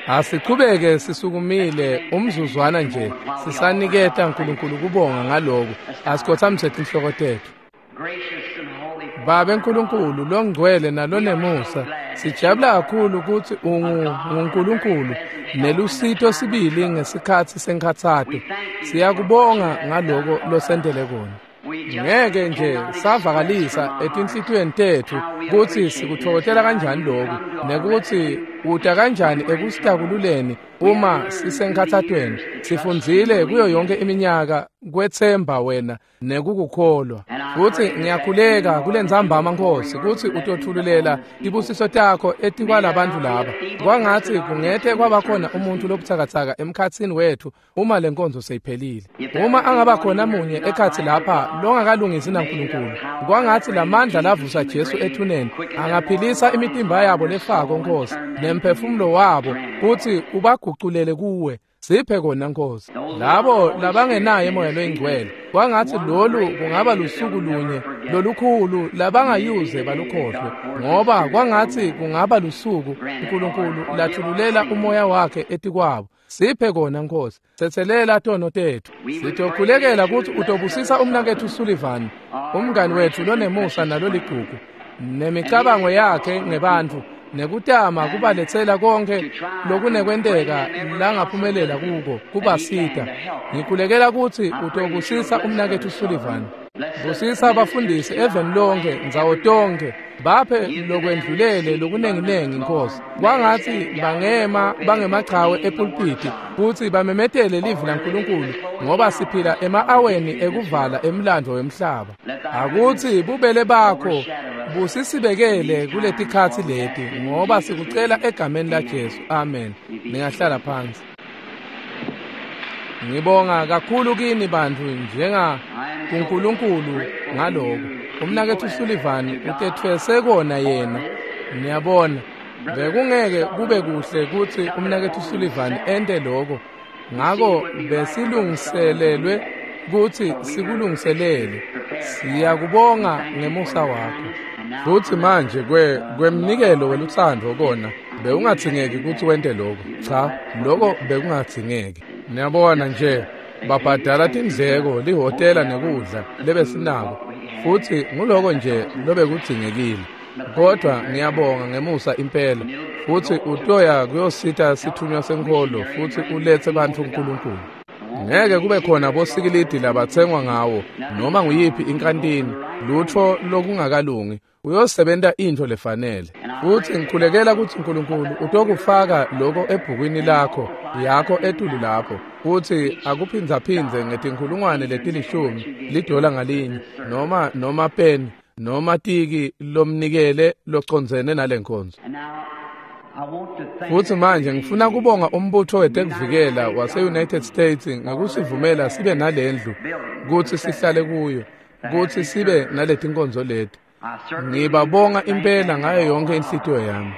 Asichubeke sisukumile umzuzwana nje sisaniketa uNkulunkulu kubonga ngaloko. Asikhothamise tinhloko tetfu. Babe Nkulunkulu longcwele nalonemusa, sijabula kakhulu ukuthi unguNkulunkulu nelusito sibili ngesikhatsi senkhatsato. Siyakubonga ngaloko losentele kona. Ngeke nje savakalisa etinhlitiyweni tetfu kutsi sikutfokotela kanjani loku nekuthi uta kanjani ekusitakululeni uma sisenkhatsatweni. Sifundzile kuyo yonke iminyaka kwetsemba wena nekukukholwa. Futsi ngiyakhuleka kulentsambama Nkosi kutsi utothululela tibusiso takho etikwalabantfu laba. Kwangatsi kungete kwabakhona umuntfu lobutsakatsaka emkhatsini wetfu uma lenkonzo seyiphelile. Uma angaba khona munye ekhatsi lapha longakalungisi naNkulunkulu, kwangatsi lamandla lavusa Jesu ethuneni angaphilisa imitimba yabo lefako Nkosi nemphefumulo wabo kutsi ubaguculele kuwe. Siphe kona Nkosi. Labo labangenaye Moya loyiNgcwele, kwangatsi lolu kungaba lusuku lunye lolukhulu labangayuze balukhohlwe, ngoba kwangatsi kungaba lusuku uNkulunkulu lathululela umoya wakhe etikwabo. Siphe kona Nkosi. Tsetselela tono tetfu. Sitokhulekela kutsi utobusisa umnaketfu Sullivan, umngani wetfu lonemusa naloligugu, nemicabango yakhe ngebantfu nekutama kubaletsela konke lokunekwenteka langaphumelela kuko kubasita. Ngikhulekela kutsi utobusisa umnaketfu Sullivan. Busisa abafundisi eveni lonke ndzawo tonke, baphe lokwendlulele lokunenginengi Nkosi. Kwangatsi bangema bangemachawe epulpiti kutsi bamemetele livi laNkulunkulu, ngoba siphila ema-aweni ekuvala emlandvo wemhlaba. Akutsi bubele bakho busisibekele kuletikhatsi leti, ngoba sikucela egameni laJesu. Amen. Ningahlala phansi. Ngibonga kakhulu kini bantfu njenga kuNkulunkulu ngaloko. Umnaketfu Sullivan utetfwese kona yena. Niyabona, bekungeke kube kuhle kutsi umnaketfu Sullivan ente loko. Ngako besilungiselelwe kutsi sikulungiselele. Siyakubonga ngemusa wakho. Futsi manje kwemnikelo welutsandvo kona bewungatsingeki kutsi wente loko. Cha, loko bekungatsingeki. Niyabona nje, babhadala tindleko, lihhotela nekudla lebesinako, futsi nguloko nje lobekudzingekile. Kodwa ngiyabonga ngemusa impela, futsi utoya kuyosita sithunywa senkholo futsi uletse bantfu uNkulunkulu. Ngeke kube khona bosikilidi labatsengwa ngawo noma nguyiphi inkantini, lutfo lokungakalungi. Uyosebenta intfo lefanele. Futsi ngikhulekela kutsi uNkulunkulu utokufaka loko ebhukwini lakho yakho etulu lapho, futsi akuphindzaphindze ngetinkhulungwane letilishumi lidola ngalinye, noma peni noma tiki lomnikele locondzene nalenkonzo. Futsi manje ngifuna kubonga umbutho wetekuvikela wase-United States ngekusivumela sibe nalendlu kutsi sihlale kuyo, kutsi sibe naletinkonzo leti. Ngibabonga impela ngayo yonke inhlitiyo yami.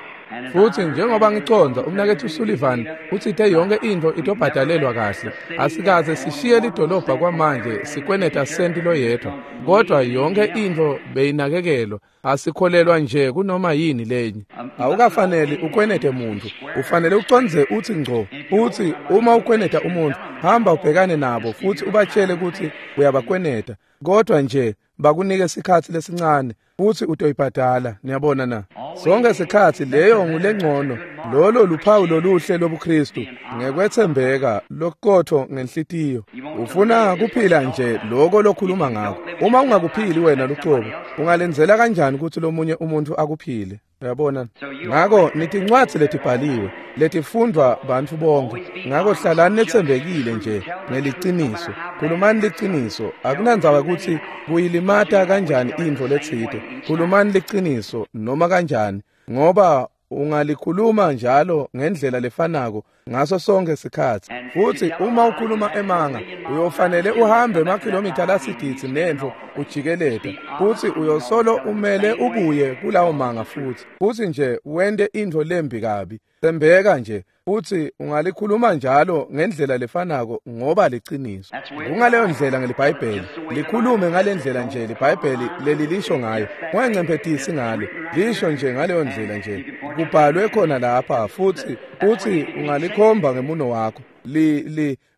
Futsi njengoba ngicondza umnaketfu Sullivan utsite yonke intfo itobhadalelwa kahle. Asikaze sishiye lidolobha kwamanje sikweneta senti loyedwa, kodwa yonke intfo beyinakekelwa. Asikholelwa nje kunoma yini lenye. Awukafaneli ukwenete muntfu, ufanele ucondze utsi ngco. Utsi uma ukweneta umuntfu, hamba ubhekane nabo futsi ubatshele kutsi uyabakweneta, kodwa nje bakunike sikhatsi lesincane futsi utoyibhadala. Niyabona na? Sonke sikhatsi leyo ngulengcono. Lolo luphawu loluhle lobuKristu, ngekwethembeka lokuqotho ngenhlitiyo. Ufuna kuphila nje loko lokhuluma ngako. Uma ungakuphili wena lucobo, ungalenzela kanjani kutsi lomunye umuntfu akuphile? Uyabona? Ngako nitincwadzi letibhaliwe letifundvwa bantfu bonke. Ngako hlalani netsembekile nje ngeliciniso. Khulumani liciniso. Akunandzaba kutsi kuyilimata kanjani intfo letsite. Khulumani liciniso noma kanjani, ngoba ungalikhuluma njalo ngendlela lefanako ngaso sonke sikhatsi. Futsi uma ukhuluma emanga, uyofanele uhambe emakhilomitha lasigidzi nentfo ujikeleta, futsi uyosolo umele ubuye kulawo manga futhi, futsi nje wente intfo lembi kabi. Tsembeka nje, futsi ungalikhuluma njalo ngendlela lefanako ngoba liciniso. Kungaleyo ndlela ngeliBhayibheli, likhulume ngalendlela nje liBhayibheli lelilisho ngayo, ungancemphetisi ngalo, lisho nje ngaleyo ndlela nje. Kubhalwe khona lapha, futsi ungalikhomba ngemuno wakho.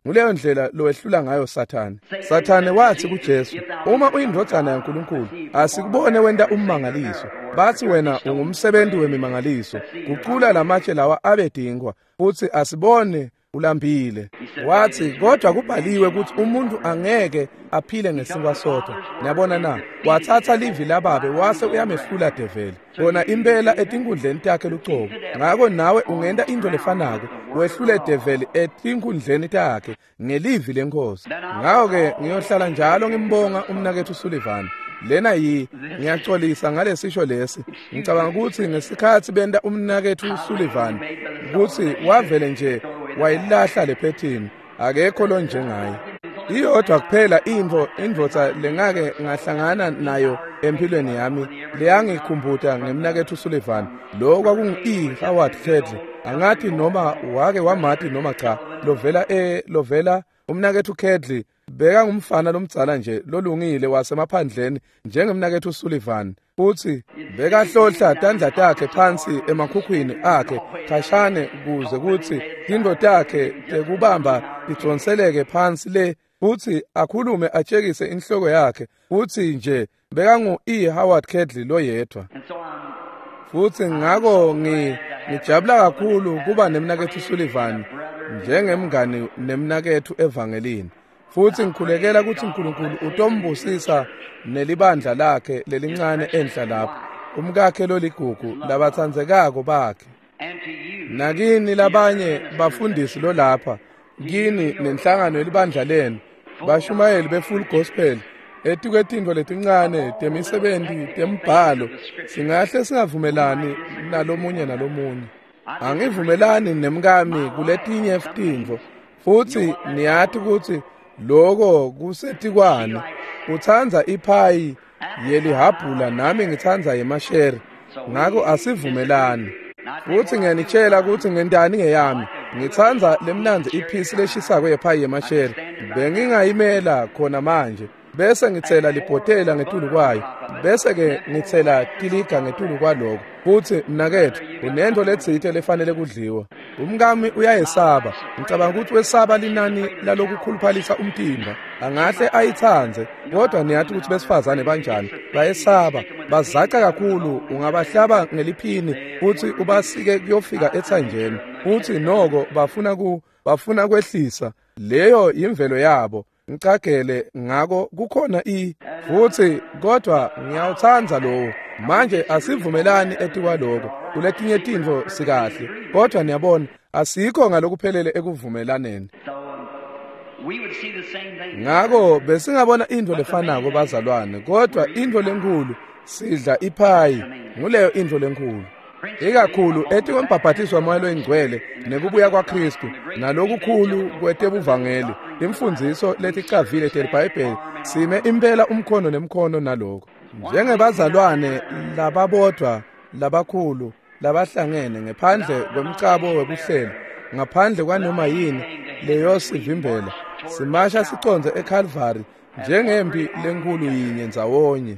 Nguleyo ndlela lowehlula ngayo Sathane. Sathane wathi kuJesu, uma uyindvodzana yaNkulunkulu, asikubone wenta ummangaliso. Bathi wena ungumsebenzi wemimangaliso, gucula lamatshe lawa abe tinkhwa, futsi asibone ulambile. Wathi, kodwa kubhaliwe ukuthi umuntu angeke aphile ngesinkwa sodwa. Niyabona na? Wathatha livi lababe wase uyamehlula develi. Kona impela etinkundleni takhe lucobo. Ngako nawe ungenta into lefanako, wehlule develi etinkundleni takhe ngelivi lenkosi. Ngako-ke ngiyohlala njalo ngimbonga umnaketfu Sullivan. Lena ngiyaxolisa ngalesisho lesi. Ngicabanga ukuthi ngesikhathi benta umnaketfu Sullivan ukuthi wavele nje wayilahla lephethini, akekho lonjengaye. Iyodwa kuphela indvodza lengake ngahlangana nayo empilweni yami leyangikhumbuta ngemnaketfu Sullivan. Lo kwakungu-E. Howard Kedley. Angathi noma wake wamati noma cha, lovela umnaketfu Kedley beka ngumfana lomdzala nje lolungile wasemaphandleni njengemnaketfu Sullivan, futsi bekahlohla tandla takhe phansi emakhukhwini akhe khashane kuze kutsi tintfo takhe tekubamba tidonseleke phansi le, futsi akhulume atshekise inhloko yakhe, futsi nje bekangu-E. Howard Kedley loyedwa. Futsi ngako ngijabula kakhulu kuba nemnaketfu Sullivan njengemngani nemnaketfu evangelini. Futsi ngikhulekela ukuthi uNkulunkulu utombusisa nelibandla lakhe lelincane enhla lapho, umkakhe loligugu, labatsandzekako bakhe. Nakini labanye bafundisi lolapha, kini nenhlangano yelibandla lenu, bashumayeli be-full gospel, etikwetintfo letincane temisebenti tembhalo, singahle singavumelani nalomunye nalomunye. Angivumelani nemkami kuletinye tintfo, futsi niyati kutsi loko kusetikwane. Utsandza iphayi yelihabhula nami ngitsandza yemashere, ngako asivumelani. Futsi ngiyanitshela ukuthi ngentani ngeyami. Ngitsandza lemnandzi iphisi leshisako yephayi yemashere, bengingayimela khona manje, bese ngitsela libhotela ngetulu kwayo, bese ke ngitsela tiliga ngetulu kwaloko. Futsi mnaketfu, unento letsite lefanele kudliwa. Umkami uyayesaba. Ngicabanga ukuthi wesaba linani lalokukhuluphalisa umtimba. Angahle ayitsandze, kodwa niyati ukuthi besifazane banjani. Bayesaba, bazaca kakhulu, ungabahlaba ngeliphini futhi ubasike kuyofika ethanjeni. Futhi noko bafuna kwehlisa. Leyo yimvelo yabo. Ngicagele ngako kukhona futhi kodwa ngiyawutsandza lowo. Manje asivumelani etikwaloko, kuletinye tintfo sikahle, kodwa niyabona asikho ngalokuphelele ekuvumelaneni. Ngako besingabona intfo lefanako bazalwane, kodwa intfo lenkhulu sidla iphayi, nguleyo intfo lenkhulu. Ikakhulu etikwembhabhatiso waMoya loyiNgcwele nekubuya kwaKhristu nalokukhulu kwetebuvangeli, imfundziso leticavile teliBhayibheli, sime impela umkhono nemkhono naloko. Njengebazalwane lababodvwa labakhulu labahlangene ngephandle kwemcabo wekuhlela, ngaphandle kwanoma yini leyosivimbela, simasha siconze eCalvary njengempi lenkhulu yinye ndzawonye.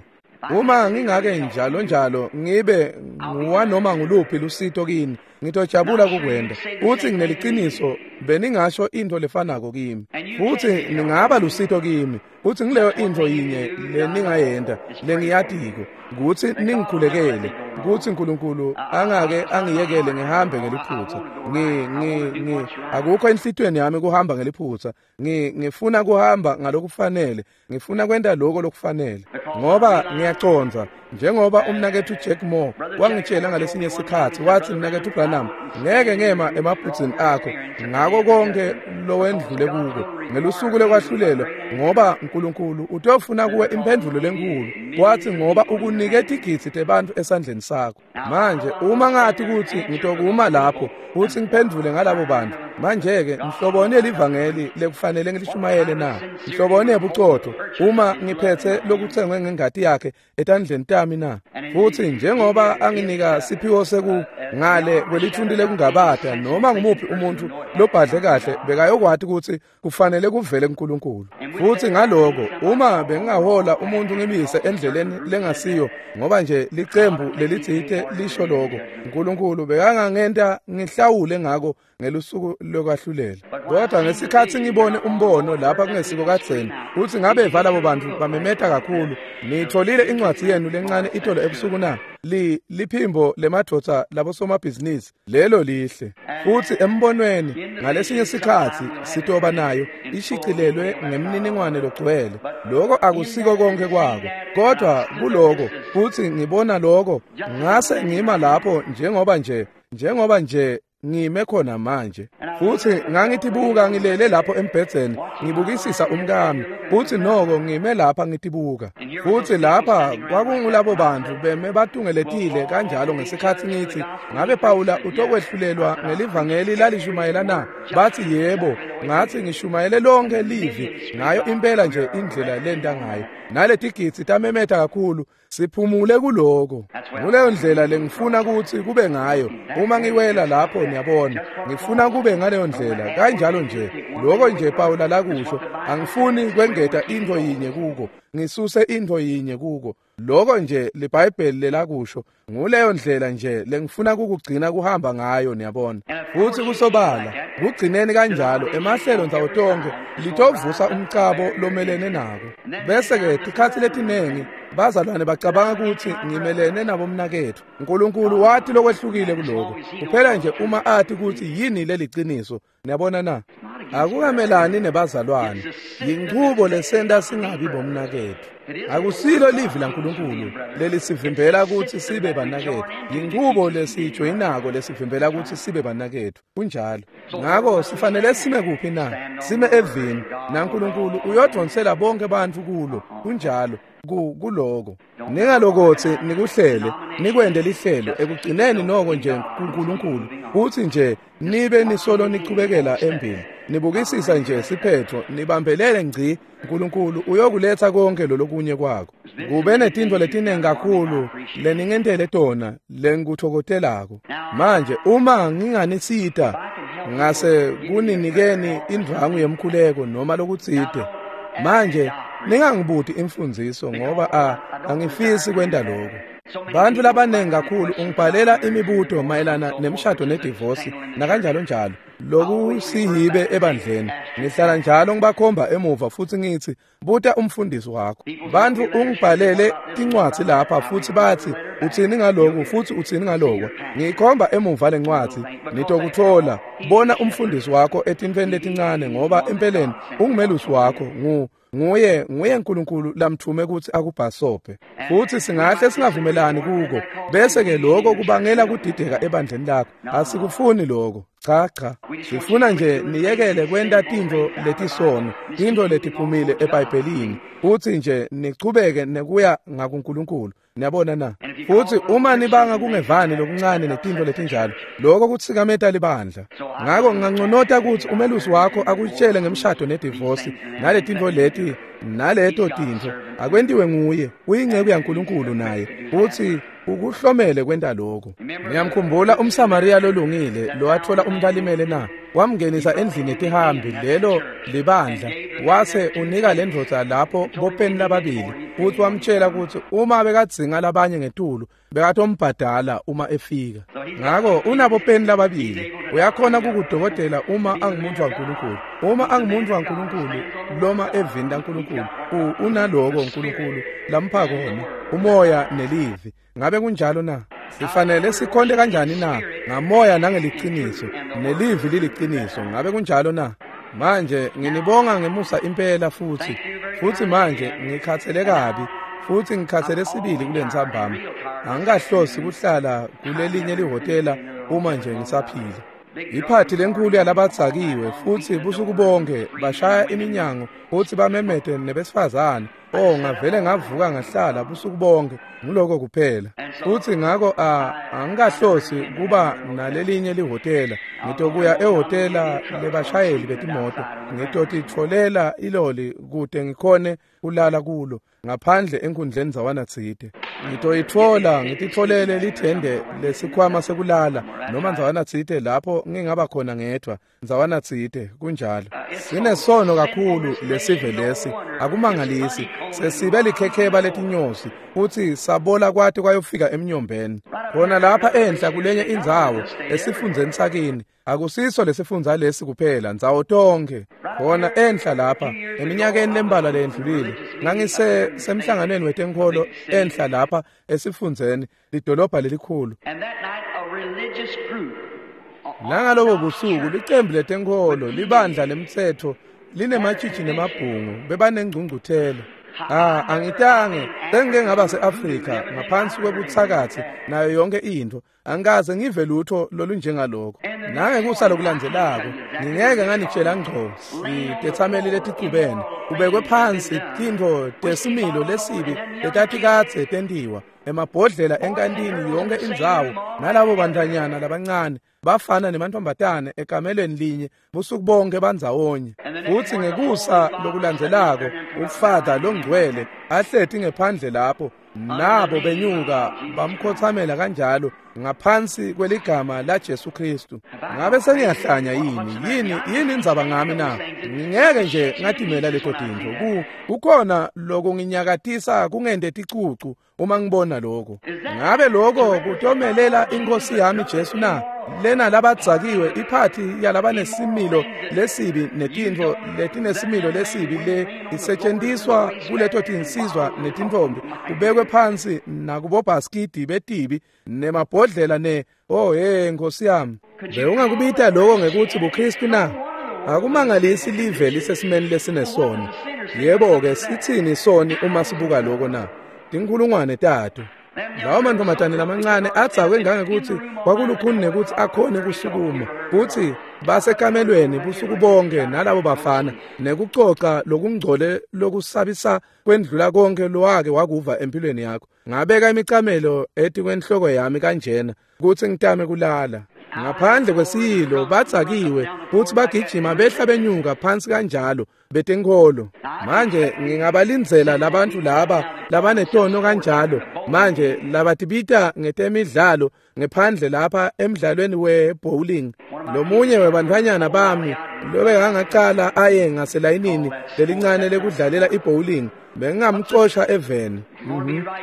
Uma ngingake njalo njalo ngibe nguwanoma nguluphi lusito kini, ngitojabula kukwenta. Futsi ngineliciniso beningasho intfo lefanako kimi, futsi ningaba lusito kimi. Futsi ngileyo intfo yinye leningayenta lengiyatiko, kutsi ningikhulekele kutsi uNkulunkulu angake angiyekele ngihambe ngeliphutsa. Akukho enhlitiyweni yami kuhamba ngeliphutsa. Ngifuna kuhamba ngalokufanele, ngifuna kwenta lokho lokufanele, ngoba ngiyacondza Njengoba umnaketfu Jack Moore wangitshela ngalesinye sikhatsi, watsi, "Mnaketfu Branham, ngeke ngema emabhudzini akho ngako konke lowendlule kuko ngelusuku lekwahlulelwa, ngoba uNkulunkulu utofuna kuwe imphendvulo lenkulu." Wathi, "Ngoba ukunike tigidzi tebantfu esandleni sakho." Manje uma ngathi kutsi ngitokuma lapho futhi ngiphendvule ngalabo bantu, manje-ke mhloboni yelivangeli lekufanele ngilishumayele na? Mhloboni yebucotho uma ngiphetse lokutsengwe ngengati yakhe etandleni tami na? Futhi njengoba anginika siphiwo seku ngale kwelithunti lekungabata, noma ngumuphi umuntu lobhadle kahle bekayokwati ukuthi kufanele kuvele kuNkulunkulu. Futhi ngaloko uma bengingahola umuntu ngimise endleleni lengasiyo ngoba nje licembu lelitsite lisho lokho, uNkulunkulu bekangangenta ngihlawule ngako ngelusuku lokwahlulela. Kodwa ngesikhatsi ngibone umbono lapha kungesiko kadzeni, utsi ngabe labo bantu bamemeta kakhulu. Niyitfolile incwadzi yenu lencane itolo ebusuku na? Liphimbo lemadvodza labosomabhizinisi lelo lihle. Futhi embonweni ngalesinye sikhatsi sitoba nayo ishicilelwe ngemniningwane logcwele. Lokho akusiko konke kwako, kodwa kuloko futhi ngibona lokho ngase ngima lapho njengoba nje ngime khona manje. Futhi ngangitibuka ngilele lapho embhedzeni ngibukisisa umkami, futhi noko ngime lapha ngitibuka. Futhi lapha kwakungulabo bantu beme batungeletile kanjalo ngesikhatsi ngithi, "Ngabe Pawula utokwehlulelwa ngelivangeli lalishumayela na?" Bathi, "Yebo." Ngathi, "Ngishumayele lonke livi ngayo impela nje indlela lenta ngayo." Naletigidzi tamemeta kakhulu, siphumule kuloko. Kuleyo ndlela lengifuna ukuthi kube ngayo uma ngiwela lapho, niyabona. Ngifuna kube ngaleyo ndlela kanjalo nje. Lokho nje Pawula lakusho, angifuni kwengeta into yinye kuko, ngisuse into yinye kuko. Lokho nje liBhayibheli lelakusho, nguleyo ndlela nje lengifuna kukugcina kuhamba ngayo, niyabona. Futhi kusobala kugcineni kanjalo emahlelo ndzawo tonke litovusa umcabo lomelene nako. Bese-ke tikhatsi letinengi bazalwane bacabanga ukuthi ngimelene nabo mnaketfu. uNkulunkulu wathi lokwehlukile kuloko kuphela nje uma athi ukuthi yini leliciniso, niyabona na? Akukamelani nebazalwane, yinchubo lesenta singabi bomnaketfu. Akusilo livi laNkulunkulu lelisivimbela ukuthi sibe banaketfu, yinchubo lesijoyinako lesivimbela ukuthi sibe banaketfu. Kunjalo. Ngako sifanele sime kuphi na? Sime evini, naNkulunkulu uyodvonsela bonke bantfu kulo. Kunjalo. Kuloko ningalokotsi nikuhlele nikwende lihlelo ekugcineni noko nje kuNkulunkulu, kuthi nje nibe nisolo nichubekela embili nibukisisa nje siphetho nibambelele ngci. uNkulunkulu uyokuletha konke lolokunye kwakho. Kube netintfo letinengi kakhulu leningentele tona lengikuthokotelako. Manje uma nginganisita ngase kuninikeni indvangu yemkhuleko noma lokutsite, manje ningangibuti imfundziso ngoba angifisi kwenta lokho. Bantu labanengi kakhulu ungibhalela imibuto mayelana nemshado nedivosi nakanjalo njalo lokusihibe ebandleni. Ngihlala njalo ngibakhomba emuva futhi ngithi, "Buta umfundisi wakho." Bantu ungibhalele tincwadzi lapha futhi bathi, "Uthini ngalokhu futhi uthini ngaloko?" Ngiyikhomba emuva lencwadzi, nitokuthola. Bona umfundisi wakho etintfweni letincane ngoba empeleni ungumelusi wakho, nguye uNkulunkulu lamthume ukuthi akubhasope. Futhi singahle singavumelani kuko, bese ke lokho kubangela kudideka ebandleni lakho. Asikufuni lokho. Cha cha, sifuna nje niyekele kwenta tintfo letisono, tintfo letiphumile eBhayibhelini, futhi nje nichubeke nekuya ngakuNkulunkulu. Niyabona na? Futhi uma nibanga kungevani lokuncane netintfo letinjalo, lokho kutsikameta libandla. Ngako nginganconota ukuthi umelusi wakho akutshele ngemshado nedivosi naletintfo leti naleto tintfo akwentiwe nguye, uyinceku yaNkulunkulu naye, futhi ukuhlomele kwenta lokho. Ngiyamkhumbula umSamariya lolungile lowathola umuntu alimele na? Wamngenisa endlini yetihambi, lelo libandla, wase unika le ndvodza lapho bopeni lababili, futhi wamtshela ukuthi uma bekadzinga labanye ngetulu bekatombhadala uma efika. Ngako unabopeni lababili, uyakhona kukudokotela uma angumuntu waNkulunkulu. Uma angumuntu waNkulunkulu loma evini laNkulunkulu, unaloko uNkulunkulu lampha kona, umoya nelivi. Ngabe kunjalo na? Sifanele sikhonte kanjani na? Ngamoya nangeliciniso, nelivi liliciniso. Ngabe kunjalo na? Manje nginibonga ngemusa impela futhi manje ngikhathele kabi. Futsi ngikhathele sibili kulentsambama. Angikahlosi kuhlala kulelinye lihhotela uma nje ngisaphila. Iphathi lenkulu yalabadzakiwe futsi busuku bonke bashaya iminyango futsi bamemete nebesifazane. Oh, ngavele ngavuka ngahlala busuku bonke, nguloko kuphela. Futsi ngako angikahlosi kuba nalelinye lihhotela. Ngitokuya ehhotela lebashayeli betimoto. Ngitotitfolela iloli kute ngikhone kulala kulo ngaphandle enkundleni zawana tsite. Ngitoyitfola ngititfolele lithende lesikhwama sekulala noma ndzawana tsite lapho ngingaba khona ngedvwa ndzawana tsite kunjalo. Sinesono kakhulu lesive lesi, akumangalisi sesibe likhekheba letinyosi futsi sabola kwati kwayofika emnyombeni. Khona lapha enhla kulenye indzawo esifundzeni sakini, akusiso lesifundza lesi kuphela, ndzawo tonkhe. Khona enhla lapha eminyakeni lembalwa leyendlulile ngangisemhlanganweni wetenkholo enhla lapha esifundzeni lidolobha lelikhulu. Nangalobo busuku licembu letenkholo libandla lemtsetfo linematshitshi nemabhungu bebanengcungcuthela. Angitange sengike ngaba se-Afrika ngaphansi kwebuthakathi nayo yonke intfo. Angikaze ngive lutho lolunjengaloko. Nangekusa lokulandzelako ngingeke nganitshela ngco sitethameli leticubene kubekwe phansi tintfo tesimilo lesibi letatikadze tentiwa emabhodlela enkantini yonke indzawo, nalabo bantfwanyana labancane bafana nemantfombatane ekamelweni linye busuku bonke bandzawonye. Futsi ngekusa lokulandzelako ufada longcwele ahleti ngephandle lapho nabo benyuka bamkhothamela kanjalo ngaphansi kweligama la Jesu Kristu. Ngabe sengiyahlanya yini? Yini indzaba ngami na? Ngingeke nje ngatimela leto tintfo. Kukhona lokunginyakatisa kungente ticucu uma ngibona lokho. Ngabe lokho kutomelela inkosi yami Jesu na? Lena labadzakiwe iphathi yalabanesimilo lesibi netintfo letinesimilo lesibi le isetshenziswa kuleto tinsizwa netintfombi kubekwe phansi nakubobhaskidi betibi nemabhodlela ne oh hey nkosi yami. Bewungakubita lokho ngekuthi buKristu na? Akumangalisi live lisesimeni lesinesono. Yebo-ke sithini soni uma sibuka lokho na? Tinkhulungwane tato. Lawo mantfombatane lamancane adzakwe ngangekuthi kwakulukhuni nekuthi akhone kusukuma, futsi basekamelweni busuku bonke nalabo bafana nekucoca lokungcole lokusabisa kwendlula konke lowake wakuva empilweni yakho. Ngabeka imicamelo etikwenhloko yami kanjena kutsi ngitame kulala. Ngaphandle kwesiyilo badzakiwe futsi bagijima behla benyuka phansi kanjalo betenkholo. Manje ngingabalindzela labantu laba labanetono kanjalo manje labatibita ngetemidlalo ngephandle lapha emidlalweni we-bowling. Lomunye webantfwanyana bami lobekangacala aye ngaselayinini lelincane lekudlalela i-bowling bengingamcosha eveni.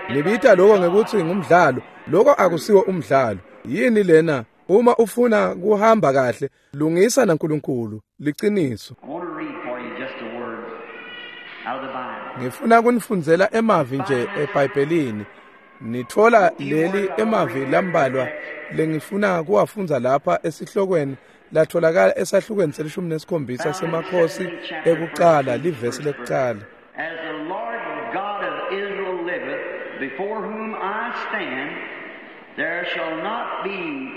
Nibita lokho ngekuthi ngumdlalo, lokho akusiwo umdlalo. Yini lena? Uma ufuna kuhamba kahle lungisa naNkulunkulu liciniso. Ngifuna kunifundzela emavi nje eBhayibhelini. Nitfola leli emavi lambalwa lengifuna kuwafundza lapha esihlokweni latholakala esahlukweni se-17 semakhosi ekucala livesi lekucala. As the Lord God of Israel liveth, before whom I stand, there shall not be.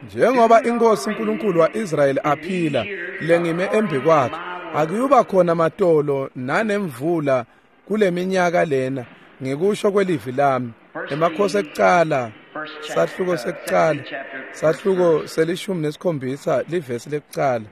Njengoba inkosi uNkulunkulu wa-Israyeli aphila lengime embi kwakhe, akuyuba khona matolo nanemvula kuleminyaka lena ngekusho kwelivi lami. Emakhosi ekucala sahluko sekucala sahluko se-17 livesi lekucala.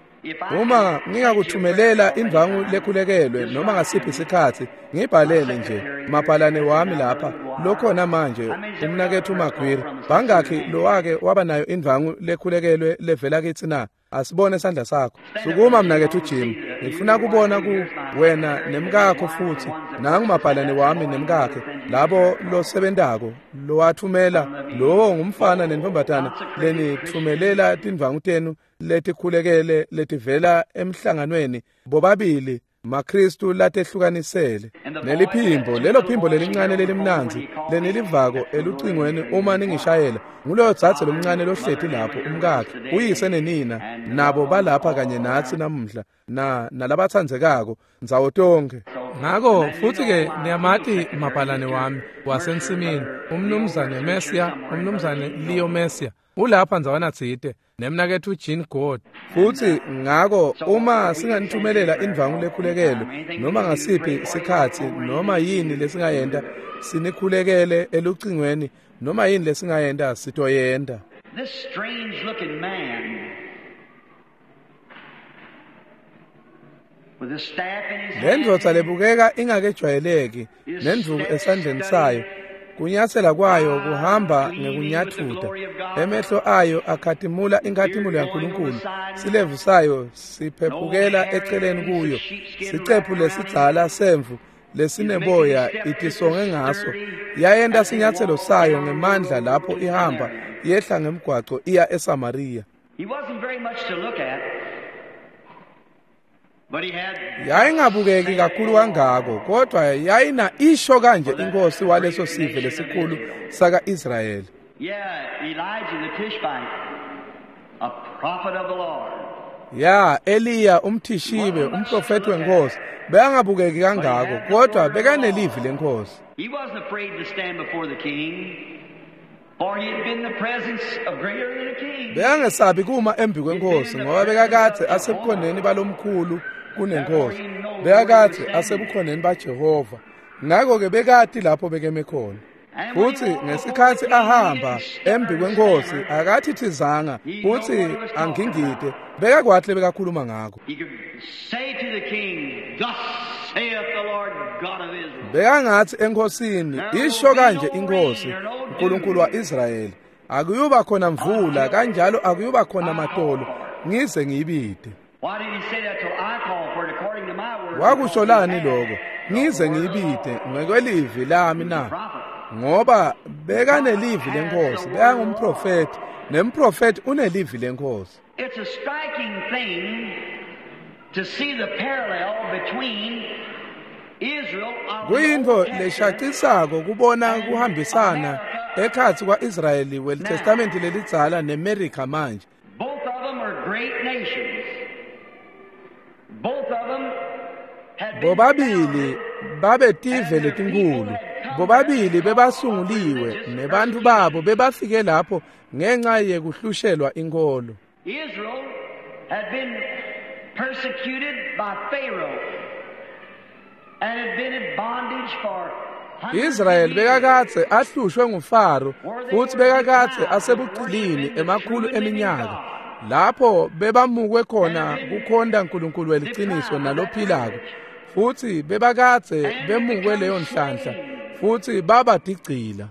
Uma ngingakuthumelela indvangu lekhulekelwe noma ngasiphi isikhathi ngibhalele nje mabhalane wami lapha lokhona manje umnakethu Magwiri bangakhi lowake waba nayo indvangu lekhulekelwe levela kithi na? Asibone isandla sakho. Sukuma mnakethu Jim, ngifuna kubona ku wena nemkakho futhi nangu mabhalane wami nemkakhe labo losebentako lowathumela lowo ngumfana nentombatana lenithumelela tindvangu tenu letikhulekele letivela emhlanganweni bobabili maKristu latehlukanisele. Neliphimbo lelo phimbo lelincane lelimnandzi lenilivako elucingweni uma ningishayela nguloyo dzadze lomncane lohleti lapho umkakhe uyise nenina nabo balapha kanye natsi namuhla na nalabatsandzekako ndzawo tonkhe. Ngako futhi-ke niyamati mabhalane wami wasensimini, umnumzane Messia, umnumzane Leo Messia, ulapha ndzawana tsite nemnaketfu Jean God. Futhi ngako uma singanithumelela indvangu lekhulekelo noma ngasiphi sikhatsi noma yini lesingayenta sinikhulekele elucingweni noma yini lesingayenta sitoyenta. This strange looking man with a staff in his Le ndvodza hand, lebukeka ingakejwayeleki nendvuku esandleni sayo, kunyatsela kwayo kuhamba ngekunyatfuta, emehlo ayo akhatimula inkhatimulo yaNkulunkulu, silevu sayo siphephukela eceleni kuyo, sicephu lesidzala semvu lesineboya itisonge ngaso, yayenta sinyatselo sayo ngemandla lapho ihamba yehla ngemgwaco iya eSamariya. He wasn't very much to look at, but he had Yayingabukeki kakhulu kangako, kodwa yayina isho kanje inkosi waleso sive lesikhulu saka-Israyeli. Yeah, Elijah the Tishbite, a prophet of the Lord. Ya, Eliya umthishibe, umprofeti wenkosi, bekangabukeki kangako, kodwa bekanelivi lenkosi. He wasn't afraid to stand before the king, for he had been in the presence of greater than a king. Bekangesabi kuma embi kwenkosi ngoba bekakadze asebukhoneni balomkhulu kunenkosi. Bekakadze asebukhoneni baJehova. Ngakho-ke bekati lapho bekeme khona. Futhi ngesikhatsi ahamba embi kwenkosi akathithizanga futhi angingide, bekakwati lebekakhuluma ngako. He could say to the king, "Thus saith the Lord God of Israel." Bekangathi enkosini, isho kanje inkosi, uNkulunkulu wa-Israyeli, akuyuba khona mvula kanjalo akuyuba khona matolo ngize ngiyibide. Why did he say that till I call for it according to my word? Wakusho lani lokho? Ngize ngiyibide ngekwelivi lami na? Ngoba bekanelivi lenkosi, bekangumprofeti, nemprofeti unelivi lenkosi. It's a striking thing to see the parallel between Israel of the Kuyintfo Old Testament leshacisako kubona kuhambisana ekhatsi kwa-Israyeli welitestamenti lelidzala neMerika manje. Both of them are great nations. Both of them had been Bobabili founded babetive letinkhulu. Bobabili bebasunguliwe nebantfu babo bebafike lapho ngenxa yekuhlushelwa inkholo. Israel had been persecuted by Pharaoh and had been in bondage for hundreds of Israyeli years. bekakadze ahlushwe nguFaro futhi bekakadze asebugqilini emakhulu eminyaka lapho bebamukwe khona kukhonta uNkulunkulu weliciniso nalophilako, futhi bebakadze bemukwe leyo nhlanhla futhi baba tigcila.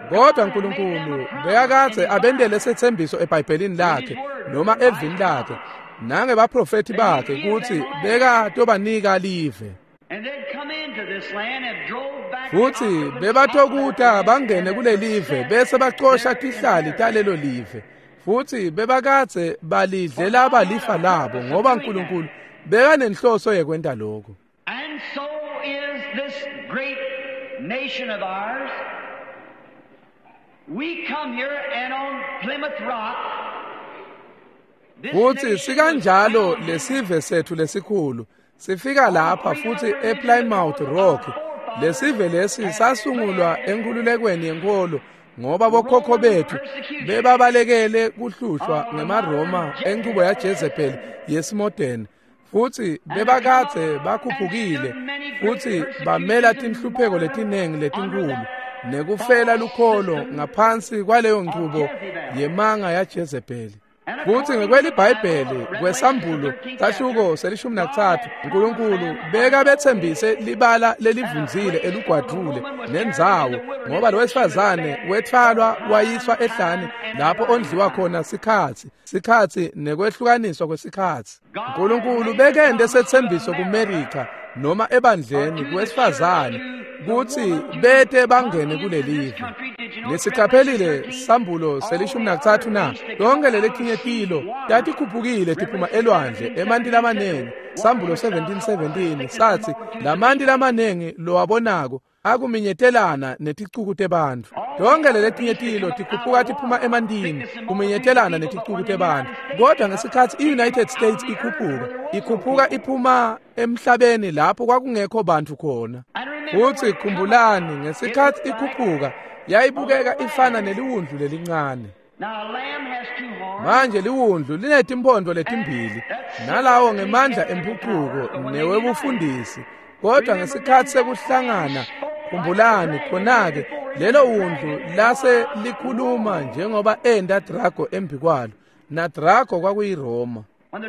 Kodwa uNkulunkulu bekakadze abendele setsembiso eBhayibhelini lakhe noma evini lakhe nangebaprofeti bakhe kutsi bekatobanika live. And they'd come into this land and drove back the Futhi occupants bebatokuta of that land bangene and kulelive set bese bacosha their tihlali talelo live. Futhi bebakadze balidlela balifa labo ngoba uNkulunkulu bekanenhloso yekwenta lokho. And so is this great nation of ours. We come here and on Plymouth Rock, this Futhi nation was sikanjalo founded lesive sethu lesikhulu sifika lapha futhi ePlymouth Rock. Lesive lesi sasungulwa enkululekweni yenkolo ngoba bokhokho bethu bebabalekele kuhlushwa ngemaRoma enchubo yaJezebel yesimodeni, futhi bebakadze bakhuphukile futhi bamela tinhlupheko letiningi letinkulu nekufela lukholo ngaphansi kwaleyo nchubo yemanga yaJezebeli. Futhi ngekweliBhayibheli kwesambulo sahluko se-13 uNkulunkulu beka bethembise libala lelivunzile elugwadvule nendzawo, ngoba lo wesifazane wethwalwa wayiswa ehlane lapho ondliwa khona sikhatsi nekwehlukaniswa kwesikhatsi. uNkulunkulu bekende setsembiso kuMerika noma ebandleni kuwesifazane kutsi bete bangene kulelive. Nisiqaphelile sambulo se-13 na? Lonke leletinye tilo tatikhuphukile tiphuma elwandle emanti lamanengi. Sambulo 17:17 sathi lamanti lamanengi lowabonako akuminyetelana neticuku tebantfu. Tonke leletinye tilo tikhuphuka tiphuma emantini kuminyetelana neticuku tebantfu. Kodwa ngesikhatsi i-United States ikhuphuka iphuma emhlabeni lapho kwakungekho bantfu khona. Futsi khumbulani, ngesikhatsi ikhuphuka yayibukeka ifana neliwundlu lelincane. Manje liwundlu linetimpondo letimbili, nalawo ngemandla emphucuko newebufundisi. Kodwa ngesikhatsi sekuhlangana, khumbulani khona-ke lelo wundlu lase likhuluma njengoba enda Drago embikwalo, na Drago kwakuyiRoma.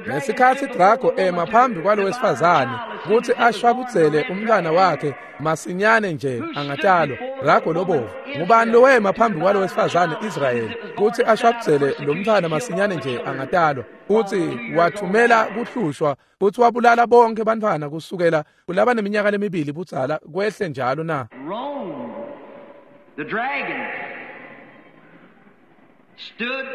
Ngesikhatsi Drago ema phambi kwalo wesifazane kutsi ashwabudzele umntwana wakhe masinyane nje angatalwa, Drago lobovu. Ngubani lowema phambi kwalo wesifazane Israyeli kutsi ashwabudzele lo mntwana masinyane nje angatalwa? Futsi wathumela kuhlushwa futsi wabulala bonke bantfwana kusukela kulaba neminyaka lemibili budzala kwehle njalo na. Rome, the dragon, stood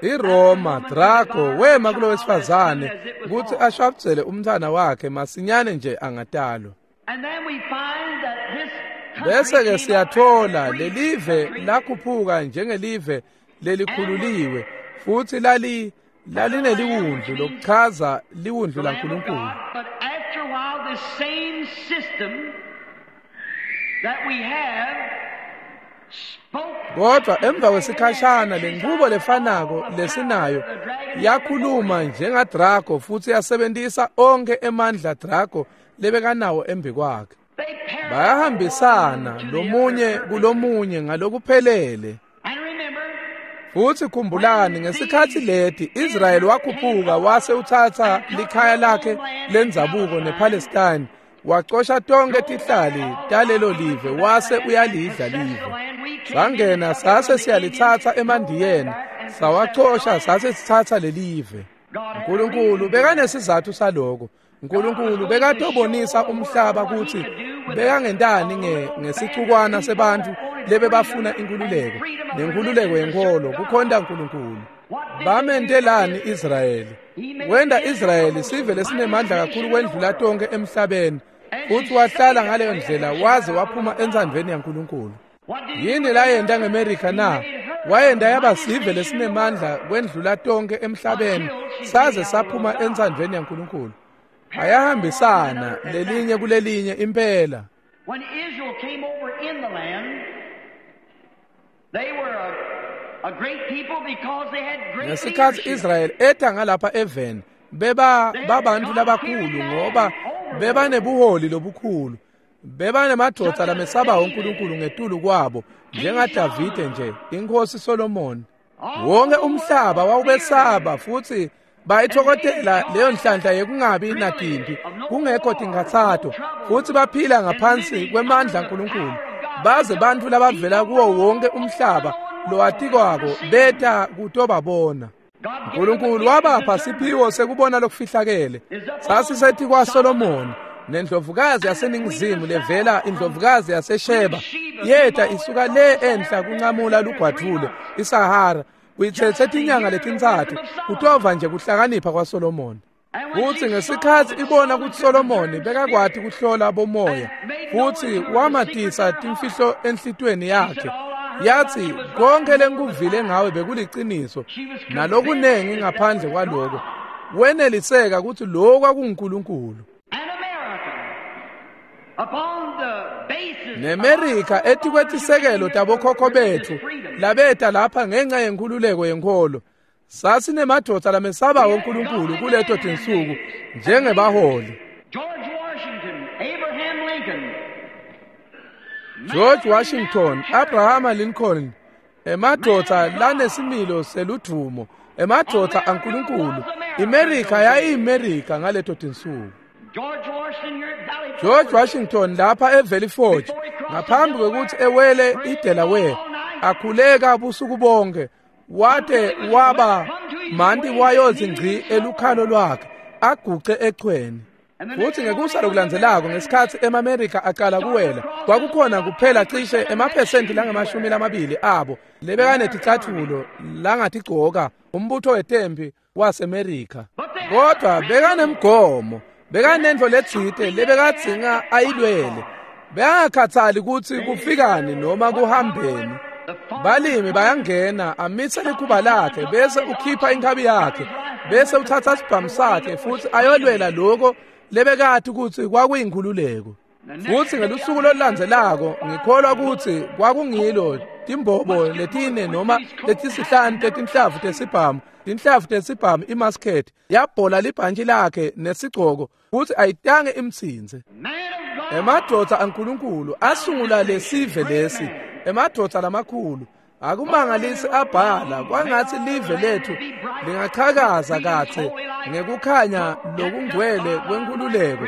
iRoma, Drago wema kulo wesifazane kutsi ashwabudzele umntwana wakhe masinyane nje angatalwa. And then we find that this country Bese ke came siyathola up as a free lelive country. lakhuphuka njengelive lelikhululiwe, futhi lalineliwundlu lokuchaza liwundlu The Lamb of laNkulunkulu. God. But after a while, the same system that we have spoke. Kodwa emva kwesikhashana lenkubo lefanako lesinayo yakhuluma njengaDrago futsi yasebentisa onke emandla Drago lebekanawo embikwakhe. They parallel Bayahambisana one to the lomunye other. kulomunye ngalokuphelele. And remember, Futsi khumbulani, ngesikhatsi leti Israyeli wakhuphuka wase utsatsa likhaya lakhe lendzabuko nePalestine, wacosha tonke tihlali talelo live wase uyalidla live. Sangena sase siyalitsatsa emandiyeni, sawacosha sase sitsatsa lelive. uNkulunkulu bekanesizathu saloko. uNkulunkulu bekatobonisa umhlaba kutsi bekangentani ngesicukwana sebantfu lebebafuna inkhululeko, nenkhululeko yenkholo kukhonta uNkulunkulu. Bamentelani Israyeli? Wenda Israyeli sive lesinemandla kakhulu kwendlula tonke emhlabeni, futsi wahlala ngaleyo ndlela waze waphuma entsandvweni yaNkulunkulu. Yini layenta ngeMerika na? Wayenta yaba sive lesinemandla kwendlula tonke emhlabeni, saze saphuma entsandvweni yaNkulunkulu. Ayahambisana lelinye kulelinye impela. When Israel came over in the land, they were a great people because they had great Ngesikhatsi leadership. Israel eta ngalapha eveni, beba babantu labakhulu ngoba bebanebuholi lobukhulu. Bebanemadvodza lamesabayo uNkulunkulu ngetulu kwabo, njengaDavide nje, inkosi Solomon. Wonke umhlaba wawubesaba futsi bayithokotela leyo nhlanhla yekungabi natimpi, kungekho tinkhatsato, futsi baphila ngaphansi kwemandla aNkulunkulu. Baze bantfu labavela kuwo wonke umhlaba lowatikwako beta kutobabona. uNkulunkulu wabapha siphiwo sekubona lokufihlakele. Sasisetikwa Solomon nendlovukazi yaseningizimu levela indlovukazi yaseSheba yeta isuka le enhla kunqamula lugwadvule iSahara, kuyitsetse tinyanga letintsatfu kutova nje kuhlakanipha kwaSolomon. Futsi ngesikhatsi ibona kutsi Solomoni bekakwati kuhlola bomoya futsi wamatisa timfihlo enhlitiyweni yakhe, yathi konke lengikuvile ngawe bekuliciniso nalokunengi ngaphandle kwaloko. Weneliseka kutsi lokhu kwakunguNkulunkulu. And America, upon the basis NeMerika etikwetisekelo tabokhokho betfu labeta lapha ngenxa yenkhululeko yenkholo, sasinemadvodza lamesabayo uNkulunkulu kuleto tinsuku njengebaholi. George Washington, Abraham Lincoln, George Washington, Abraham Lincoln, emadvodza lanesimilo seludvumo, emadvodza aNkulunkulu. IMerika yayiyiMerika ngaleto tinsuku. George Washington here at Valley George Forge. Washington lapha eValley Forge, ngaphambi kwekutsi ewele iDelaware, akhuleka busuku bonke, wate waba manti wayozi ngci elukhalo lwakhe, aguce echweni. Futsi ngekusa lokulandzelako ngesikhatsi emaMerika aqala kuwela, kwakukhona kuphela cishe emaphesenti langama-20 abo lebekaneticatfulo langatigcoka umbutho wetempi waseMerika. Kodwa bekanemgomo, bekanentfo letsite lebekadzinga ayilwele. Bengakhathali kutsi kufikani noma kuhambeni. Balimi bayangena amitse likhuba lakhe bese ukhipha inkhabi yakhe bese uthatha sibhamu sakhe futsi ayolwela lokho lebekati kutsi kwakuyinkhululeko. Futsi ngelusuku lolulandzelako ngikholwa kutsi kwakungilo timbobo letine noma letisihlanu tetinhlavu tesibhamu, tinhlavu tesibhamu imusket yabhola libhantshi lakhe nesigcoko futsi ayitange imtsinze. Emadvodza aNkulunkulu asungula lesive lesi, emadvodza lamakhulu. Akumangalisi abhala kwangatsi live lethu lingachakaza katse ngekukhanya lokungcwele kwenkhululeko.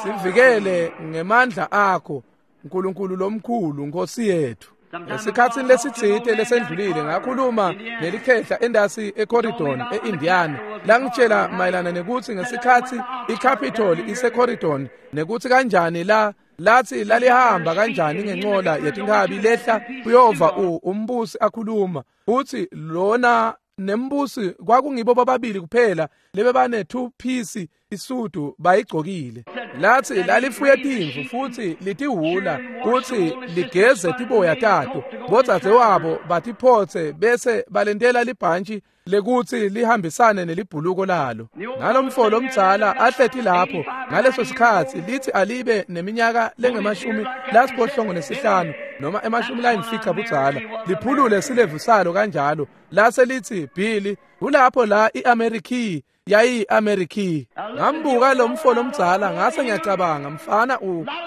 Sivikele ngemandla akho Nkulunkulu lomkhulu Nkosi yethu. Esikhatsini lesitsite lesendlulile ngakhuluma nelikhehla endasi eCorridon eIndiana langitshela mayelana nekutsi ngesikhatsi iCapitol iseCorridon nekutsi kanjani la lathi lalihamba kanjani ngencola yetinkhabi lehla kuyova umbusi akhuluma futsi lona nembusi kwakungibo bababili kuphela lebebane 2 piece isudu bayigcokile. Lathi lalifuye timvu futsi litihhula kutsi ligeze tiboya tato, bodzadzewabo batiphotse bese balentela libhantshi lekutsi lihambisane nelibhuluko lalo. Nalomfo lomdzala ahleti lapho ngaleso sikhatsi lithi alibe neminyaka lengama-75 noma 50 budzala, liphulule silevu salo kanjalo lase lithi Billy kulapho la iAmerica yayi-America. Ngambuka lo mfo lomdzala ngase ngiyacabanga, mfana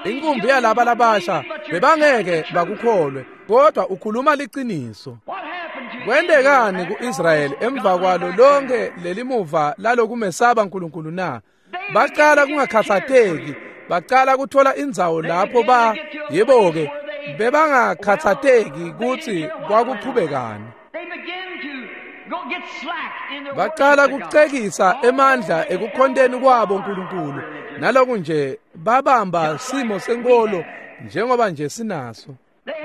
inkumbi yalaba labasha bebangeke bakukholwe, kodwa ukhuluma liqiniso. Kwentekani ku-Israyeli emva kwalo lonke lelimuva lalokumesaba uNkulunkulu na? Baqala kungakhathateki, baqala kuthola indzawo lapho ba yebo-ke bebangakhathateki kutsi kwakuqhubekani. Baqala kucekisa emandla ekukhonteni kwabo uNkulunkulu, naloku nje babamba simo senkolo njengoba nje sinaso.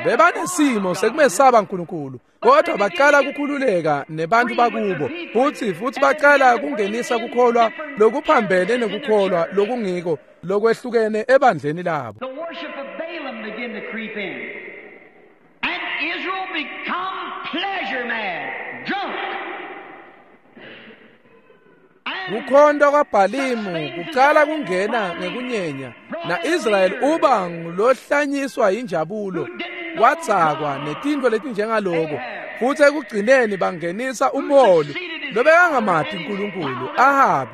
Bebanesimo sekumesaba uNkulunkulu, kodwa baqala kukhululeka nebantu bakubo futhi baqala kungenisa kukholwa lokuphambene nekukholwa lokungiko lokwehlukene ebandleni labo. The worship of Balaam began to creep in. And Israel become pleasure mad, drunk. Kukhonta kwaBhalimu kucala kungena ngekunyenya, na-Israyeli uba ngulohlanyiswa injabulo, wadzakwa netintfo letinjengaloko, futsi ekugcineni bangenisa umholi lobekangamati uNkulunkulu, Ahabi,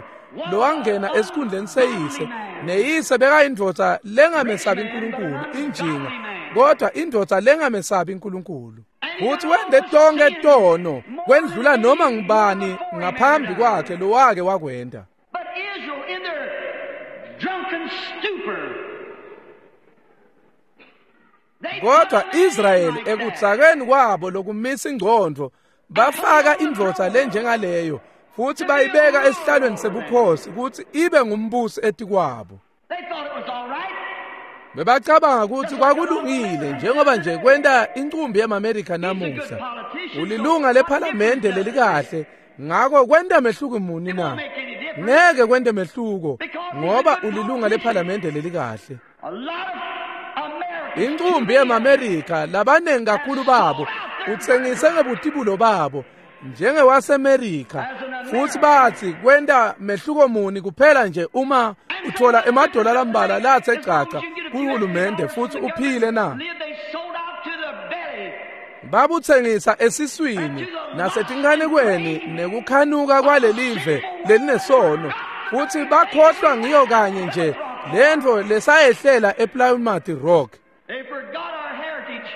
lowangena esikhundleni seyise, neyise bekayindvodza lengamesabi uNkulunkulu, injinga, kodwa indvodza lengamesabi uNkulunkulu. Futhi wente tonke tono kwendlula noma ngubani ngaphambi kwakhe lowake wakwenta. But Israel in their drunken stupor, Kodwa Israyeli ekudzakeni kwabo lokumisa ingcondvo bafaka indvodza lenjengaleyo futhi bayibeka esihlalweni sebukhosi kutsi ibe ngumbusi etikwabo. They thought it was all right. Bebacabanga kutsi kwakulungile njengoba nje kwenta incumbi yemaMerika namuhla. Ulilunga lephalamende lelikahle, ngako kwenta mehluko muni na? Ngeke kwente mehluko ngoba ulilunga lephalamende lelikahle. A lot of Americans Incumbi yemaMerika labanengi kakhulu babo utsengise ngebutibulo babo njengewaseMerika, futhi bathi kwenta mehluko muni kuphela nje uma uthola emadola lambalwa lathe caca kuhulumende futhi uphile na? live, they sold out to the belly. Babutsengisa esiswini nasetinkanikweni nekukhanuka kwalelive lelinesono, futhi bakhohlwa ngiyo kanye nje lentfo lesayehlela ePlymouth Rock. They forgot our heritage.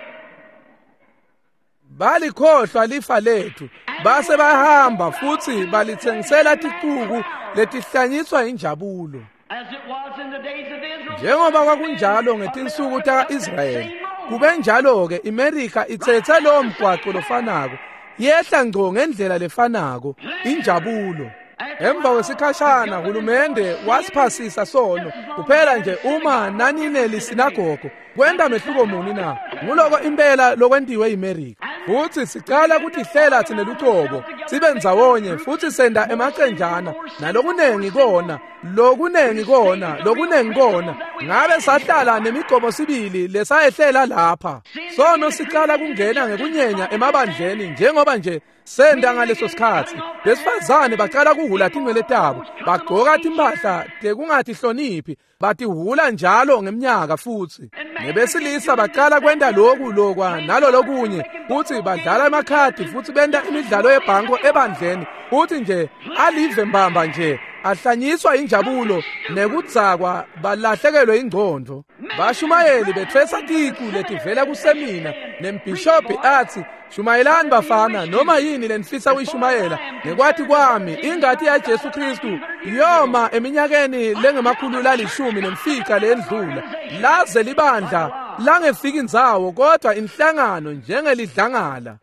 Balikhohlwa lifa lethu base bahamba futhi balithengisela ticuku letihlanyiswa injabulo. As it was in the days of Israel. Njengoba kwakunjalo ngetinsuku taka-Israyeli, kube njalo-ke iMerika ithethe lowo mgwaqo lofanako, yehla ngco ngendlela lefanako, injabulo. Emva kwesikhashana hulumende wasiphasisa sono kuphela nje uma nanineli sinagogo kwenta mehluko muni na? Nguloko impela lokwentiwe yiMerika. Futhi sicala kutihlela thina lucobo sibe ndzawonye futhi senda emacenjana nalokunengi kona, lokunengi kona, lokunengi kona. Ngabe sahlala nemigomo sibili lesayehlela lapha. Sono sicala kungena ngekunyenya emabandleni njengoba nje senda ngaleso sikhatsi. Besifazane bacala kuhula tinwele tabo, bagcoka timphahla tekungatihloniphi, batihula njalo ngeminyaka futsi. Nebesilisa bacala kwenta loku lokwa nalolokunye, futsi badlala emakhadi futhi benta imidlalo yebhanko ebandleni, futhi nje alive mbamba nje ahlanyiswa injabulo nekudzakwa balahlekelwe ingqondo. Bashumayeli bethwesa ticu letivela kusemina, nembhishobhi athi, "Shumayelani bafana, noma yini lenifisa kuyishumayela. Ngekwati kwami ingati yaJesu Kristu yoma eminyakeni lengama-115 lendlula, laze libandla langefika indzawo kodwa inhlangano njengelidlangala."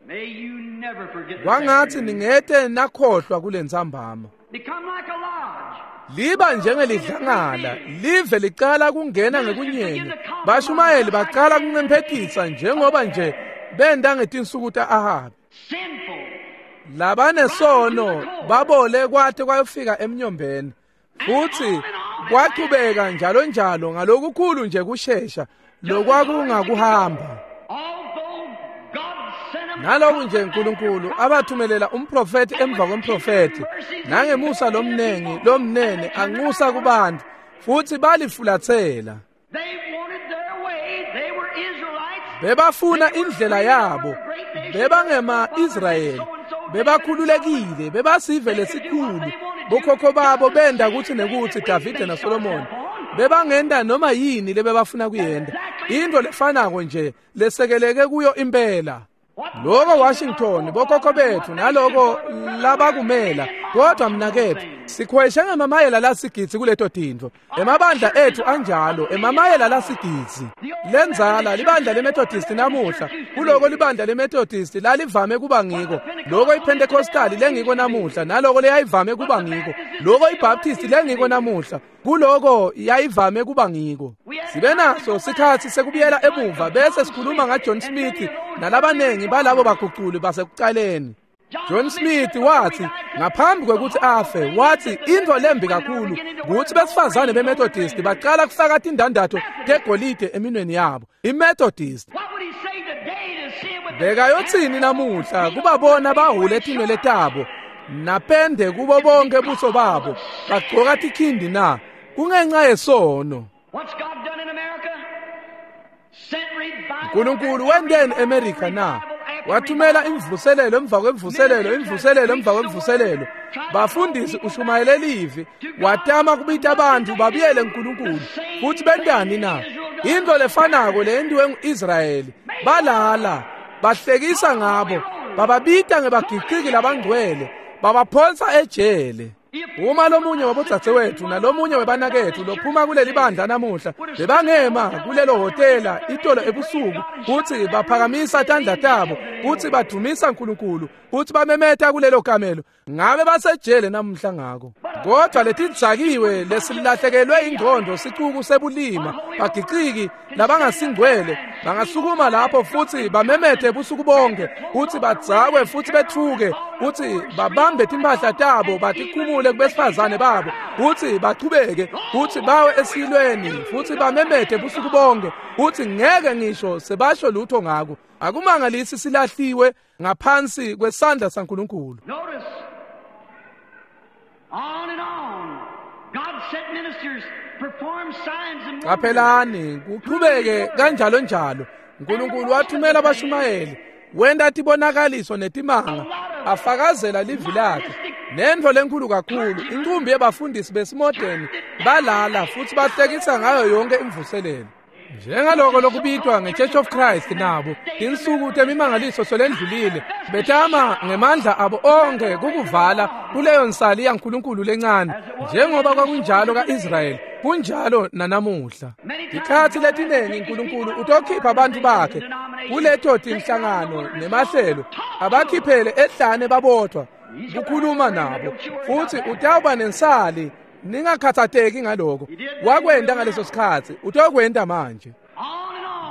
Kwangathi ningete nakhohlwa kulentsambama. Liba njengelidlangala, live licala kungena ngekunyenya. Bashumayeli bacala kuncemphetisa njengoba nje benda ngetinsuku ta-Ahabi. Labanesono babole kwate kwayofika emnyombeni, futhi kwachubeka njalo njalo ngalokukhulu nje kushesha lokwakungakuhamba. Naloku nje uNkulunkulu abathumelela umprofeti emva kwemprofeti, nangemusa lomnengi lomnene anxusa kubantu, futhi balifulathela. Bebafuna indlela yabo, bebangema-Israyeli, bebakhululekile, bebasive lesikhulu. Bokhokho babo benda kuthi nekuthi Davide naSolomoni bebangenda noma yini lebebafuna kuyenda, into lefanako nje lesekeleke kuyo impela. Loko Washington, bokhokho bethu naloko labakumela, kodwa mnakethu sikhweshe ngemamayela lasigidzi kuleto tintfo. Emabandla ethu anjalo, emamayela lasigidzi. Lenzala libandla leMethodist namuhla, kuloko libandla leMethodist lalivame kuba ngiko, loko iPentecostal lengiko namuhla, naloko leyayivame kuba ngiko, loko iBaptist lengiko namuhla, kuloko yayivame kuba ngiko. Sibe naso sikhatsi sekubuyela emuva bese sikhuluma ngaJohn Smith nalabanengi balabo baguculi basekucaleni. John Smith wathi ngaphambi kwekuthi afe, wathi into lembi kakhulu ukuthi besifazane beMethodist baqala kufaka tindandatho tegolide eminweni yabo. IMethodist bekayothini namuhla kubabona bahule tinwele tabo napende kubo bonke buso babo bagcoka tikhindi na? Kungenxa yesono. uNkulunkulu wenteni eMerika na? Wathumela imvuselelo emva kwemvuselelo, imvuselelo emva kwemvuselelo. Bafundisi ushumayele livi, watama kubita abantu babuyele uNkulunkulu. Futhi bentani na? Into lefanako leyentiwe nguIsrayeli. Balala, bahlekisa ngabo, bababita ngebagiqiki labangcwele, babaphonsa ejele. Uma lomunye wabodzadzewethu nalomunye webanakethu lophuma kuleli bandla namuhla bebangema kulelo hotela itolo ebusuku kuthi baphakamisa tandla tabo kuthi badumisa uNkulunkulu kuthi bamemeta kulelo kamelo, ngabe basejele namuhla ngako. Kodwa letidzakiwe lesilahlekelwe ingqondo sicuku sebulima bagiqiki labangasingcwele bangasukuma lapho futhi bamemete busuku bonke kuthi badzakwe futhi bethuke kuthi babambe timphahla tabo batikhumule kubesifazane babo kuthi bachubeke kuthi bawe esilweni futhi bamemete busuku bonke kuthi ngeke ngisho sebasho lutho ngako. Akumangalisi silahliwe ngaphansi kwesandla saNkulunkulu. Qaphelani kuchubeke kanjalo njalo. uNkulunkulu wathumela abashumayeli, wenta tibonakaliso netimanga, afakazela livi lakhe. Nentfo lenkulu kakhulu, inqumbi yebafundisi besimodeni balala futhi bahlekisa ngayo yonke imvuselelo. Njengaloko lokubitwa nge-Church of Christ nabo, tinsuku temimangaliso solendlulile, betama ngemandla abo onke kukuvala kuleyo nsali yaNkulunkulu lencane, njengoba kwakunjalo ka-Israyeli, kunjalo nanamuhla. Tikhatsi letinengi uNkulunkulu utokhipha abantu bakhe kuleto tinhlangano nemahlelo, abakhiphele ehlane babodwa kukhuluma nabo, futhi utawuba nensali. Ningakhathatheki ngaloko. Wakwenta ngaleso sikhatsi, utokwenta manje.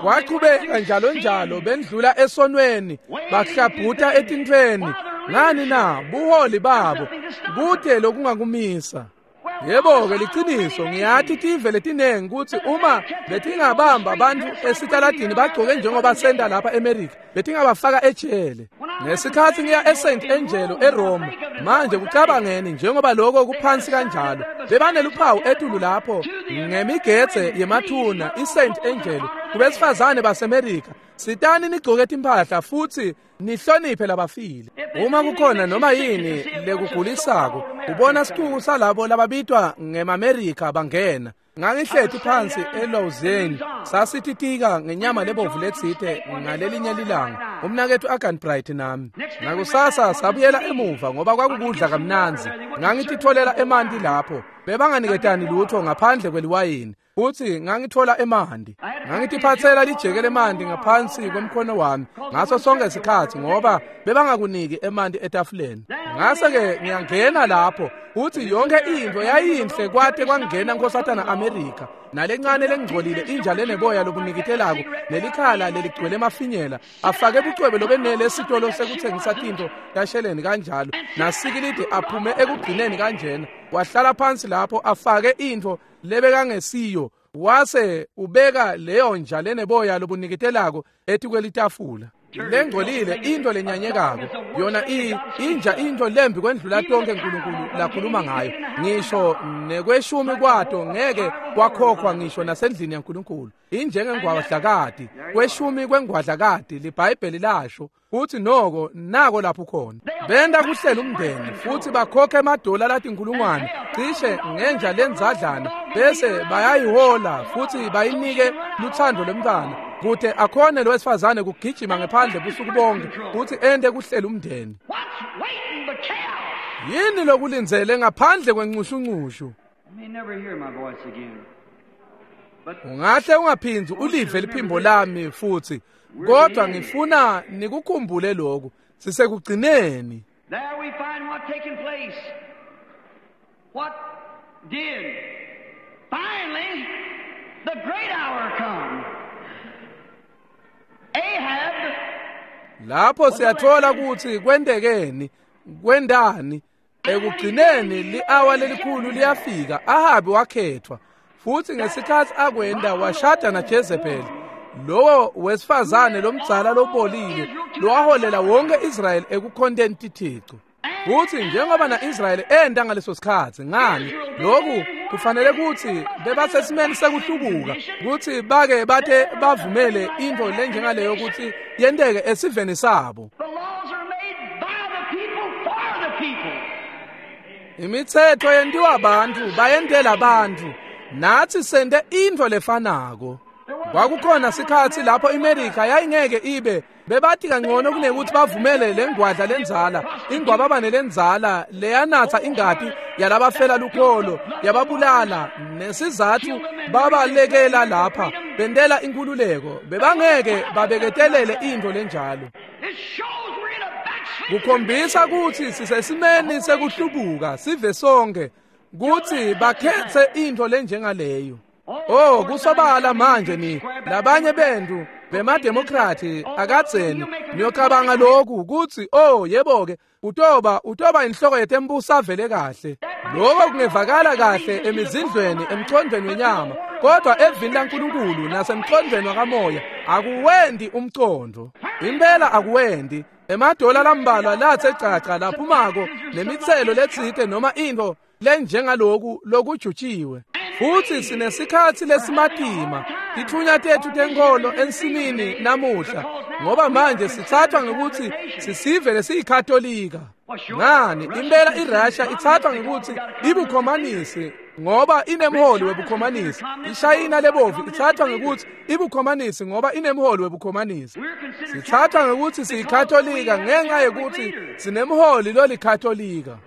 Kwachubeka njalo njalo bendlula esonweni, bahlabhuta etintfweni. Ngani na? Buholi babo kute lokungakumisa. Yebo-ke liciniso, ngiyathi tive letinengi kutsi uma betingabamba abantu esitaladini bagcoke njengoba senta lapha eMerika, betingabafaka ejele. Ngesikhatsi ngiya eSt Angelo eRoma, manje kucabangeni njengoba lokho kuphansi kanjalo, bebaneluphawu etulu lapho ngemigedze yemathuna iSt Angelo kubesifazane baseMerika. Sitani nigcoke timphahla futsi nihloniphe labafile. Uma kukhona noma yini lekugulisako, ubona sicuku salabo lababitwa ngemaMerika bangena. Ngangihleti phansi eLausanne, sasititika ngenyama lebovu letsite ngalelinye lilanga, umnaketfu Agan Bright nami. Ngakusasa sabuyela emuva ngoba kwakukudla kamnandzi. Ngangititfolela emanti lapho, bebanganiketani lutho ngaphandle kweliwayini. Futsi ngangitfola emanti. Ngangitiphatsela lijeke lemanti ngaphansi kwemkhono wami ngaso sonke isikhatsi ngoba bebangakuniki emanti etafuleni. Ngase-ke ngiyangena lapho, futsi yonke intfo yayinhle kwate kwangena Nkosatana Amerika nalencane lengcolile inja leneboya lobunikitelako nelikhala leligcwele emafinyela afake bucwebe lobenele esitolo sekutsengisa tintfo tasheleni kanjalo nasikilidi aphume ekugcineni kanjena. Wahlala phansi lapho afake intfo lebekangesiyo, wase ubeka leyo nja leneboya lobunikitelako etikwelitafula lengcolile, into lenyanyekako. Yona inja into lembi kwendlula tonke Nkulunkulu lakhuluma ngayo. Ngisho nekweshumi kwato ngeke kwakhokhwa ngisho nasendlini yaNkulunkulu. Injengengwadlakati, kweshumi kwengwadlakati liBhayibheli lasho futhi noko nako lapho khona. Benta kuhlela umndeni futhi bakhokhe emadola latinkulungwane cishe ngenja lenzadlana, bese bayayihola futhi bayinike luthando lwemntwana kute akhone lo wesifazane kugijima ngephandle busuku bonke futhi ente kuhlela umndeni. Yini lokulindzele ngaphandle kwencushunqushu? Ungahle ungaphindzi ulive liphimbo lami futhi, kodwa ngifuna nikukhumbule lokhu, sisekugcineni. There we find what taken place. What did? Finally, the great hour come. Ahab. Lapho siyathola ukuthi kwentekeni, kwendani. Ekugcineni li-awa lelikhulu liyafika. Ahabi wakhethwa, futhi ngesikhatsi akwenda washada naJezebeli, lowo wesifazane lomdzala lobolile lowaholela wonke Israyeli ekukhonteni tithixo. Futhi njengoba na-Israyeli enda ngaleso sikhatsi, ngani lokhu kufanele kutsi bebasesimeni sekuhlubuka kutsi bake bate bavumele intfo lenjengaleyo kutsi yenteke esiveni sabo. The laws are made by the people for the people. Imitsetfo yentiwa bantfu bayentela bantfu, natsi sente intfo lefanako. Kwakukhona sikhatsi lapho iMerika yayingeke ibe bebathi kangcono kunekuthi bavumele lengwadla lenzala, ingwababane lenzala leyanatsa ingati yalabafela lukholo, yababulala, nesizathu babalekela lapha bentela inkululeko. Bebangeke babeketelele intfo lenjalo. It shows we're in a backsliding Kukhombisa kutsi sisesimeni sekuhlubuka sive sonke kutsi bakhetse intfo lenjengaleyo. Oh, kusobala manje ni labanye bentu bemademokrati akadzeni niyocabanga lokhu kutsi oh yebo-ke utoba inhloko yetembuso avele kahle. Lokho kungevakala kahle emizindlweni emcondweni wenyama, kodwa evini laNkulunkulu nasemcondweni wakamoya akuwendi umcondo. Impela akuwendi. Emadola lambalwa lathe caca laphumako nemitselo letsite noma intfo lenjengaloku lokujutshiwe. Futhi sinesikhatsi lesimatima titfunya tetfu tenkholo ensimini namuhla, ngoba manje sithathwa ngekuthi sisive lesiyikatolika. Ngani impela iRussia ithathwa ngekuthi ibukhomanisi ngoba inemholi webukhomanisi. IShayina lebovu ithathwa ngekuthi ibukhomanisi ngoba inemholi webukhomanisi. Sithathwa ngekuthi siyikatolika ngenxa yekuthi sinemholi lolikatolika.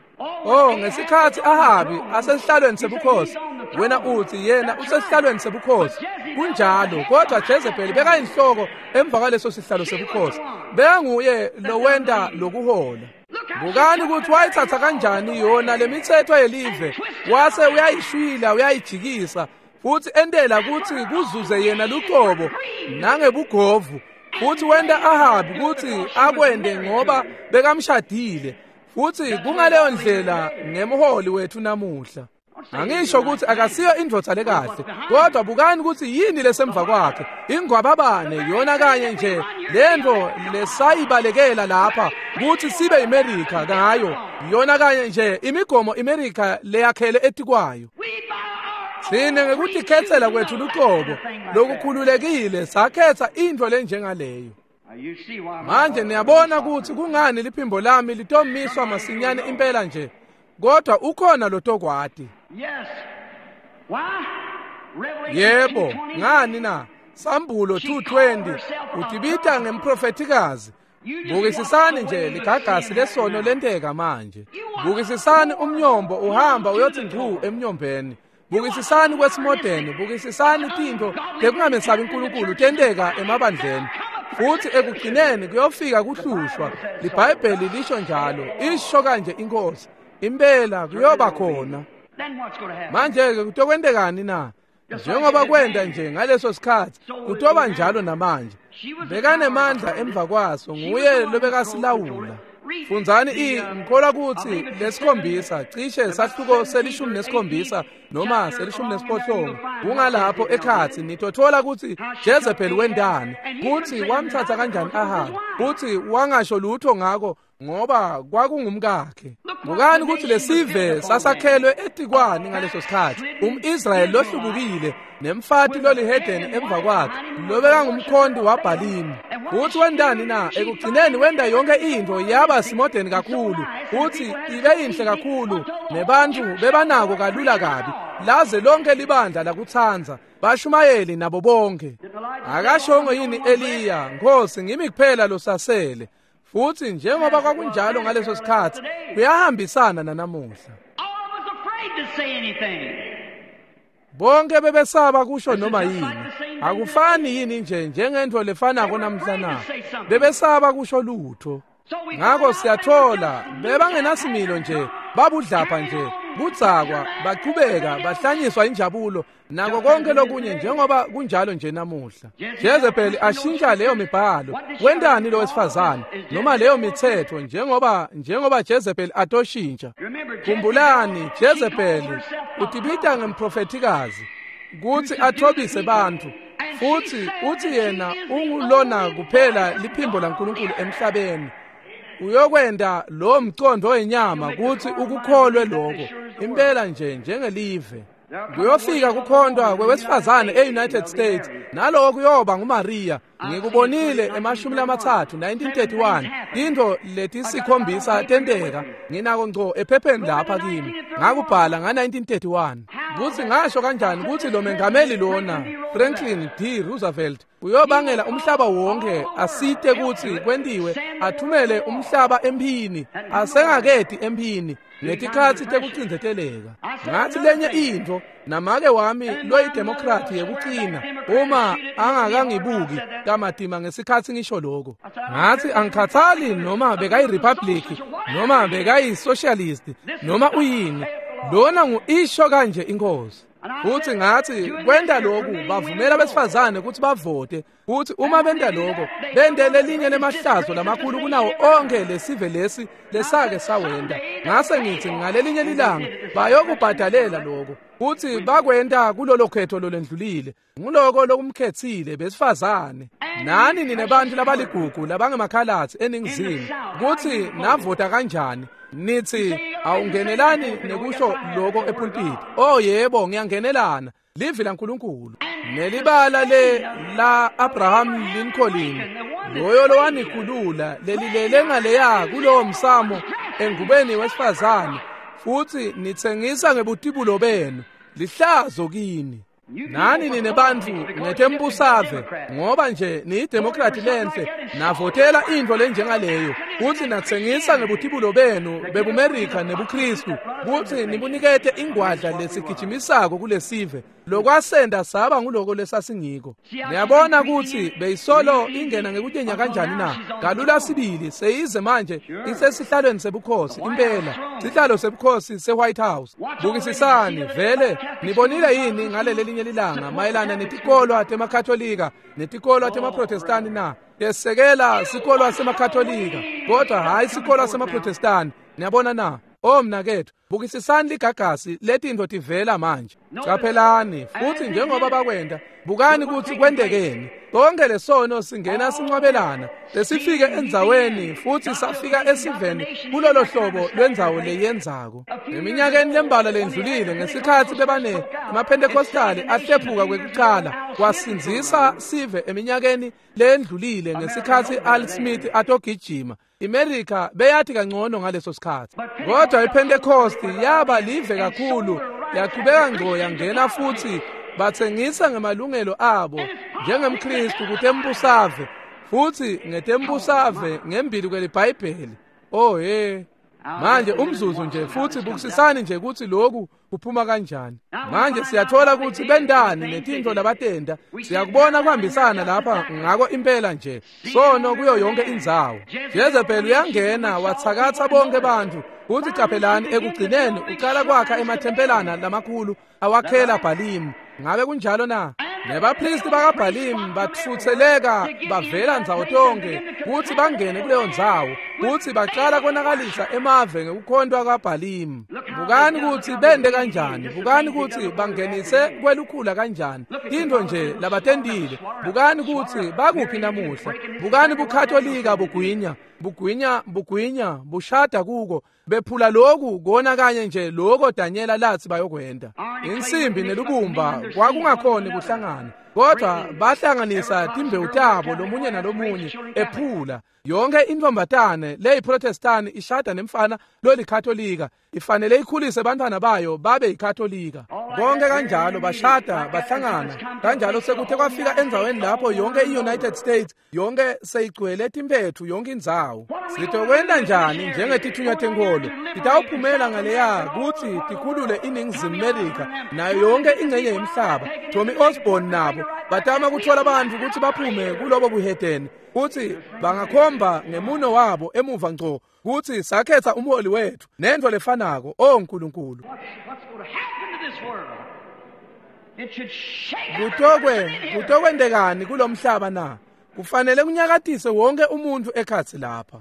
Oh, ngesikhatsi Ahabi asesihlalweni sebukhosi, wena uthi yena usesihlalweni sebukhosi. Kunjalo, kodwa Jezebeli bekayinhloko emva kwaleso sihlalo sebukhosi. Bekanguye lowenta lokuhola. Bukani ukuthi wayithatha kanjani yona lemitsetfo yelive, wase uyayishwila uyayijikisa futhi entela kutsi kuzuze yena lucobo nangebugovu. Futhi wenta Ahabi kutsi akwende ngoba bekamshadile. Futhi kungaleyo ndlela ngemholi wethu namuhla. Angisho ukuthi akasiyo indvodza lekahle, kodwa bukani ukuthi yini lesemva kwakhe. Ingwababane yona kanye nje lento lesayibalekela lapha ukuthi sibe iMerica ngayo, yona kanye nje imigomo iMerica leyakhele etikwayo. Sine ngekutikhetsela kwethu luqobo lokukhululekile sakhetha into lenjengaleyo. Manje niyabona ukuthi kungani liphimbo lami litomiswa masinyane impela nje, kodwa ukhona lotokwati. Yebo, ngani na? Sambulo 2:20 utibita ngemprofetikazi. Bukisisani nje ligagasi lesono lenteka manje. Bukisisani umnyombo uhamba uyothi ngcu emnyombeni. Bukisisani kwesimodeni, bukisisani tintfo tekungamesabi uNkulunkulu tenteka emabandleni. Futhi ekugcineni kuyofika kuhlushwa. LiBhayibheli lisho njalo, isho kanje inkosi. Impela kuyoba khona. Manje-ke kutokwentekani na? Njengoba kwenda nje ngaleso sikhathi, kutoba njalo namanje. Bekanemandla emva kwaso, nguye lobekasilawula. Fundzani ngikholwa ukuthi lesikhombisa cishe sahluko se-17 noma se-18 kungalapho ekhathi nitothola ukuthi Jezebel wendani, kuthi wamthatha kanjani Ahab, kuthi wangasho lutho ngako ngoba kwakungumkakhe. Bukani ukuthi lesive sasakhelwe etikwani ngaleso sikhathi. UmIsrayeli lohlubukile nemfati lolihedeni emva kwakhe lobekangumkhonti waBhalimi. Uthi wendani na? Ekugcineni wenda yonke into yaba simodeni kakhulu, uthi ibe inhle kakhulu, nebantu bebanako kalula kabi, laze lonke libandla lakutsanza, bashumayeli nabo bonke. Akashongo yini Eliya, Nkosi ngimi kuphela losasele? Futhi njengoba kwakunjalo ngaleso sikhathi, kuyahambisana nanamuhla. Bonke bebesaba kusho noma yini. Akufani yini nje njengento lefanako namhla na? Bebesaba kusho lutho. Ngakho siyathola bebangenasimilo nje, babudlapha nje, budzakwa, baqhubeka, bahlanyiswa injabulo nako konke lokunye njengoba kunjalo nje namuhla. Jezebel ashintsha leyo mibhalo. Wendani lo wesifazane noma leyo mithetho njengoba Jezebel atoshintsha. Khumbulani Jezebel utibita ngemprofetikazi kuthi athobise bantu, futhi uthi yena ungulona kuphela liphimbo laNkulunkulu emhlabeni. Uyokwenda lo mcondo wenyama kuthi ukukholwe lokho impela nje njengelive. Kuyofika kukhondwa kwewesifazane e-United States, naloko kuyoba nguMaria. Ngikubonile ema-30 1931 into letisikhombisa tenteka, nginako ngco ephepheni lapha kimi, ngakubhala nga-1931 kuthi ngasho kanjani ukuthi lo mengameli lona Franklin D. Roosevelt uyobangela umhlaba wonke asite kuthi kwentiwe, athumele umhlaba emphini, asengakedi emphini ngetikhatsi tekucindzeteleka. Ngathi lenye intfo namake wami loyidemokrati yekucina uma angakangibuki kamatima ngesikhatsi ngisho lokho. Ngathi angikhathali noma bekayi-republic noma bekayi-socialist noma uyini, lona ngu-isho kanje inkosi. Futhi ngathi kwenda lokhu bavumela besifazane ukuthi bavote, futhi uma benta lokho bente lelinye lemahlazo lamakhulu kunawo onke lesive lesi lesake sawenda. Ngase ngithi ngalelinye lilanga bayokubhadalela lokho, futhi bakwenta kulolo khetho lolendlulile. Nguloko lokumkhethile besifazane. Nani ninebantu labaligugu labangemakhalatsi eningizimu kuthi navota kanjani? Nithi awungenelani nekusho lokho epulpit. Oh yebo, ngiyangenelana. Livi laNkulunkulu nelibala le la Abraham Lincoln, loyo lowanikhulula lelilele ngaleya kulowo msamo engubeni wesifazane, futhi nitsengisa ngebutibulo benu. Lihlazo kini. Nani ninebantfu ngetembusave ngoba nje niyidemokrati lenhle navotela intfo lenjengaleyo, kutsi natsengisa ngebutibulo benu bebuMerika nebuKristu kutsi nibunikete ingwadla lesigijimisako kulesive lokwasenda saba nguloko lesasingiko. Niyabona kutsi beyisolo ingena ngekutyenya kanjani na? Kalula sibili seyize manje isesihlalweni sebukhosi impela, sihlalo sebukhosi se-White House. Bukisisani vele nibonile yini ngaleli linye lilanga mayelana netikolwa temakatholika netikolwa temaprotestani na? Tesekela sikolwa semakatholika kodwa hayi sikolwa semaprotestani. Niyabona na? O mnaketfu, bukisisani ligagasi letintfo tivela manje. Caphelani futhi njengoba bakwenda, bukani kutsi kwentekeni. Konke lesono singena sincwabelana, lesifike endzaweni futhi safika esiveni kulolo hlobo lwendzawo leyenzako. Eminyakeni lembalwa lendlulile ngesikhatsi bebane emaPentecostali ahlephuka kwekucala, kwasindzisa sive eminyakeni lendlulile ngesikhatsi Al Smith atogijima. IMerica beyathi kangcono ngaleso sikhatsi. Kodwa iPentecost yaba live kakhulu, yaqhubeka ngco yangena futhi batsengisa ngemalungelo abo njengemKristu kutembusave futhi ngetembusave ngembili kweliBhayibheli. Oh he. Manje umzuzu nje futhi bukisisani nje ukuthi lokhu kuphuma kanjani. Manje siyathola ukuthi bendani netintfo labatenda, siyakubona kuhambisana lapha ngako impela nje sono kuyo yonke indzawo. Jezebel uyangena wathakatha bonke bantfu kuthi caphelani ekugcineni uqala kwakha emathempelana lamakhulu awakhela Bhalimu. Ngabe kunjalo na? Nebapristi bakaBhalimu batfutseleka bavela ndzawo tonke kutsi bangene kuleyo ndzawo, kutsi baqala konakalisa emave ngekukhontwa kwaBhalimu. Bukani kutsi bende kanjani, bukani kutsi bangenise kwelukhula kanjani, tintfo nje labatentile. Bukani kutsi bakuphi namuhla, bukani buKatolika bugwinya, bugwinya, bugwinya, bushada kuko, bephula lokhu kona kanye nje lokho Daniela lathi bayokwenda. Insimbi nelubumba kwakungakhoni kuhlangana, kodwa bahlanganisa timbewu tabo lomunye nalomunye ephula. Yonke intombatane leyiProtestani ishada nemfana lolikatolika, ifanele ikhulise bantwana bayo babe yikatolika. Konke kanjalo bashada bahlangana kanjalo sekuthe kwafika endzaweni lapho yonke i-United States yonke seyigcwele timphethu yonke indzawo. Sitokwenta njani njengetithunywa tenkholo? Titawuphumela ngaleya kutsi tikhulule iNingizimu Melika nayo yonke ingcenye yemhlaba. Tommy Osborne nabo batama kuthola bantfu kutsi baphume kulobo buhedeni, kutsi bangakhomba ngemuno wabo emuva ngco kutsi sakhetha umholi wethu nentfo lefanako. O Nkulunkulu, kutokwendekani kulomhlaba na? Kufanele kunyakatise wonke umuntu ekhatsi lapha.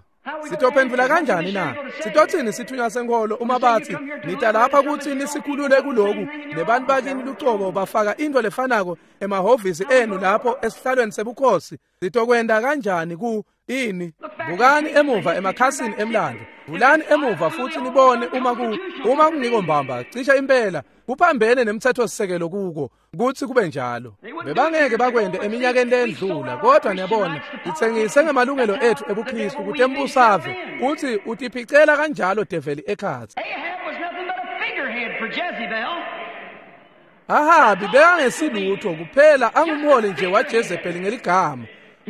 Sitophendvula kanjani na? Sitotsini sithunywa senkholo uma batsi nita lapha kutsi nisikhulule kuloku, nebantu bakini lucobo bafaka intfo lefanako emahhovisi enu lapho esihlalweni sebukhosi? Sitokwenta kanjani ku ini? Bukani emuva emakhasini emlando, vulani emuva futhi nibone uma kungiko mbamba cisha impela kuphambene nemthetho-sisekelo kuko kutsi kube njalo. Bebangeke bakwende eminyakeni lendlula, kodwa niyabona itsengise ngemalungelo ethu ebuKristu kutembusave kutsi utiphicela kanjalo develi ekhatsi. Ahabi bekangesilutho kuphela angumholi nje waJezebeli ngeligama.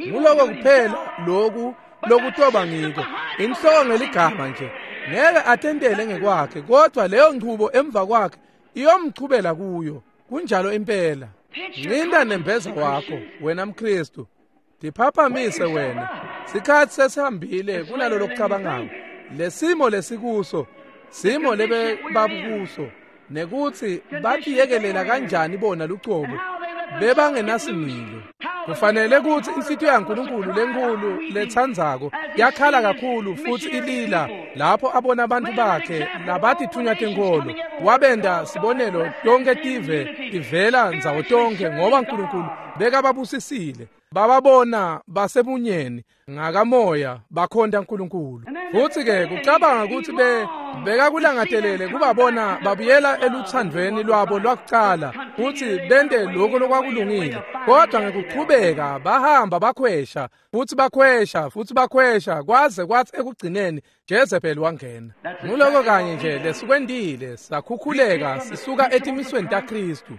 Nguloko kuphela loku lokutoba ngiko, inhloko ngeligama nje. Ngeke atentele ngekwakhe, kodwa leyo nchubo emva kwakhe iyomchubela kuyo. Kunjalo impela. Ncinda nembeza wakho wena mKristu, tiphaphamise wena. Sikhatsi sesihambile kunalo lokucabangako. Lesimo lesikuso, simo lebe babukuso, nekutsi batiyekelela kanjani bona lucobo, bebangenasimilo. Kufanele kutsi inhlitiyo yaNkulunkulu lenkulu letsandzako yakhala kakhulu futhi ilila lapho abona abantu bakhe labatithunywa tenkholo. Wabenda sibonelo tonke tive tivela ndzawo tonke, ngoba Nkulunkulu bekababusisile. Bababona basebunyeni ngakamoya bakhonta Nkulunkulu. Futhi-ke kucabanga kutsi bekakulangatelele kubabona babuyela eluthandweni lwabo lwakucala futhi bente lokho lokwakulungile, kodwa ngekuchubeka bahamba bakhwesha futhi bakhwesha futhi bakhwesha kwaze kwathi ekugcineni Jezebel wangena. Nguloko kanye nje lesikwentile, sakhukhuleka sisuka etimisweni taKristu.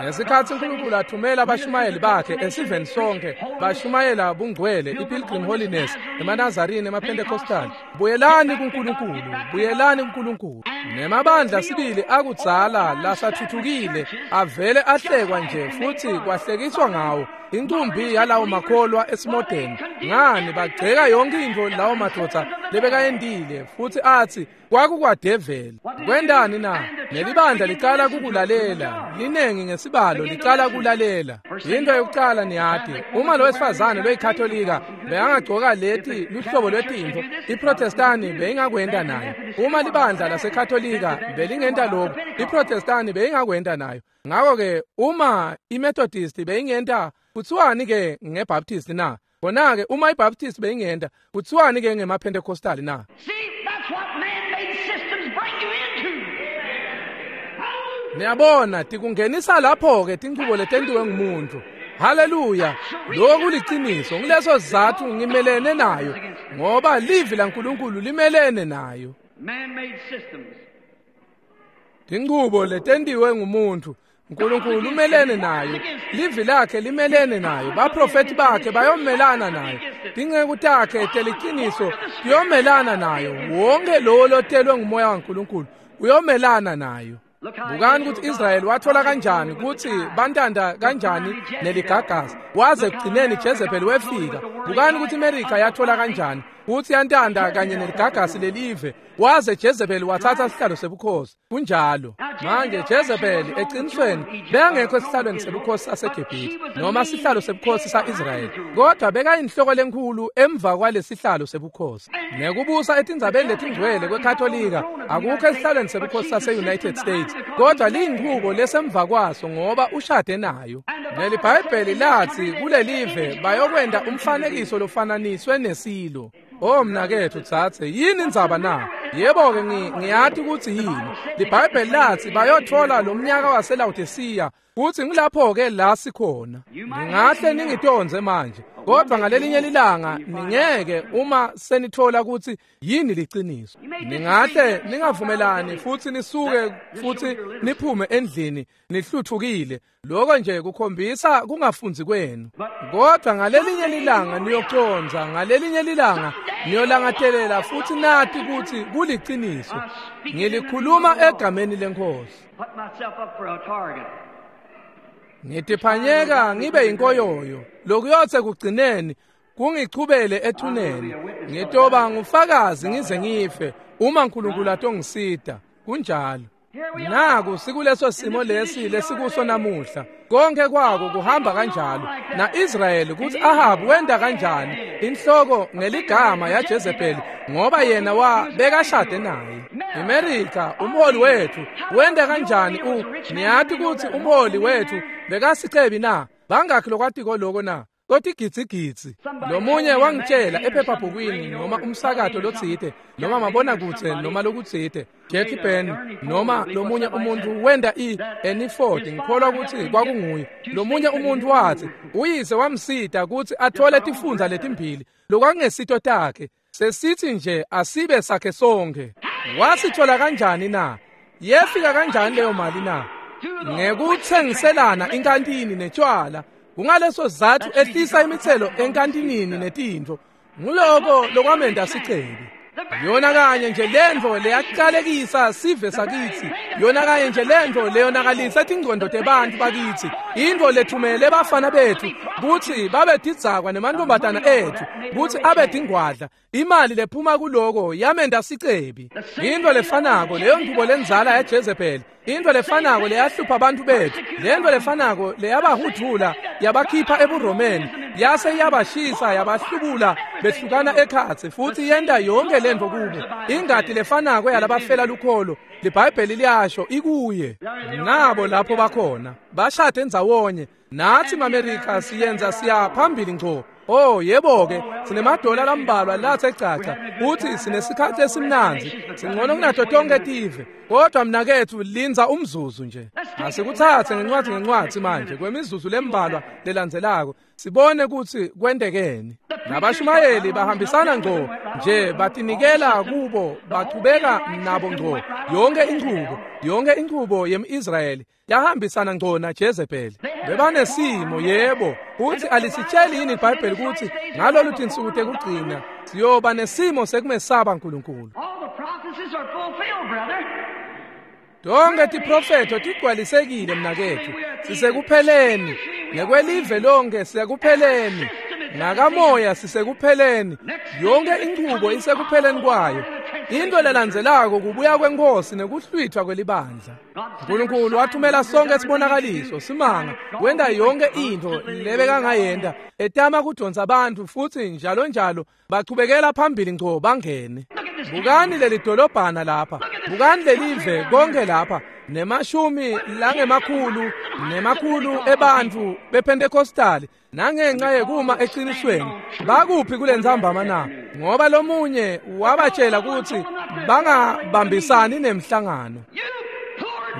Ngesikhatsi uNkulunkulu athumela abashumayeli bakhe esiveni sonke, bashumayela bungcwele, iPilgrim Holiness, emaNazarini, emaPentecostal. Buyelani kuNkulunkulu, buyelani kuNkulunkulu. Nemabandla sibili akudzala lasathuthukile avele ahlekwa nje futhi kwahlekiswa ngawo. Inkumbi yalawo makholwa esimodeni, ngani bagceka yonke intfo lawo madoda lebekayentile futhi athi kwakukwadeveli. Kwendani na? Nelibandla licala kukulalela, linengi ngesibalo licala kulalela. Into yokucala niyati, uma lo wesifazane loyiKatolika bekangagcoka leti luhlobo lwetintfo, iProtestani beyingakwenta nayo. Uma libandla laseKatolika belingenta lokhu, iProtestani beyingakwenta nayo. Ngakho-ke uma iMethodist beyingenta, kuthiwani-ke ngeBaptist na? Khona-ke uma iBaptist beyingenta, kuthiwani-ke ngemaPentecostal na? Niyabona, tikungenisa lapho-ke tinchubo letentiwe ngumuntu. Haleluya! Lokhu kuliciniso, nguleso sizatfu ngimelene nayo, ngoba livi laNkulunkulu limelene nayo. Tinchubo letentiwe ngumuntu, uNkulunkulu umelene nayo, livi lakhe limelene nayo, baprofeti bakhe bayomelana nayo, tinceku takhe teliciniso tiyomelana nayo, wonke lowo lotelwe ngumoya waNkulunkulu uyomelana nayo. Bukani ukuthi Israyeli wathola kanjani ukuthi bantanda kanjani neligagasi, waze ekugcineni Jezebel wefika. Bukani ukuthi iMerika yathola kanjani ukuthi yantanda kanye neligagasi lelive, waze Jezebel wathatha sihlalo sebukhosi. Kunjalo manje Jezebel eqinisweni bekangekho esihlalweni sebukhosi saseGibhithe noma sihlalo sebukhosi sa-Israyeli, kodwa bekayinhloko lenkhulu emva kwalesihlalo sebukhosi. Nekubusa etindzabeni letingcwele kweKatolika akukho esihlalweni sebukhosi sase-United States, kodwa liyinchubo lesemva kwaso ngoba ushade nayo. NeliBhayibheli lathi kulelive bayokwenda umfanekiso lofananiswe nesilo. Oh mnaketfu tsatse, yini indzaba na? Yebo-ke ngiyati ukuthi yini. LiBhayibheli lathi bayothola lo mnyaka waseLawodisiya, kuthi ngilapho-ke la sikhona. Ningahle ningitondze manje, kodwa ngalelinye lilanga ningeke uma senithola ukuthi yini liciniso. Ningahle ningavumelani futhi nisuke futhi niphume endlini nihluthukile. Lokho nje kukhombisa kungafundzi kwenu. Kodwa ngalelinye lilanga niyoconza, ngalelinye lilanga niyolangatelela futhi nati ukuthi kuliciniso. Ngilikhuluma egameni leNkosi. Ngitiphanyeka ngibe yinkoyoyo, lokuyothe kugcineni kungichubele ethuneni. Ngitoba ngufakazi ngize ngife uma uNkulunkulu atongisida. Kunjalo. Naku sikuleso simo lesi lesikuso namuhla. Konke kwako kuhamba kanjalo. Na-Israyeli kuthi Ahabu wenda kanjani inhloko ngeligama yaJezebeli, ngoba yena bekashade naye. Amerika umholi wethu wenda kanjani niyati ukuthi umholi wethu bekasicebi na? Bangakhi lokwatiko loko na? Kotigitsigitsi. Lomunye wangitshela ephephabhukwini noma umsakato lotsite noma mabonakudze noma lokutsite, Jackie Ben noma lomunye umuntu wenda i-Eniford, ngikholwa ukuthi kwakunguye. Lomunye umuntu wathi uyise wamsita ukuthi athole tifundza letimbili lokwakungesito takhe, sesithi nje asibe sakhe sonke. Wasithola kanjani na? Yefika kanjani leyo mali na? Ngekuthengiselana inkantini netshwala. Kungaleso sizathu ehlisa imithelo enkantinini netintfo. Nguloko lokwamenda sicebi. Yona kanye nje lentfo leyaqalekisa sive sakithi, yona kanye nje lentfo leyonakalisa tingcondo tebantfu bakithi, intfo lethumele bafana bethu kutsi babe tidzakwa nemantombazana ethu kutsi abe tingwadla. Imali lephuma kuloko yamenda sicebi. Intfo lefanako leyo nchubo lendzala yaJezebel, intfo lefanako leyahlupha abantu bethu, lentfo lefanako leyabahuthula yabakhipha ebuRomeni, yase yabashisa yabahlubula behlukana ekhatsi futhi yenta yonke lentfo kubo. Ingati lefanako yalabafela lukholo, liBhayibheli liyasho ikuye. Nabo lapho bakhona bashade ndzawonye. Nathi maMerika siyenza siya phambili ngco. Oh yebo-ke, sinemadola lambalwa lathe caca, uthi sinesikhathi esimnandzi, singcono kunato tonke tive. Kodwa mnaketfu lindza umzuzu nje. Asikuthathe ngencwadi ngencwadi manje kwemizuzu lembalwa lelandzelako, sibone kutsi kwentekeni. Nabashumayeli bahambisana ngco nje, batinikela kubo, bachubeka nabo ngco. Yonke inchubo yemIsrayeli yahambisana ngco naJezebeli. Bebanesimo yebo, uthi alisitsheli yini iBhayibheli ukuthi ngalolu tinsuku tekugcina siyoba nesimo sekumesaba uNkulunkulu. Tonke tiprofetho tigcwalisekile mnaketfu. Sisekupheleni ngekwelive lonke, sisekupheleni ngakamoya, sisekupheleni. Yonke inchubo isekupheleni kwayo. Into lelandzelako kubuya kwenkosi nekuhlwithwa kwelibandla. uNkulunkulu wathumela sonke sibonakaliso simanga, wenda yonke into lebekangayenda etama kudonsa abantu futhi njalo njalo bachubekela phambili ngco bangene. Bukani leli dolobhana lapha, bukani lelive konke lapha, nemashumi langemakhulu nemakhulu ebantfu bePentecostal nangenxa yekuma eqinisweni. Bakuphi kulentsambama na? Ngoba lomunye wabatshela ukuthi bangabambisani nemhlangano.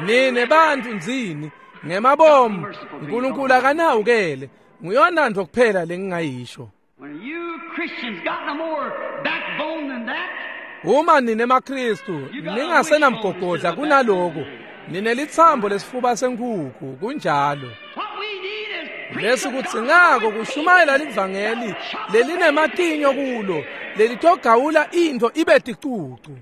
Nine bantfu ndzini ngemabomu, uNkulunkulu akanawukele. Nguyona nto kuphela lengingayisho. Uma nine maKristu ningasenamgogodla kunaloko, ninelitsambo lesifuba senkhukhu, kunjalo. Lesikudzingako kushumayela livangeli lelinematinyo kulo, lelitogawula into ibe ticucu.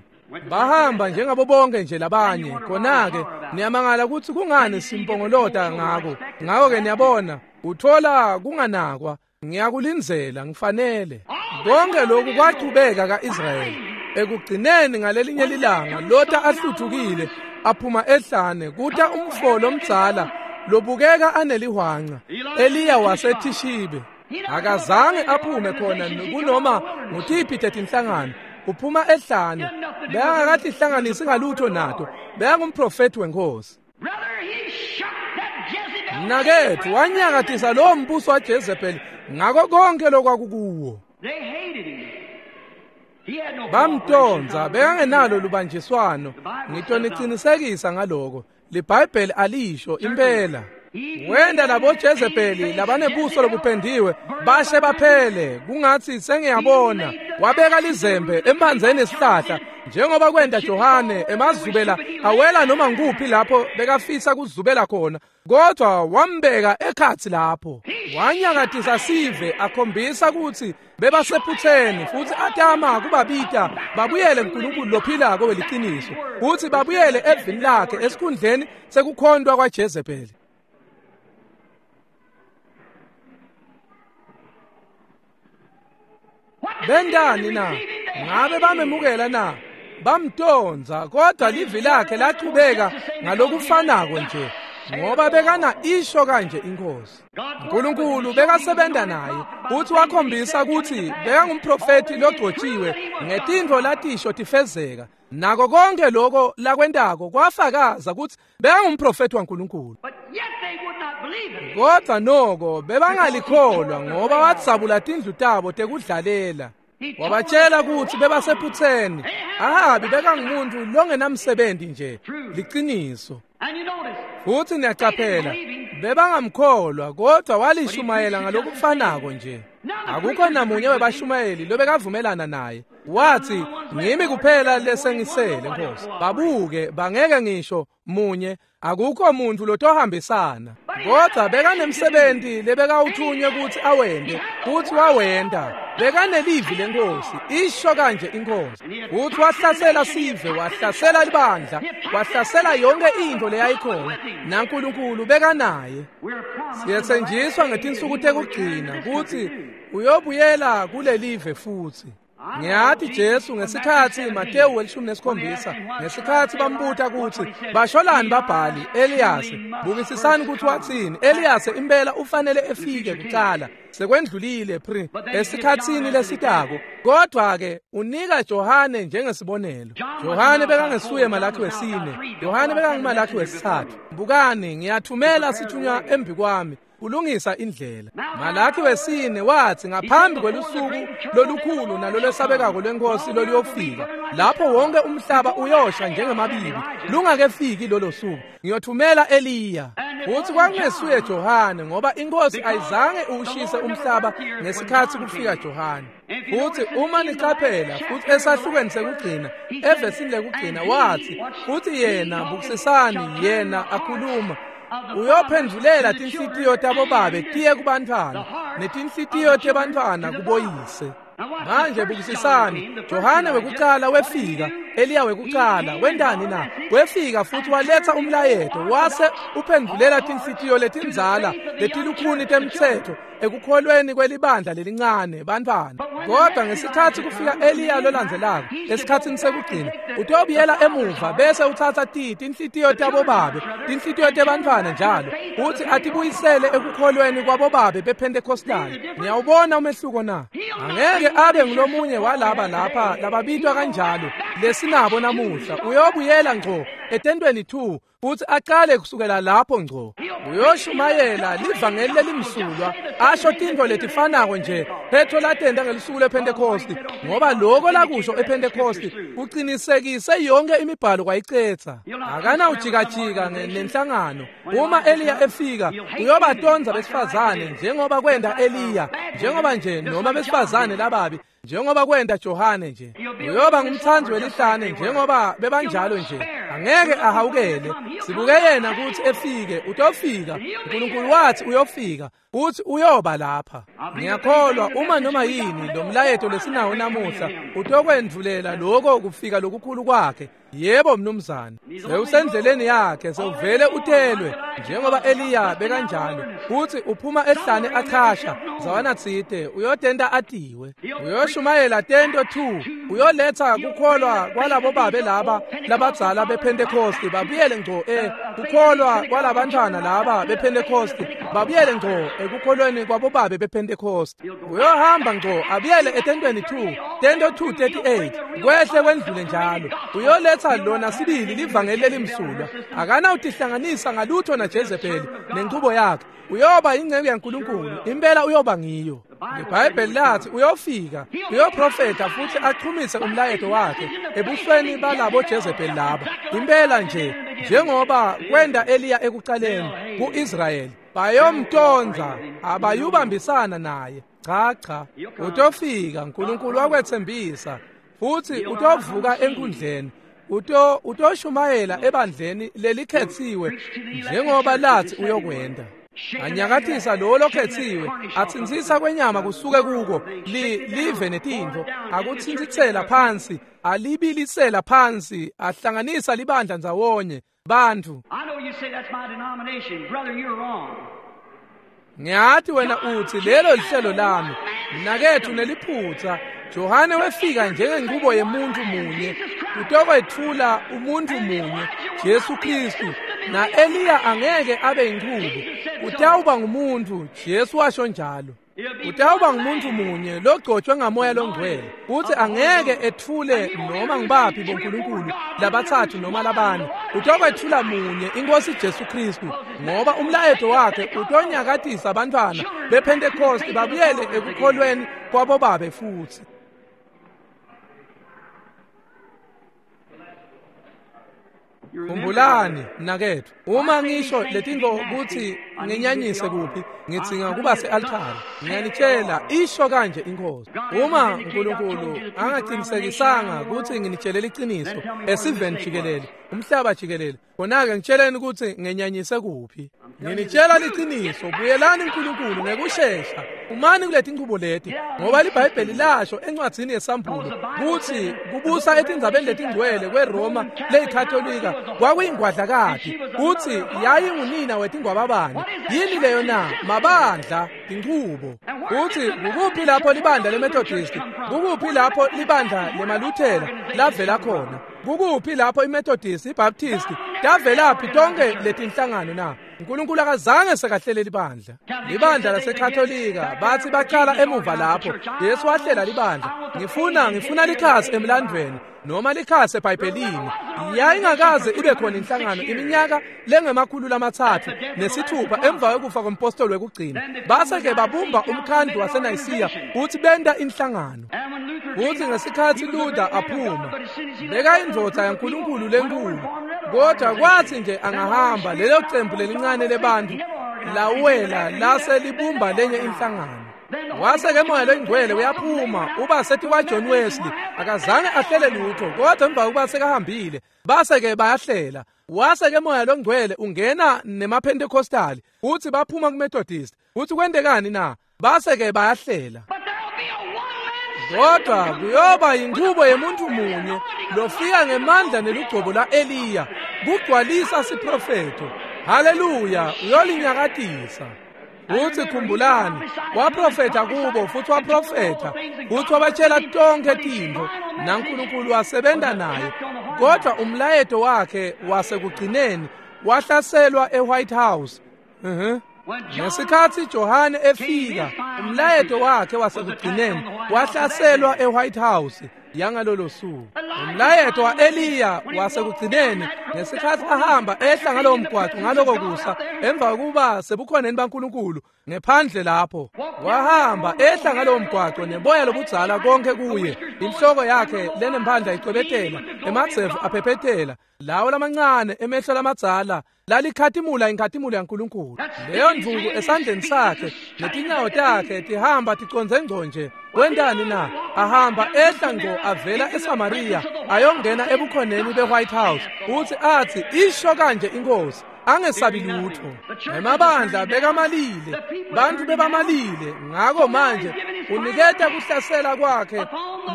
Bahamba njengabo bonke nje labanye. Khona-ke niyamangala ukuthi kungani simpongolota ngako. Ngako-ke niyabona, uthola kunganakwa. Ngiyakulindzela ngifanele. Konke lokhu kwachubeka ka-Israyeli. Ekugcineni ngalelinye lilanga Lota ahluthukile aphuma ehlane, kuta umfo lomdzala lobukeka anelihwanca, Eliya waseThishibe. Akazange aphume khona kunoma ngutiphi tetinhlangano. Uphuma ehlane, bekangakatihlanganisi ngalutho nato, bekangumprofethi wenkosi. Mnaketfu wanyakatisa lowo mbuso waJezebeli ngako konke lokwakukuwo. Bamtonza, bekangenalo lubanjiswano. Ngitonicinisekisa ngaloko. LiBhayibheli alisho impela. Wenda labo Jezebeli labanebuso lobupendiwe bashe baphele, kungathi sengiyabona. Wabeka lizembe emphandzeni esihlahla njengoba kwenda Johane emazubela awela noma nguphi lapho bekafisa kuzubela khona, kodwa wambeka ekhatsi lapho. Wanyakatisa sive akhombisa ukuthi bebasephutheni futhi atama kubabita babuyele kuNkulunkulu lophilako weliciniso, futhi babuyele evini lakhe esikhundleni sekukhontwa kwaJezebeli. Bendani na? Ngabe bamemukela na? Bamtonza, kodwa livi lakhe lachubeka ngalokufanako nje, ngoba bekana isho kanje inkosi. uNkulunkulu bekasebenta naye futhi wakhombisa ukuthi bekangumprofethi logcotshiwe ngetintfo latisho tifezeka. Nako konke lokho lakwentako kwafakaza ukuthi bekangumprofethi waNkulunkulu. Kodwa noko bebangalikholwa ngoba wadzabula tindlu tabo tekudlalela. Wabatshela ukuthi bebasephutheni. Ahabi bekangumuntu longenamsebenzi nje, liciniso. Futhi niyacaphela, bebangamkholwa, kodwa walishumayela ngalokufanako nje. Akukho namunye webashumayeli lobekavumelana naye. Wathi, ngimi kuphela lesengisele Nkosi. Babuke bangeke ngisho munye, akukho muntu lotohambisana. Kodwa bekanemsebenzi lebekawuthunywe ukuthi awende, futhi wawenda. Bekanelivi lenkosi, isho kanje inkosi. Futhi wahlasela sive, wahlasela libandla, wahlasela yonke into leyayikhona, naNkulunkulu bekanaye. Siyethenjiswa ngetinsuku tekugcina ukuthi uyobuyela kulelive futhi. Ngiyathi Jesu ngesikhathi Mateyu 17 ngesikhathi bambuta ukuthi basholani babhali Eliyase, bukisisani ukuthi wathini. Eliyase impela ufanele efike kuqala, sekwendlulile pre esikhatsini lesitako, kodwa ke unika Johane njengesibonelo. Johane bekangesuye Malakhi wesine, Johane bekanguMalakhi wesithathu. Bukani, ngiyathumela sithunywa embi kwami kulungisa indlela. Malakhi wesine wathi ngaphambi kwelusuku lolukhulu nalolwesabekako lwenkosi loluyofika, lapho wonke umhlaba uyosha njengemabibi, lungakefiki lolo suku, ngiyothumela Eliya. Futhi kwakungesuye Johane, ngoba inkosi ayizange uwushise umhlaba ngesikhathi kufika Johane. Futhi uma nicaphela futhi esahlukweni sekugcina, evesini lekugcina wathi, futhi yena bukisisani, yena akhuluma, uyophendulela tinhlitiyo tabo babe tiye kubantfwana netinhlitiyo tebantfwana kuboyise. Manje bukisisani, Johane wekucala wefika, Eliya wekucala wentani na? Wefika futhi waletha umlayeto, wase uphendulela tinhlitiyo letindzala letilukhuni temtsetfo ekukholweni kwelibandla lelincane bantfwana. Kodwa ngesikhatsi kufika Eliya lolandzelako esikhatsini sekugcina, utobuyela emuva bese utsatsa tinhlitiyo tabobabe, tinhlitiyo tebantfwana njalo, uthi atibuyisele ekukholweni kwabobabe bePentecostal. Niyawubona umehluko na? Angeke abe ngulomunye walaba lapha lababitwa kanjalo lesinabo namuhla. Uyobuyela ngco etentweni 2 futhi aqale kusukela lapho ngco. Uyoshumayela livangeli lelimsulwa, asho tintfo letifanako nje Petro latenta ngelusuku lwePentecost, ngoba lokho lakusho ePentecost kucinisekise yonke imibhalo kwayicetha. Akanawujikajika nenhlangano. Uma Eliya efika uyobatonza besifazane njengoba kwenta Eliya, njengoba nje noma besifazane lababi njengoba kwenta Johane nje. Uyoba ngumtsandzi welihlane njengoba bebanjalo nje. Angeke ahawukele. Sibuke yena ukuthi efike. Utofika. uNkulunkulu wathi uyofika, uthi uyoba lapha. Ngiyakholwa uma noma yini lo mlayeto lesinawo namuhla utokwendvulela lokho kufika lokukhulu kwakhe. Yebo mnumzane, sewusendleleni yakhe, sewuvele utelwe njengoba Eliya bekanjalo. Uthi uphuma ehlane achasha zawana tsite, uyotenta atiwe, uyoshumayela tento 2, uyoletha kukholwa kwalabo babe laba labadzala bePentecost babuyele ngco kukholwa kwalabantwana laba bePentecost babuyele ngco ekukholweni kwabo babe bePentecost. Uyohamba ngco abuyele etentweni 2, tento 2:38, kwehle kwendlule njalo. Uyoletha lona sibili livangeli lelimsulwa. Akanawutihlanganisa ngalutho na Jezebeli nenchubo yakhe. Uyoba ingceku yaNkulunkulu, impela uyoba ngiyo. IBhayibheli lathi uyofika, uyoprofetha futhi achumise umlayeto wakhe ebusweni balabo Jezebeli laba. Impela nje njengoba kwenda Eliya ekucaleni kuIsrayeli, bayomtonza abayubambisana naye. Cha cha, utofika. uNkulunkulu wakwethembisa futhi utovuka enkundleni, utoshumayela ebandleni lelikhethiwe njengoba lathi uyokwenda. Anyakathisa lo lokhethiwe, atsintsisa kwenyama kusuke kuko live netintfo, akutsintsitsela phansi, alibilisela phansi, ahlanganisa libandla ndzawonye bantfu. Ngiyathi wena uthi lelo lihlelo lami, mnakethu neliphutsa. Johane wefika njengengubo yemuntu munye, utokwetfula umuntu munye, Jesu Kristu. Na Eliya angeke abe inchubo, utawuba ngumuntu. Jesu washo njalo. Utawuba ngumuntu munye logcotshwe ngamoya longcwele, uthi angeke etfule noma ngibaphi boNkulunkulu labathathu noma labane. Utokwetfula munye, inkosi Jesu Kristu, ngoba umlayeto wakhe utonyakatisa abantwana bePentecost babuyele ekukholweni kwabo babe futhi. Khumbulani mnakethu, uma ngisho letintfo kutsi nginyanyise kuphi, ngidzinga kuba se-altare. Ngiyanitshela, isho kanje inkosi. Uma uNkulunkulu angaqinisekisanga kutsi nginitshele liciniso esiveni jikelele, umhlaba jikelele, khona-ke ngitsheleni kutsi ngenyanyise kuphi. Nginitshela liciniso, buyelani uNkulunkulu ngekushesha. Umani kuleti nchubo leti, ngoba liBhayibheli lasho encwadzini yeSambulo kutsi kubusa etindzabeni letingcwele kweRoma leyikhatolika kwakuyingwadlakati, kutsi yayingunina wetingwababane. Yini leyo na? Mabandla, tinchubo. Kutsi kukuphi lapho libandla leMethodist, kukuphi lapho libandla lemaLuthela lavela khona, kukuphi lapho iMethodist, iBaptist tavelaphi tonke letinhlangano na? uNkulunkulu akazange sekahlele libandla. Libandla laseKatolika bathi baqala emuva lapho Jesu wahlela libandla. Ngifuna likhasi emlandweni noma likhasi eBhayibhelini. Yayingakaze ibe khona inhlangano iminyaka lengama-306 emva kwekufa kompostoli wekugcina. Base-ke babumba umkhandlu waseNayisiya uthi benta inhlangano. Uthi ngesikhathi Luther aphuma, bekayindvodza yaNkulunkulu lenkulu, kodwa kwathi nje angahamba lelo cembu lelincane lebantu lawela lase libumba lenye inhlangano. Wase-ke moya longcwele uyaphuma uba sethi kwaJohn Wesley, akazange ahlele lutho, kodwa emva kokuba sekahambile base-ke bayahlela. Wase-ke moya longcwele ungena nemaPentecostali, uthi baphuma kuMethodist. Uthi kwentekani na? Base-ke bayahlela. Kodwa kuyoba yinchubo yemuntu munye lofika ngemandla nelugcobo la-Eliya kugcwalisa siprofetho. Haleluya, uyolinyakatisa. Uthi khumbulani, waprofetha kubo futhi waprofetha futhi wabatshela tonke tintfo naNkulunkulu wasebenta naye. Kodwa umlayeto wakhe wasekugcineni wahlaselwa eWhite House. Ngesikhathi Johane efika, umlayeto wakhe wasekugcineni wahlaselwa eWhite House yangalolo suku. Umlayeto wa-Eliya wasekugcineni ngesikhathi ahamba ehla ngalowo mgwaqo ngaloko kusa emva kokuba sebukhoneni baNkulunkulu ngephandle lapho, wahamba ehla ngalowo mgwaqo neboya lobudzala konke kuye, inhloko yakhe lenemphandla icwebetela, emadzevu aphephethela, lawo lamancane emehlo lamadzala lalikhatimula inkhatimulo yaNkulunkulu. Leyo ndvuku esandleni sakhe netinyawo takhe tihamba ticondze ngco nje. Wentani na? Ahamba ehla ngco avela eSamaria ayongena ebukhoneni beWhite House, uthi athi isho kanje inkosi, angesabi lutho. Emabandla bekamalile, bantu bebamalile. Ngako manje uniketa kuhlasela kwakhe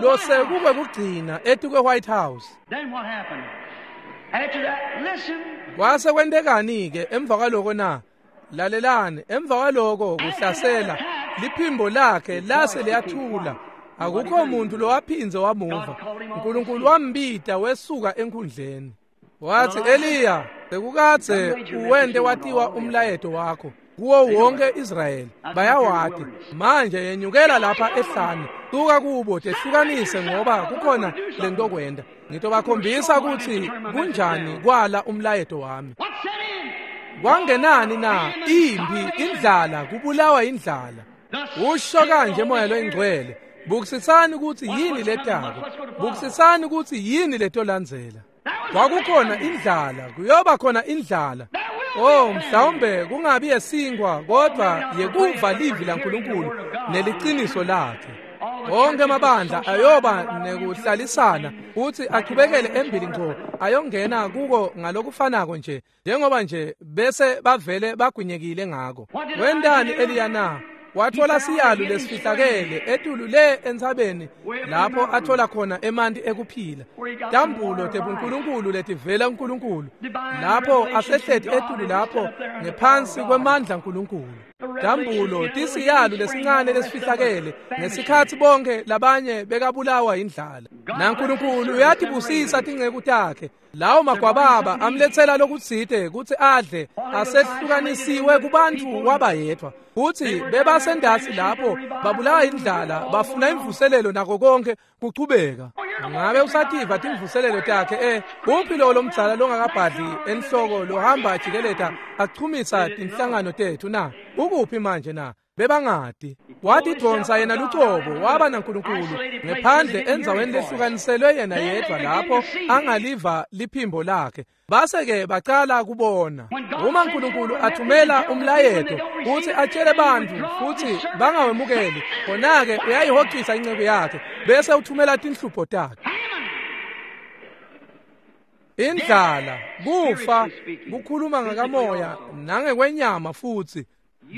losekukwekugcina etukwe White House. Kwase kwentekani-ke emva kwaloko na? Lalelani, emva kwaloko kuhlasela liphimbo lakhe lase liyathula. Akukho muntu lowaphindze wamuva. uNkulunkulu wambita wesuka enkhundleni. Wathi, Eliya, sekukadze uwente watiwa umlayeto wakho kuwo wonke Israyeli, bayawati. Manje yenyukela lapha ehlane, suka kubo, tehlukanise ngoba kukhona lentokwenda. Ngitobakhombisa ukuthi kunjani kwala umlayeto wami. Kwangenani na? Impi, indlala, kubulawa indlala. Usho kanje Moya loyiNgcwele, bukisisani ukuthi yini letako, bukisisani ukuthi yini letolandzela. Kwakukhona indlala, kuyoba khona indlala. Oh, mhlawumbe kungabi yesinkwa kodwa yekuva livi laNkulunkulu neliciniso lakhe. Wonke amabandla ayoba nekuhlalisana futhi achubekele embili ngco ayongena kuko ngalokufanako nje njengoba nje bese bavele bagwinyekile ngako. Wentani Eliya na? Wathola siyalu lesifihlakele etulu le entsabeni lapho athola khona emanti ekuphila, tambulo tebuNkulunkulu letivela kuNkulunkulu, lapho asehleti etulu lapho ngephansi kwemandla aNkulunkulu. Tambulo tisiyalu lesincane lesifihlakele ngesikhathi bonke labanye bekabulawa indlala. NaNkulunkulu uyatibusisa tinceku takhe. Lawo magwababa amlethela lokutsite kutsi adle, asehlukanisiwe kubantu waba yedwa. Futhi bebasendasi lapho babulawa indlala, bafuna imvuselelo nako konke kuchubeka. Ngabe usativa timvuselelo takhe? Uphi lo lomdzala longakabhadli enhloko lohamba ajikeleta achumisa tinhlangano tethu na? Ukuphi manje na? Bebangati. Watidvonsa yena lucobo waba naNkulunkulu ngephandle endzaweni lehlukaniselwe yena yedwa lapho angaliva liphimbo lakhe. Base-ke bacala kubona. Uma uNkulunkulu athumela umlayeto futhi atshele bantu futhi bangawemukeli, khona-ke uyayihocisa inceku yakhe bese uthumela tinhlupho takhe. Indlala, kufa, kukhuluma ngakamoya nangekwenyama futhi.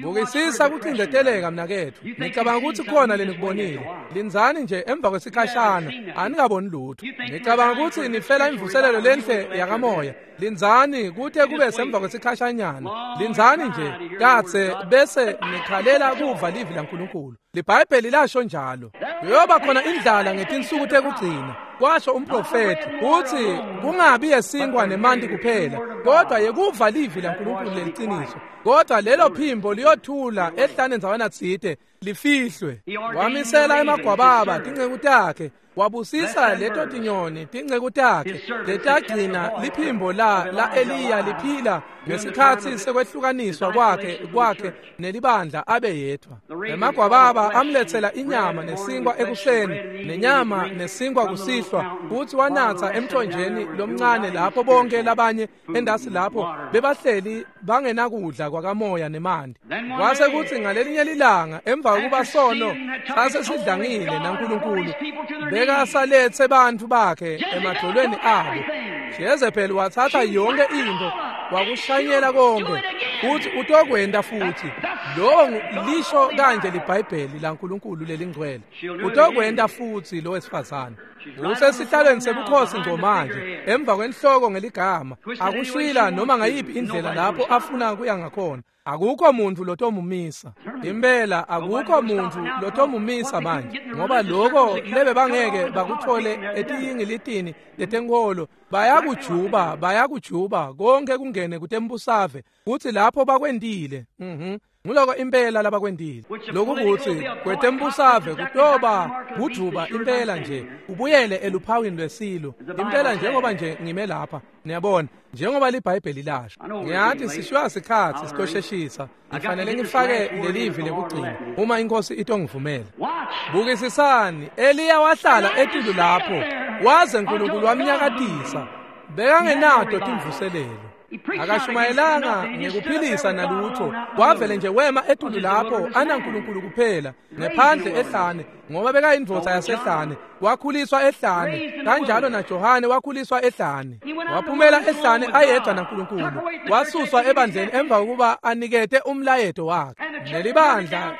Bukisisa kucindeteleka mnaketfu. Ngicabanga ukuthi khona lenikubonile. Lindzani nje emva kwesikhashana, anikaboni lutho. Ngicabanga ukuthi nifela imvuselelo lenhle yakamoya. Lindzani kute kube semva kwesikhashanyana. Lindzani nje katse bese nikhalela kuva livi laNkulunkulu. LiBhayibheli lasho njalo. Kuyoba khona indlala ngetinsuku tekugcina, kwasho umprofethi, uthi kungabi yesinkwa nemanti kuphela, kodwa yekuva livi laNkulunkulu leliciniso. Kodwa lelo phimbo liyothula ehlane ndzawana tsite lifihlwe. Wamisela emagwababa tinceku takhe, wabusisa leto tinyoni tinceku takhe letagcina liphimbo la Eliya liphila ngesikhathi sekwehlukaniswa kwakhe nelibandla abe yedwa. Emagwababa amlethela inyama nesinkwa ekuseni nenyama nesinkwa kusihlwa, futhi wanatha emthonjeni lomncane lapho bonke labanye endasi lapho bebahleli bangenakudla kwakamoya nemanti. Kwase kuthi ngalelinye lilanga emva kokuba sono sase sidlangile naNkulunkulu bekasalethe bantfu bakhe emadolweni abo, Jezebel wathatha yonke into, Wakushanyela konke futhi utokwenta futhi. Lo lisho kanje liBhayibheli laNkulunkulu lelingcwele. Utokwenta futhi lo wesifazane. Usesihlalweni sebukhosi nje manje emva kwenhloko ngeligama akushila noma ngayiphi indlela lapho afuna kuya ngakhona. Akukho muntu lotomumisa. Impela akukho muntu lotomumisa manje ngoba lokho lebe bangeke bakuthole etiyingilitini letenkolo bayakujuba konke kungene kutembusave kuthi lapho bakwendile. Nguloko impela labakwendile. Lokukuthi kwetembusave kutoba kujuba impela nje ubuyele eluphawini lwesilo impela njengoba nje ngime lapha. Niyabona njengoba liBhayibheli lasho. Ngiyathi sishwa sikhathi sitosheshisa. Ngifanele ngifake lelivi lekugcina uma inkosi itongivumela. Bukisisani, Eliya wahlala etulu lapho waze uNkulunkulu wamnyakatisa. Bekangenato timvuselelo. Akashumayelanga ngekuphilisa nalutho. Wavele nje wema etulu lapho anaNkulunkulu kuphela ngephandle ehlane ngoba bekayindvodza yasehlane. Wakhuliswa ehlane kanjalo naJohane wakhuliswa ehlane. Waphumela ehlane ayedwa naNkulunkulu. Wasuswa ebandleni emva kokuba anikete umlayeto wakhe. Nelibandla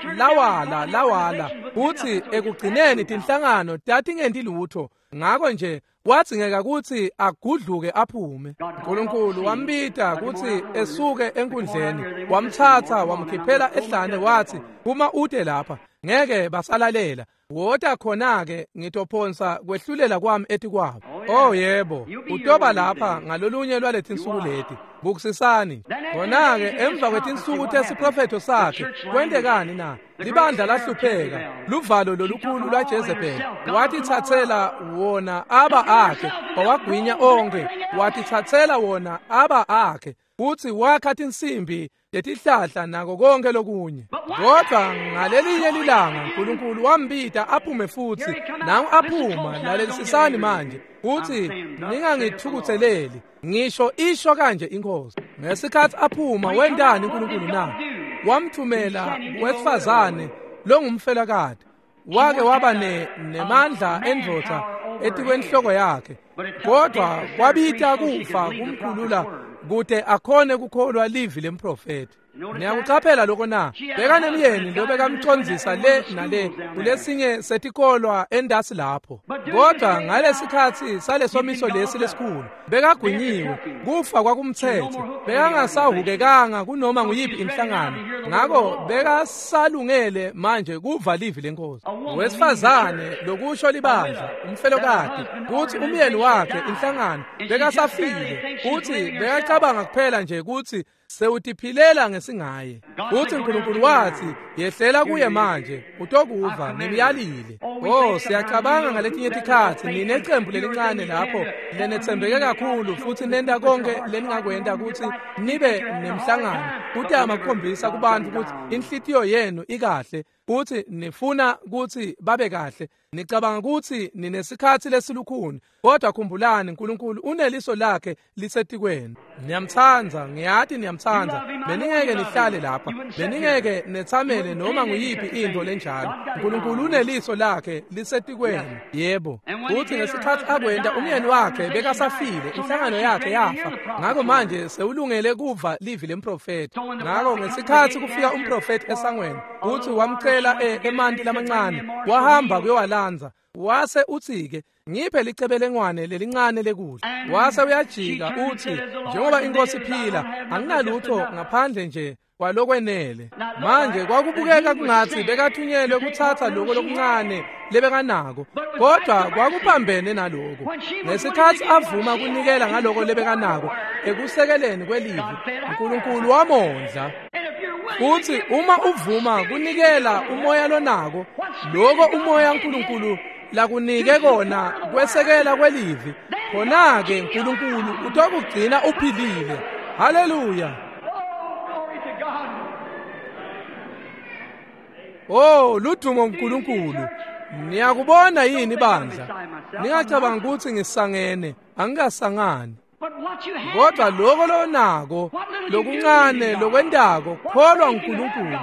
lawala futhi ekugcineni tinhlangano tatingenti lutho. Ngakho nje kwadzingeka ukuthi agudluke aphume. uNkulunkulu wambita ukuthi esuke enkundleni, wamthatha wamkhiphela ehlane wathi uma ude lapha ngeke basalalela. Wota khona-ke ngitophonsa kwehlulela kwami etikwabo. Oh yebo, utoba lapha ngalolunye lwaletinsuku leti. Bukisisani. Khona-ke emva kwetinsuku tesiprofetho sakhe kwentekani na? Libandla lahlupheka, luvalo lolukhulu lwaJezebel. Watithathela wona aba akhe, wawagwinya onke, watithathela wona aba akhe. Futhi wakha tinsimbi letihlahla nako konke lokunye. Kodwa ngalelinye lilanga uNkulunkulu wambita aphume futhi. Nangu aphuma, lalelisisani manje. Uthi ningangithukutheleli, ngisho isho kanje inkosi. Ngesikhathi aphuma wendani uNkulunkulu na? Wamthumela wesifazane longumfelakade. Wake waba nemandla endvodza etikwenhloko yakhe. Kodwa kwabita kufa kumkhulula kute akhone kukholwa livi lemprofeti. Niyakucaphela lokho na? Bekanemyeni lo bekamcondzisa le nale kulesinye setikolwa endasi lapho. Kodwa ngalesikhathi salesomiso lesi lesikhulu bekagwinyiwe, kufa kwakumthethe, bekangasahukekanga kunoma nguyiphi inhlangano. Ngakho bekasalungele manje kuva livi lenkosi. Wesifazane lokusho libandla, umfelokati, kuthi umyeni wakhe inhlangano bekasafile, uthi bekacabanga kuphela nje ukuthi sewutiphilela ngesingaye. Uthi uNkulunkulu wathi yehlela kuye manje utokuva ngimyalile. Oh siyacabanga ngaletinye tikhatsi ninecembu lelincane lapho lenethembeke kakhulu futhi nenta konke leningakwenta ukuthi nibe nemhlangano kutama kukhombisa kubantu ukuthi inhlitiyo yenu ikahle futhi nifuna ukuthi babe kahle. Nicabanga ukuthi ninesikhathi lesilukhuni, kodwa khumbulani uNkulunkulu uneliso lakhe lisetikwenu. Niyamthanda, ngiyathi niyamthanda. Beningeke nihlale lapha, beningeke nethamele noma nguyiphi into lenjalo. uNkulunkulu uneliso lakhe lisetikwenu. Yebo. Futhi ngesikhathi akwenta umyeni wakhe bekasafile, inhlangano yakhe yafa. Ngakho manje sewulungele kuva livi lemprofeti. Ngakho ngesikhathi kufika umprofeti esangweni, uthi wamcela emanti lamancane, wahamba kuyowalanza. Wase uthi-ke ngiphe licebelengwane lelincane lekudla. Wase uyajika uthi njengoba inkosi iphila anginalutho ngaphandle nje kwalokwenele. Manje kwakubukeka kungathi bekathunyelwe kuthatha lokho lokuncane lebekanako, kodwa kwakuphambene naloko. Ngesikhathi avuma kunikela ngaloko lebekanako ekusekeleni kwelivi, uNkulunkulu wamondla. Uthi uma uvuma kunikela umoya lonako, lokho umoya uNkulunkulu lakunike kona kwesekela kwelivi, khona-ke uNkulunkulu utokugcina uphilile. Haleluya. Oh ludumo uNkulunkulu. Niyakubona yini bandla? Ningacabanga ukuthi ngisangene, angikasangani. Kodwa lokho lonako lokuncane lokwentako, kholwa uNkulunkulu.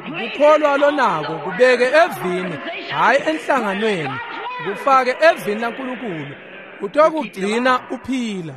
Kukholwa lonako kubeke evini, hayi enhlanganweni, kufake evini laNkulunkulu, utokugcina uphila.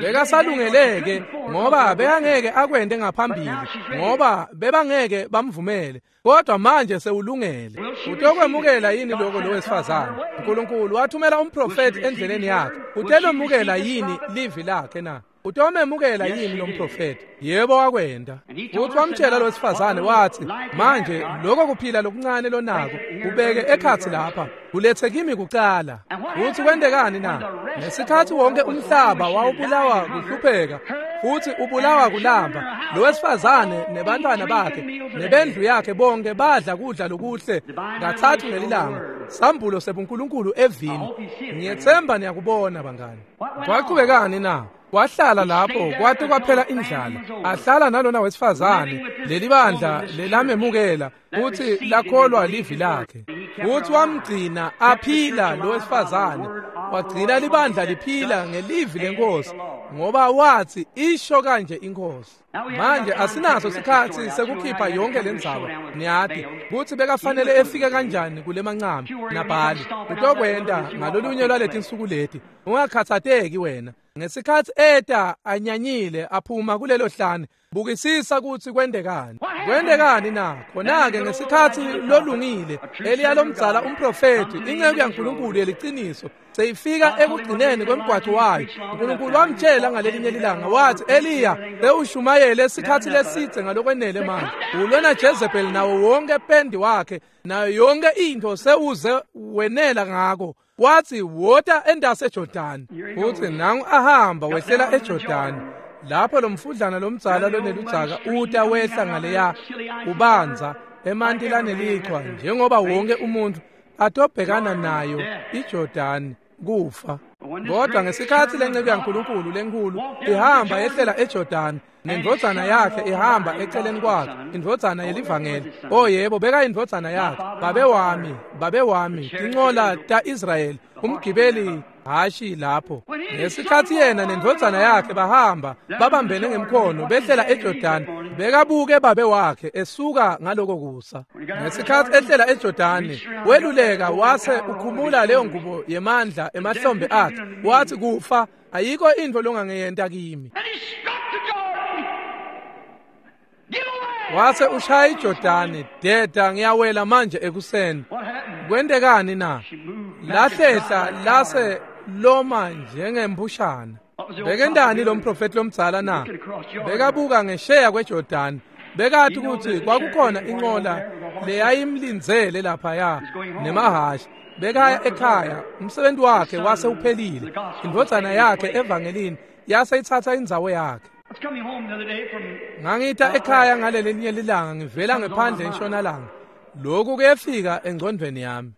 Bekasalungeleke ngoba bekangeke akwente ngaphambili, ngoba bebangeke bamvumele. Kodwa manje sewulungele. Utokwemukela yini lokho lo wesifazane? uNkulunkulu wathumela umprofeti endleleni yakhe. Utelomukela yini livi lakhe na? Utomemukela yini lo mprofeti? Yebo, wakwenda. Futhi wamtshela lo wesifazane wathi, manje lokho kuphila lokuncane lonako ubeke ekhatsi lapha, ulethe kimi kucala. Futhi kwentekani na? Ngesikhathi wonke umhlaba wawubulawa kuhlupheka futhi ubulawa kulamba, lo wesifazane nebantwana bakhe nebendlu yakhe bonke badla kudla lokuhle kathathu ngelilanga. Sambulo sebuNkulunkulu evini. Ngiyethemba niyakubona bangani. Kwaqhubekani na? Wahlala lapho kwate kwaphela indlala. Ahlala nalona wesifazane, leli bandla lelamemukela futhi lakholwa livi lakhe. Futhi wamgcina aphila lo wesifazane, wagcina libandla liphila ngelivi lenkosi, ngoba wathi isho kanje inkosi. Manje asinaso sikhathi sekukhipha yonke lendzaba. Niyati kutsi bekafanele efike kanjani kule mancami nabhali. Utokwenta ngalolunye lwaletinsuku leti. Ungakhathateki wena. Ngesikhathi eta anyanyile aphuma kulelo hlane, bukisisa kutsi kwentekani. Kwentekani na? Khona-ke ngesikhathi lolungile Eliya lomdzala umprofeti, inceku yaNkulunkulu yeliciniso, seyifika ekugcineni kwemgwaco wayo. uNkulunkulu wamtshela ngalelinye lilanga wathi, Eliya, sewushumayele isikhathi lesidze ngalokwenele manje. Ulona Jezebel nawo wonke pendi wakhe nayo yonke into sewuze wenela ngako. Wathi wota endase eJordani. Futhi nangu ahamba wehlela eJordani. Lapho lo mfudlana lomdzala loneludzaka uta wehla ngaleya ubanza emanti lanelichwa, njengoba wonke umuntu atobhekana nayo iJordani kufa. Kodwa ngesikhathi lenceku yaNkulunkulu lenkulu ihamba yehlela eJordani, nendvodzana yakhe ihamba eceleni kwakhe, indvodzana yelivangeli. Oh yebo, beka indvodzana yakhe. Babe wami, babe wami, tincola ta-Israyeli, umgibeli hashi lapho. Ngesikhathi yena nendvodzana yakhe bahamba babambene ngemkhono behlela eJordani, bekabuke babe wakhe esuka ngaloko kusa. Ngesikhathi ehlela eJordani, weluleka wase ukhumula leyo ngubo yemandla emahlombe akhe, wathi kufa ayikho into longangeyenta kimi. Wase ushaya iJordani, deda ngiyawela manje ekuseni. Kwentekani na? Lahlehla lase loma njengembushana. Bekendani lo mprofeti lomdzala na? Bekabuka ngesheya kweJordani. Bekathi ukuthi kwakukhona inqola leyayimlindzele laphaya nemahashi. Bekaya ekhaya, umsebenzi wakhe wase uphelile. Indvodzana yakhe evangelini yase ithatha indzawo yakhe. Ngangita ekhaya ngalelinye lilanga ngivela ngephandle entshonalanga. Lokhu kuyefika engcondweni yami.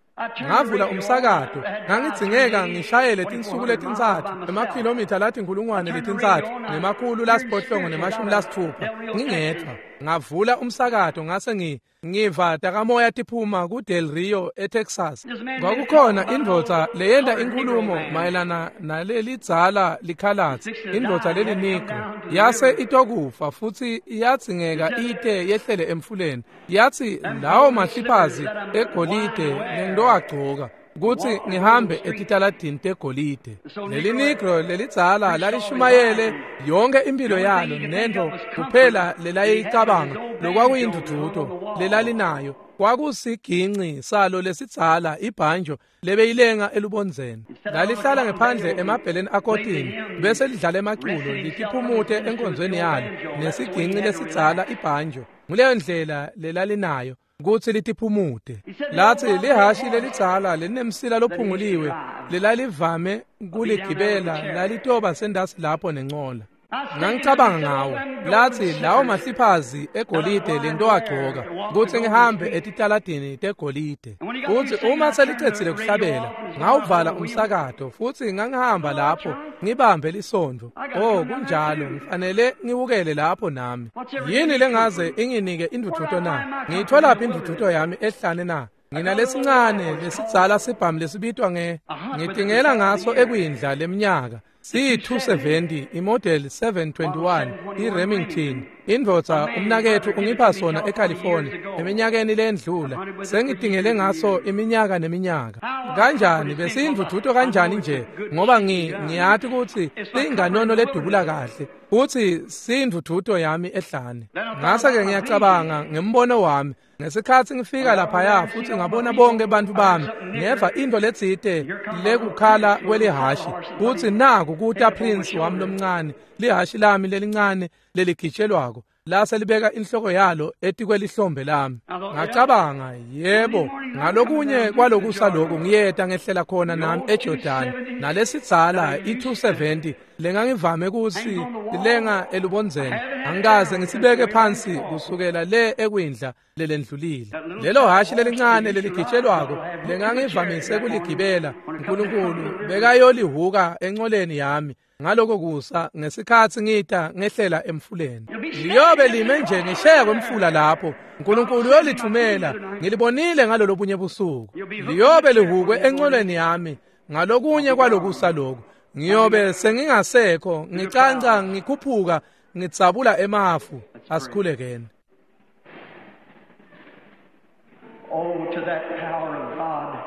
Ngavula umsakato, ngangidzingeka ngishayele tinsuku letintsatfu, emakhilomitha lathi 3,300 960 ngingedwa. Ngavula umsakato ngase ngiva takamoya tiphuma kuDel Rio eTexas. Kwakukhona indvodza leyenta inkulumo mayelana nalelidzala likhalatsi, indvodza lelinigro. Yase itokufa futhi iyadzingeka ite yehlele emfuleni. Yathi lawo mahliphazi egolide lengitowagcoka kutsi ngihambe etitaladini tegolide. Leli negro lelidzala lalishumayele yonke impilo yalo nento kuphela lelayicabanga lokwakuyindududo lelalinayo kwakusiginci salo lesidzala ibhanjo lebeyilenga elubondzeni. Lalihlala ngephandle emabheleni akotini bese lidlala emaculo litiphumute enkonzweni yalo nesiginci lesidzala ibhanjo. Nguleyo ndlela lelalinayo kutsi litiphumute. Lathi lihashi lelidzala lelinemsila lophunguliwe lelalivame kuligibela lalitoba sendasi lapho nencola. Ngangicabanga ngawo. Lathi lawo mahliphazi egolide lengitowagcoka kutsi ngihambe etitaladini tegolide. Futsi uma selicedzile kuhlabela, ngawuvala umsakato futsi ngangihamba lapho ngibambe lisondvo. Oh kunjalo, ngifanele ngiwukele lapho nami. Yini lengaze inginike indvudvuto na? Ngiyitholaphi indvudvuto yami ehlane na? Nginalesincane lesidzala sibhamu lesibitwa nge ngitingela ngaso ekwindla leminyaka. C270 imodel 721 iRemington. Indvodza umnaketfu ungipha sona eCalifornia eminyakeni lendlula. Sengitingele ngaso iminyaka neminyaka. Kanjani besindvudvuto kanjani nje ngoba ngiyati kutsi singanono ledubula kahle futsi sindvudvuto yami ehlane. Ngase ke ngiyacabanga ngembono wami ngesikhatsi ngifika laphaya futsi ngabona bonke bantfu bami ngeva into letsite lekukhala kwelihashi kutsi naku kuta Prince wami lomncane lihashi lami lelincane leligitshelwako lase libeka inhloko yalo etikwelihlombe lami. Ngacabanga yebo ngalokunye kwalokusa lokhu ngiyeta ngehlela khona nami eJordan nalesidzala i270 lengangivame kusi lenga elubondzeni angikaze ngisibeke phansi kusukela le ekwindla lelendlulile. Lelo hashi lelincane leligitshelwako lengangivamise kuligibela uNkulunkulu bekayolihuka encoleni yami ngaloko kusa ngesikhatsi ngita ngehlela emfuleni. Liyobe lime nje ngisheya kwemfula lapho uNkulunkulu uyolithumela. Ngilibonile ngalolo bunye busuku. Liyobe lihukwe encoleni yami ngalokunye kwalokusa lokhu. Ngiyobe sengingasekho ngicanca ngikhuphuka ngitsabula emafu. Asikhulekeni. Oh, to that power of God.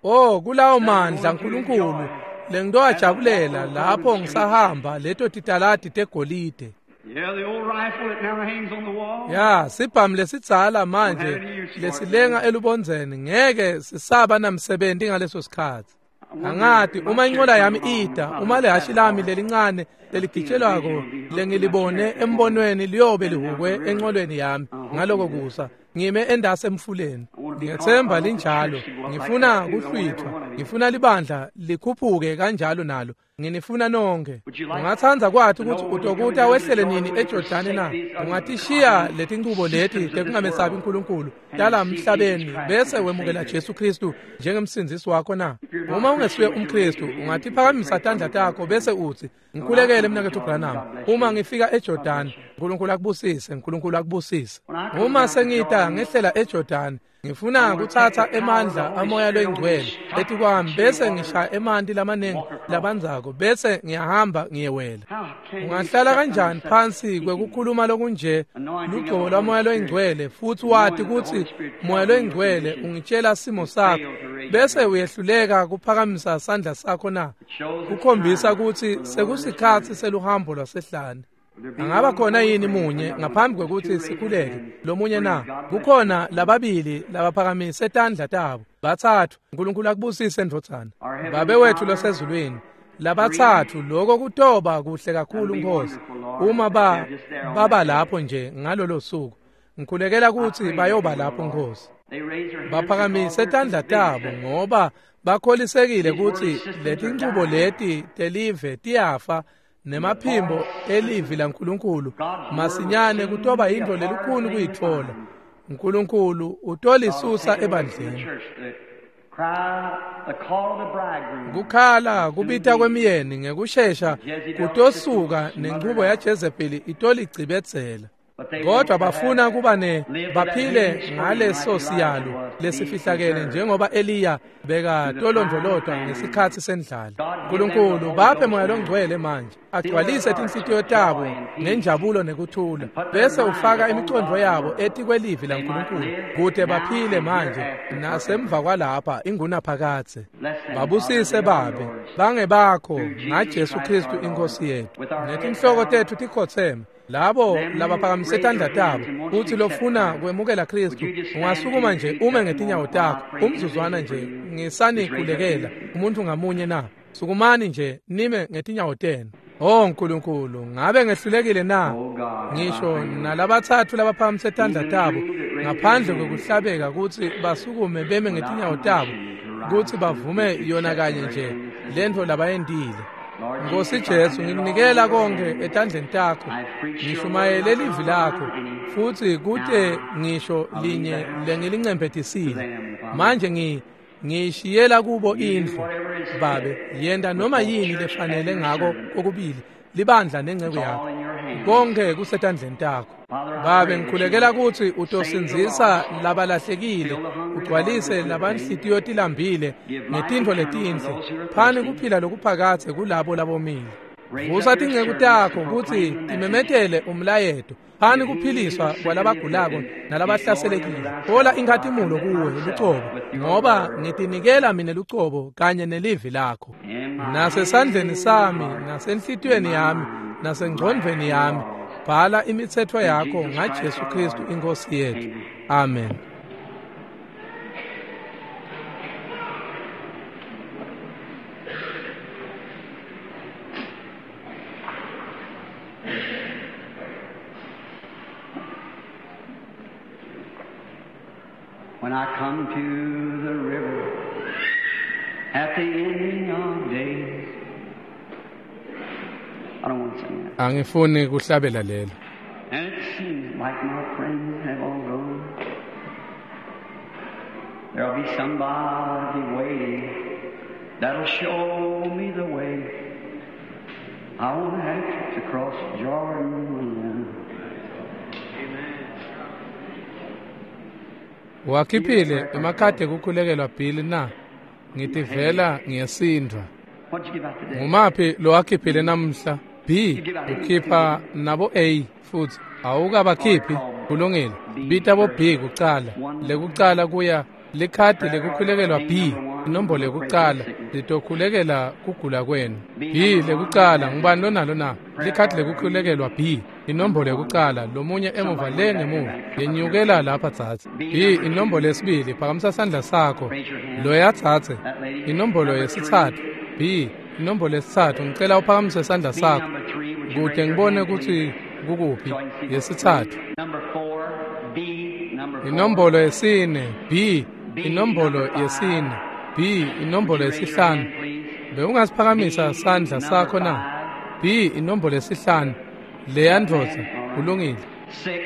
Oh, kulawo mandla uNkulunkulu lengitowajabulela lapho ngisahamba leto titaladi tegolide. Yeah, the old rifle that now hangs on the wall. Ya, sibhamu lesidzala manje lesilenga elubondzeni ngeke sisaba namsebenzi ngaleso sikhatsi. Angati uma inqola yami ida, uma lehashi lami lelincane leligitshelwako lengilibone embonweni liyobe lihukwe enqolweni yami ngaloko kusa ngime endase emfuleni. Ngiyethemba linjalo. Ngifuna kuhlwithwa, ngifuna libandla likhuphuke kanjalo nalo. Nginifuna nonke. Ungatsandza kwathi ukuthi utokuta wehlele nini eJordani na? Ungatishiya letinchubo leti tekungamesabi uNkulunkulu tala emhlabeni bese wemukela Jesu Kristu njengemsindzisi wakho na? Uma ungesuye umKristu ungatiphakamisa tandla takho bese utsi ngikhulekele mnaketfu Branham uma ngifika eJordani. uNkulunkulu akubusise, uNkulunkulu akubusise. Uma sengita ngehlela eJordani ngifuna kuthatha emandla amoya loyingcwele etikwami bese ngishaya emanti lamanengi labandzako bese ngiyahamba ngiyewela. Ungahlala kanjani phansi kwekukhuluma lokunje lugcobo lwamoya loyingcwele futhi wati kutsi moya loyingcwele ungitshela simo sakho bese uyehluleka kuphakamisa sandla sakho na? Kukhombisa kutsi sekusikhatsi seluhambo lwasehlane. Angaba khona yini munye ngaphambi kwekuthi sikhuleke lomunye na? Kukhona lababili labaphakamise tandla tabo, bathathu. uNkulunkulu akubusise ndvodzana. Babe wethu losezulwini, labathathu lokho kutoba kuhle kakhulu Nkosi uma baba lapho nje ngalolo suku. Ngikhulekela ukuthi bayoba lapho Nkosi. Baphakamise tandla tabo ngoba bakholisekile ukuthi letinchubo leti telive tiyafa nemaphimbo elivi laNkulunkulu masinyane kutoba into lelikhulu kuyitfola. uNkulunkulu utolisusa ebandleni. Kukhala kubita kwemiyeni ngekushesha kutosuka nenchubo yaJezebeli itoligcibedzela. Kodwa bafuna kuba baphile ngaleso siyalo lesifihlakele njengoba Eliya bekatolondvolotwa ngesikhatsi sendlala. uNkulunkulu baphe moya longcwele manje agcwalise tinhlitiyo tabo ngenjabulo nekuthula bese ufaka imicondvo yabo etikwelivi laNkulunkulu kute baphile manje nasemva kwalapha ingunaphakadze. Babusise babe bangebakho ngaJesu Kristu inkosi yethu. Netinhloko tethu tikhotseme. Labo labaphakamise tandla tabo uthi lofuna kwemukela Kristu ungasukuma nje ume ngetinyawo takho umzuzwana nje ngisanikhulekela umuntu ngamunye na? Sukumani nje nime ngetinyawo tenu. Oh Nkulunkulu, ngabe ngehlulekile na? Ngisho nalabathathu labaphakamise tandla tabo ngaphandle kwekuhlabeka kutsi basukume beme ngetinyawo tabo kutsi bavume yona kanye nje lentfo labayentile. Nkosi Jesu, ngikunikela konke etandleni takho. Ngishumayele livi lakho futhi kute ngisho linye lengilincemphetisile. Manje ngiyishiyela kubo indlu. Babe, yenta noma yini lefanele ngako kokubili libandla nenceku yakho. Konke kusetandleni takho. Babe, ngikhulekela kutsi utosindzisa labalahlekile, ugcwalise labanhlitiyo tilambile ngetintfo letinhle. Phani kuphila lokuphakadze kulabo labomile. Vusa tinceku takho kutsi timemetele umlayeto. Phani kuphiliswa kwalabagulako nalabahlaselekile. Thola inkhatimulo kuwe lucobo, ngoba ngitinikela mine lucobo kanye nelivi lakho. Nasesandleni sami, nasenhlitiyweni yami, nasengcondvweni yami, bhala imitsetfo yakho ngaJesu Kristu iNkosi yethu. Amen. When I come to the river at the ending of days. I don't want to sing that. Angifuni kuhlabela lelo. And it seems like my friends have all gone. There'll be somebody waiting that'll show me the way. I won't have to cross Jordan alone. Wakhiphile emakhadi ekukhulekelwa Bill na? Ngitivela ngiyasindvwa. What'd you give out today? Ngumaphi lowakhiphile namhla? B ukhipha nabo A futhi awukabakhiphi. Kulungile. Bita bo B kucala. Lekucala kuya likhadi lekukhulekelwa B, inombolo yekucala litokhulekela kugula kwenu. B lekucala ngubani lonalo na? Likhadi lekukhulekelwa B, inombolo yekucala, lomunye emuva le ngemuva. Yenyukela lapha tsatse. B inombolo yesibili, phakamisa sandla sakho. Loya tsatse. Inombolo yesitsatfu. B inombolo yesitsatfu, ngicela uphakamise sandla B sakho number 3, would you kute raise your ngibone hand, kutsi please? kukuphi. So I can see. Yesitsatfu. Number 4, B number 4. Inombolo yesine B, B inombolo number 5. yesine B, inombolo Would you raise your yesihlanu. hand, please? Bewungasiphakamisa B sandla number sakho na? 5. B inombolo yesihlanu. Leya ndvodza kulungile. 6,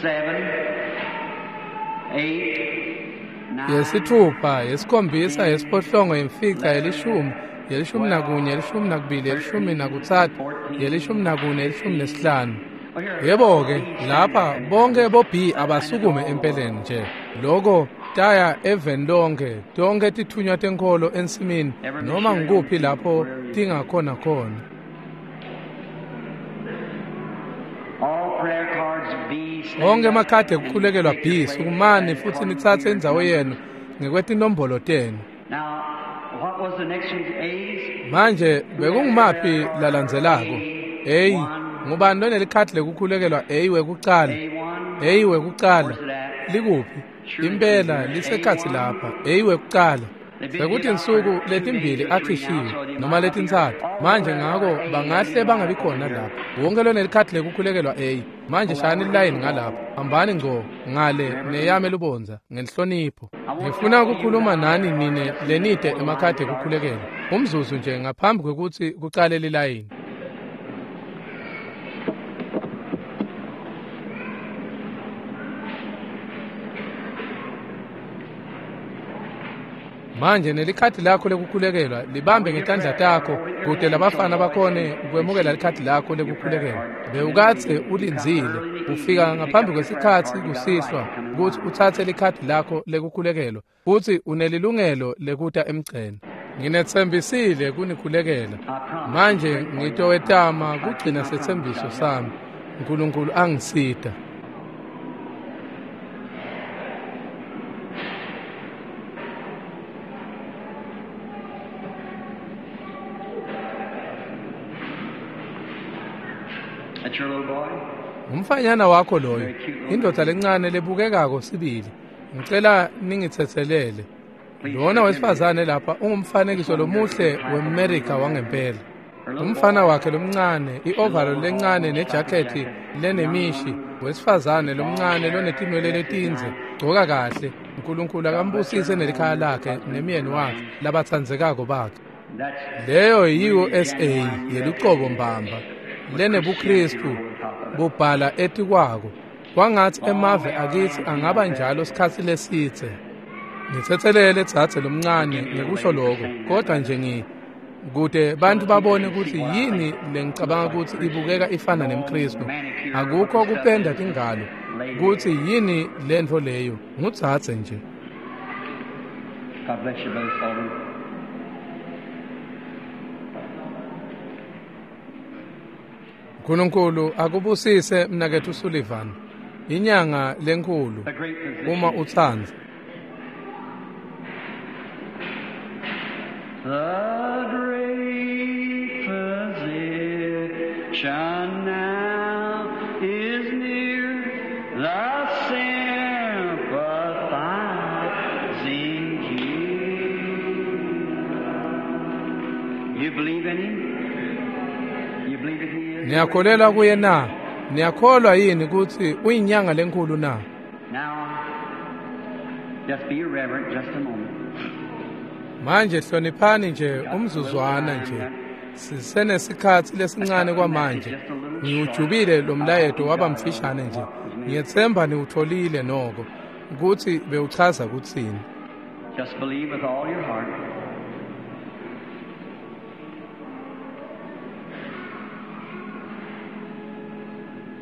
7, 8, 9, Yesithupha, yesikhombisa, yesiphohlongo, yemfica, yelishumi, 11, 12, 13, 14, 15. Yebo-ke, lapha bonke bo B abasukume empeleni nje. Loko taya eveni lonke, tonke tithunywa tenkholo ensimini, noma ngikuphi lapho tingakhona khona. All prayer cards B. stand Onke up emakhadi and ekukhulekelwa take B, your place sukumani futhi according nitsatse to your indzawo numbers. yenu ngekwetinombolo tenu. Now, what was the next one's A's? Manje bekungumaphi lalandzelako? A, ngubani lonelikhadi lekukhulekelwa A wekucala? A1. A wekucala likuphi? Impela lisekhatsi lapha. A wekucala. Sekuthi insuku letimbili akhishiwe noma letintsatfu. Manje ngako bangahle bangabi khona lapha. Wonke lonelikhadi lekukhulekelwa A. Manje shayani lilayini ngalapha. Hambani ngco ngale neyame lubondza ngenhlonipho. Ngifuna ukukhuluma nani nine lenide emakhadi ekukhulekelwa. Umzuzu nje ngaphambi kwekutsi kucale lilayini. Manje nelikhadi lakho lekukhulekelwa libambe ngetandla takho kute labafana bakhone kwemukela likhadi lakho lekukhulekelwa. Bewukadze ulindzile ufika ngaphambi kwesikhatsi kusihlwa kutsi utsatse likhadi lakho lekukhulekelwa futsi unelilungelo lekuta emgceni. Nginetsembisile kunikhulekela. Manje ngitowetama kugcina setsembiso sami. Nkulunkulu angisita. That's your little boy? Umfanyana wakho loyo, indvodza lencane lebukekako sibili. Ngicela ningitsetselele. Lona wesifazane lapha ungumfanekiso lomuhle weMerika wangempela. Umfana wakhe lomncane, i-overall lencane nejakhethi lenemishi, wesifazane lomncane lonetinwele letindze, gcoka kahle. Nkulunkulu akambusise nelikhaya lakhe nemyeni wakhe labatsandzekako bakhe. That's Leyo yi-USA yelucobo mbamba lenebuKristu bubhala etikwako. Kwangatsi emave akithi angaba njalo sikhatsi lesitse. Ngitsetselele dzadze lomncane ngekusho lokho, kodwa nje Kute bantfu babone kutsi yini lengicabanga kutsi ibukeka ifana nemKhristu. Akukho kupenda tingalo kutsi yini lentfo leyo, ngudzadze nje. God bless you, Brother Sullivan. Nkulunkulu akubusise mnaketfu Sullivan. Inyanga lenkhulu The great physician. uma utsandza. The great physician now is near, the sympathizing Jesus. You believe in him? You believe that he is? the great Niyakholelwa kuye na? Niyakholwa yini kutsi uyinyanga lenkhulu na? Now, just be reverent just a moment. Manje hloniphani nje umzuzwana nje. Sisenesikhatsi lesincane kwamanje. Ngiwujubile lo mlayeto waba mfishane nje. Ngiyetsemba niwutholile noko kutsi bewuchaza kutsini. Just believe with all your heart.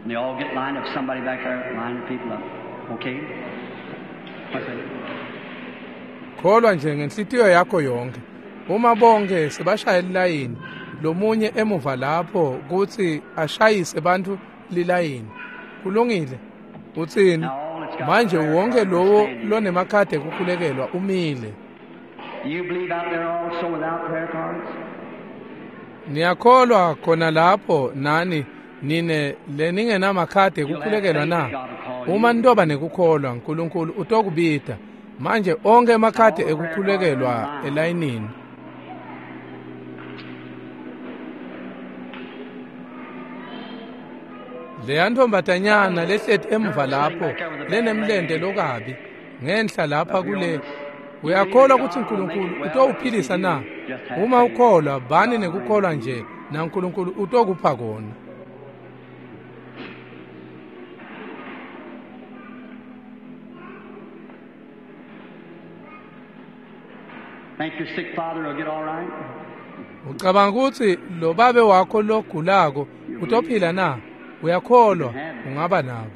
And they all get lined up. Somebody back there, line the people up. Okay? What's that? Kholwa nje ngenhlitiyo yakho yonke. Uma bonke sebashaya lilayini, lomunye emuva lapho kutsi ashayise bantfu lilayini. Kulungile. Utsini? Manje wonke lowo lonemakhadi ekukhulekelwa umile. You believe out there also without prayer cards? Niyakholwa khona lapho nani nine leningenamakhadi ekukhulekelwa na? Uma nitoba nekukholwa, Nkulunkulu utokubita. Manje onke emakhadi ekukhulekelwa elayinini. Leya ntombazanyana lehleti emuva lapho lenemlente lokabi ngenhla lapha kule, uyakholwa kutsi Nkulunkulu utowuphilisa na? Uma ukholwa, bani nekukholwa nje na Nkulunkulu utokupha kona. Think your sick father will get all right? Ucabanga kutsi lo babe wakho logulako utophila na? Uyakholwa ungaba nako.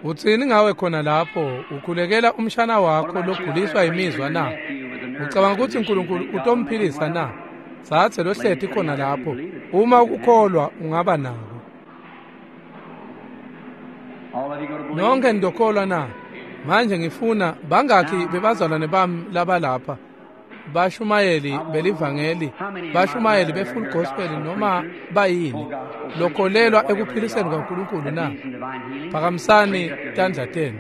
Utsini ngawe khona lapho ukhulekela umshana wakho loguliswa imizwa na? Ucabanga kutsi Nkulunkulu utomphilisa na? Tsatse lohleti khona lapho. Uma ukholwa ungaba nako. All of you go to believe? Nonke nitokholwa na? Manje ngifuna bangakhi bebazalwane bami labalapha bashumayeli belivangeli, bashumayeli be-full gospel noma bayini lokholelwa ekuphiliseni kwaNkulunkulu na? Phakamisani tandla tenu.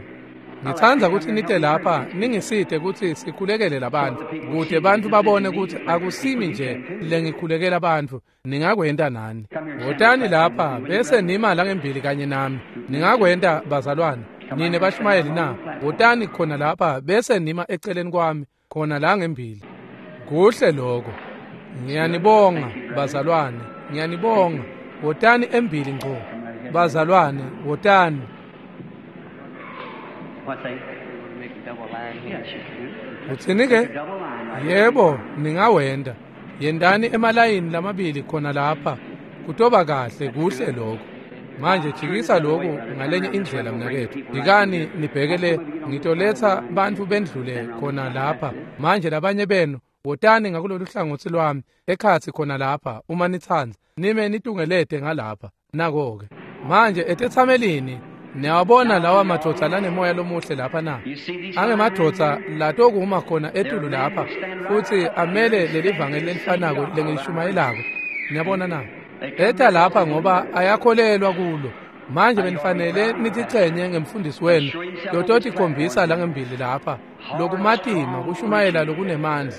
Ngitsandza kutsi nite lapha ningisite kutsi sikhulekele labantfu, kute bantfu babone kutsi akusimi nje lengikhulekela bantfu, ningakwenta nani. Wotani lapha bese nima langembili kanye nami. Ningakwenta bazalwane, nine bashumayeli na? Wotani khona lapha bese nima eceleni kwami khona la ngembili. Kuhle lokho. Ngiyanibonga bazalwane, ngiyanibonga. Wotani embili ngco. Bazalwane, wotani. What's that? Make a double line here. Yes, you can. Utsini ke? Double line right here. Yebo, ningawenda. Yendani emalayini lamabili khona lapha. Kutoba kahle, kuhle lokho. Manje jikisa lokhu ngalenye indlela mnaketfu. Dikani nibhekele, ngitoletsa bantfu bendlule khona lapha. Manje labanye benu wotani ngakulolu hlangotsi lwami ekhatsi khona lapha uma nitsandza. Nime nitungelete ngalapha. Nako-ke. Manje etetsamelini niyawabona lawa madvodza lanemoya lomuhle lapha na? You see these Angemadvodza latokuma khona etulu lapha futsi amele lelivangeli lelifanako lengilishumayelako. Niyabona na? Eta lapha ngoba ayakholelwa kulo. Manje benifanele nitichenye ngemfundisi wenu lototikhombisa langembili lapha lokumatima kushumayela lokunemandla.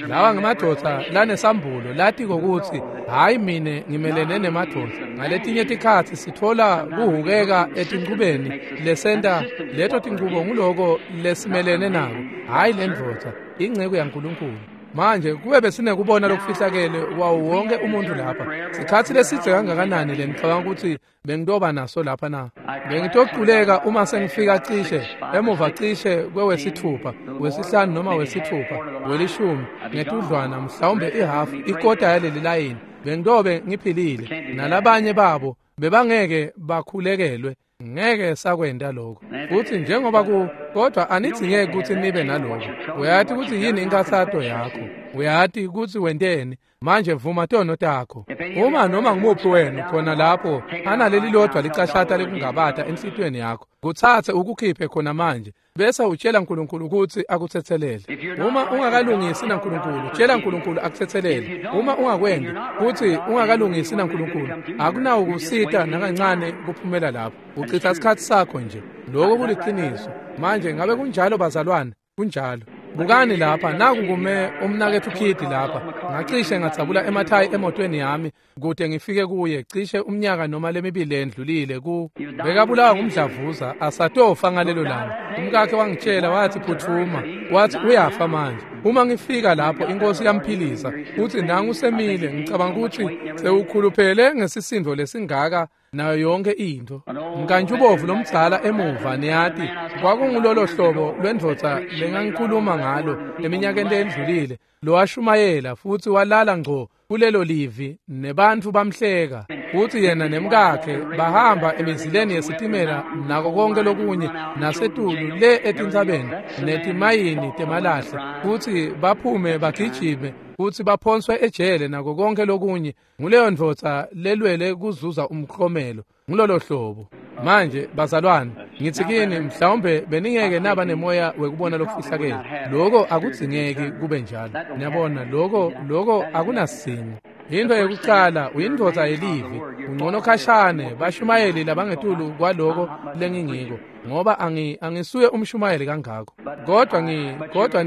Lawa ngemadvodza lanesambulo latiko kutsi hayi mine ngimelene nemadvodza. Ngaletinye tikhatsi sitfola kuhukeka etinchubeni lesenta leto tinchubo nguloko lesimelene nako, hhayi lendvodza, inceku yaNkulunkulu. Manje kube besinekubona lokufihlakele wawo wonke umuntu lapha, sikhatsi lesidze kangakanani lenicabanga ukuthi bengitoba naso lapha na? Bengitoculeka uma sengifika cishe emuva cishe kwewesithupha, wesihlanu noma wesithupha, welishumi ngetudlwana, mhlawumbe ihafu ikota yaleli layini. Bengitobe ngiphilile nalabanye babo bebangeke bakhulekelwe. Ngeke sakwenda lokho. Futhi njengoba ku kodwa anidzingeki ukuthi nibe nalokho. Uyati ukuthi yini inkathato yakho. Uyati ukuthi wenteni. Manje vuma tono takho. Uma noma ngumuphi wenu khona lapho analeli lodwa licashata lekungabata enhlitiyweni yakho, kutsatse ukukhiphe khona manje bese utshela uNkulunkulu ukuthi akuthethelele. Uma ungakalungisi naNkulunkulu, tshela uNkulunkulu akuthethelele. Uma ungakwendi kuthi ungakalungisi naNkulunkulu, akunawo ukusita nakancane kuphumela lapho. Uchitha isikhathi sakho nje. Lokho kuliqiniso. Manje ngabe kunjalo bazalwane? Kunjalo. Bukani lapha, naku kume umnakethu Khidi lapha. Ngacishe ngatsabula emathayi emotweni yami kude ngifike kuye cishe umnyaka noma lemibili endlulile ku bekabulawa ngumdlavuza asatofa ngalelo langa. Umkakhe wangitshela wathi phuthuma, wathi uyafa manje. Uma ngifika lapho inkosi yamphilisa, uthi nangu usemile. Ngicabanga ukuthi sewukhuluphele ngesisindo lesingaka nayo yonke into. Mkantshubovu lomdzala emuva niyati kwakungulolo hlobo lwendvodza lengangikhuluma ngalo eminyakeni endlulile, lowashumayela futhi walala ngco kulelo livi nebantfu bamhleka. Futhi yena nemkakhe bahamba emizileni yesitimela nako konke lokunye nasetulu le etintsabeni netimayini temalahle, futhi baphume bagijime futhi baphonswe ejele nako konke lokunye. Nguleyo ndvodza lelwele kuzuza umklomelo ngulolo hlobo. Manje bazalwane, ngithi kini mhlawumbe beningeke naba nemoya wekubona lokufihlakele. Lokho akudzingeki kube njalo. Niyabona, lokho akunasingo. Into yekucala uyindvodza yelivi, ungcono khashane bashumayeli labangetulu kwaloko lengingiko, ngoba angisuye umshumayeli kangako. Kodwa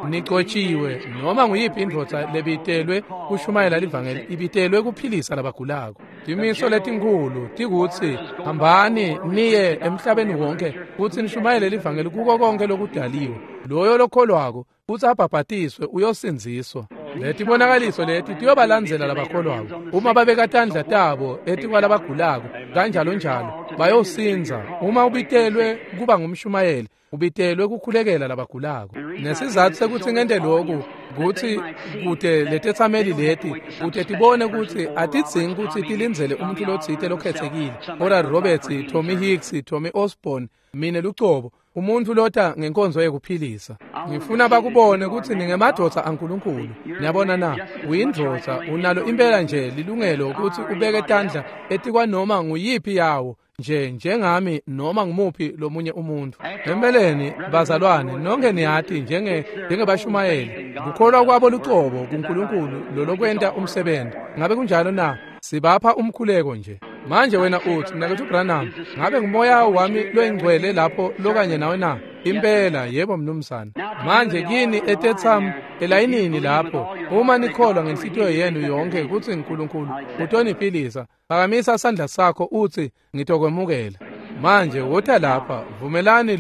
nigcotshiwe noma nguyiphi indvodza lebitelwe kushumayela livangeli ibitelwe kuphilisa labagulako. Timiso letinkulu tikutsi hambani niye emhlabeni wonke futsi nishumayele livangeli kuko konke lokudaliwe. Loyo lokholwako futsi abhabhatiswe uyosindziswa. Letibonakaliso leti tiyobalandzela labakholwako. Uma babeka tandla tabo etikwalabagulako kanjalo njalo bayosindza. Uma ubitelwe kuba ngumshumayeli, ubitelwe kukhulekela labagulako. Nesizathu sekuthi ngente lokhu kuthi kude letetsameli leti kude tibone ukuthi atidzingi ukuthi tilindzele umuntu lotsite lokhethekile, Oral Roberts, Tommy Hicks, Tommy Osborne, mine lucobo, umuntu lota ngenkonzo yekuphilisa. Ngifuna bakubone ukuthi ningemadvodza aNkulunkulu. Niyabona na? Uyindvodza, unalo impela nje lilungelo ukuthi ubeke tandla etikwanoma nguyiphi yawo nje njengami noma ngumuphi lomunye umuntu. Empeleni bazalwane, nonke niyati njengebashumayeli, kukholwa kwabo lucobo kuNkulunkulu lolokwenta umsebenzi. Ngabe kunjalo na? Sibapha umkhuleko nje. Manje wena uthi, mnakethu Branham, ngabe ngumoya wami loyingcwele lapho lokanye nawe na? Impela, yebo mnumzane. Manje kini etetham elayinini lapho, uma nikholwa ngenhlitiyo yenu yonke kutsi uNkulunkulu utoniphilisa, phakamisa sandla sakho uthi ngitokwemukela. Manje wota lapha, vumelani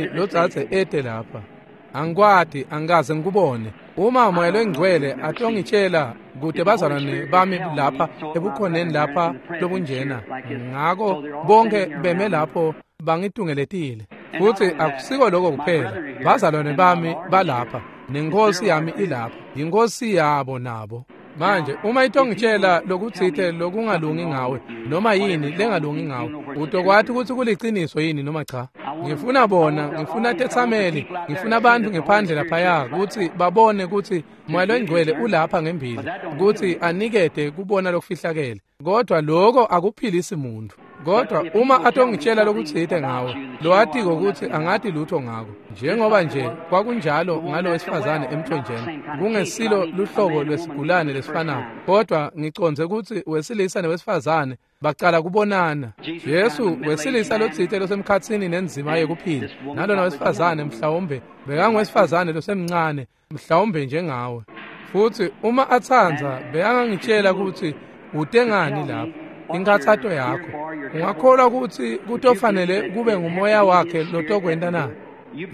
lo dzadze ete lapha. Angikwati, angikaze ngikubone. Uma moya loyingcwele atongitshela kude bazalwane bami lapha ebukhoneni lapha lobunjena, ngako bonke beme lapho bangitungeletile. Futhi akusiko lokho kuphela, bazalwane bami balapha nenkosi yami ilapha, inkosi yabo nabo. Manje uma itongitshela lokutsite lokungalungi ngawe noma yini lengalungi ngawe, utokwati ukuthi kuliciniso yini noma cha. Ngifuna bona, ngifuna tetsameli, ngifuna abantu ngephandle laphaya ukuthi babone ukuthi moya loyingcwele ulapha ngembili ukuthi anikete kubona lokufihlakele. Kodwa lokho akuphilisi muntu. Kodwa uma atongitshela lokutsite ngawe, lowatiko ukuthi angati lutho ngako, njengoba nje kwakunjalo ngalo wesifazane emthonjeni, kungesilo luhlobo lwesigulane lesifanayo, kodwa ngicondze ukuthi wesilisa newesifazane bacala kubonana. Jesu wesilisa lotsite losemkhatsini nenzima yekuphila, nalona wesifazane mhlawumbe bekangwesifazane losemncane, mhlawumbe njengawe. Futhi uma atsandza bekangangitshela ukuthi utengani lapho inkathato yakho. Ungakholwa ukuthi kutofanele kube ngumoya wakhe lotokwenta na?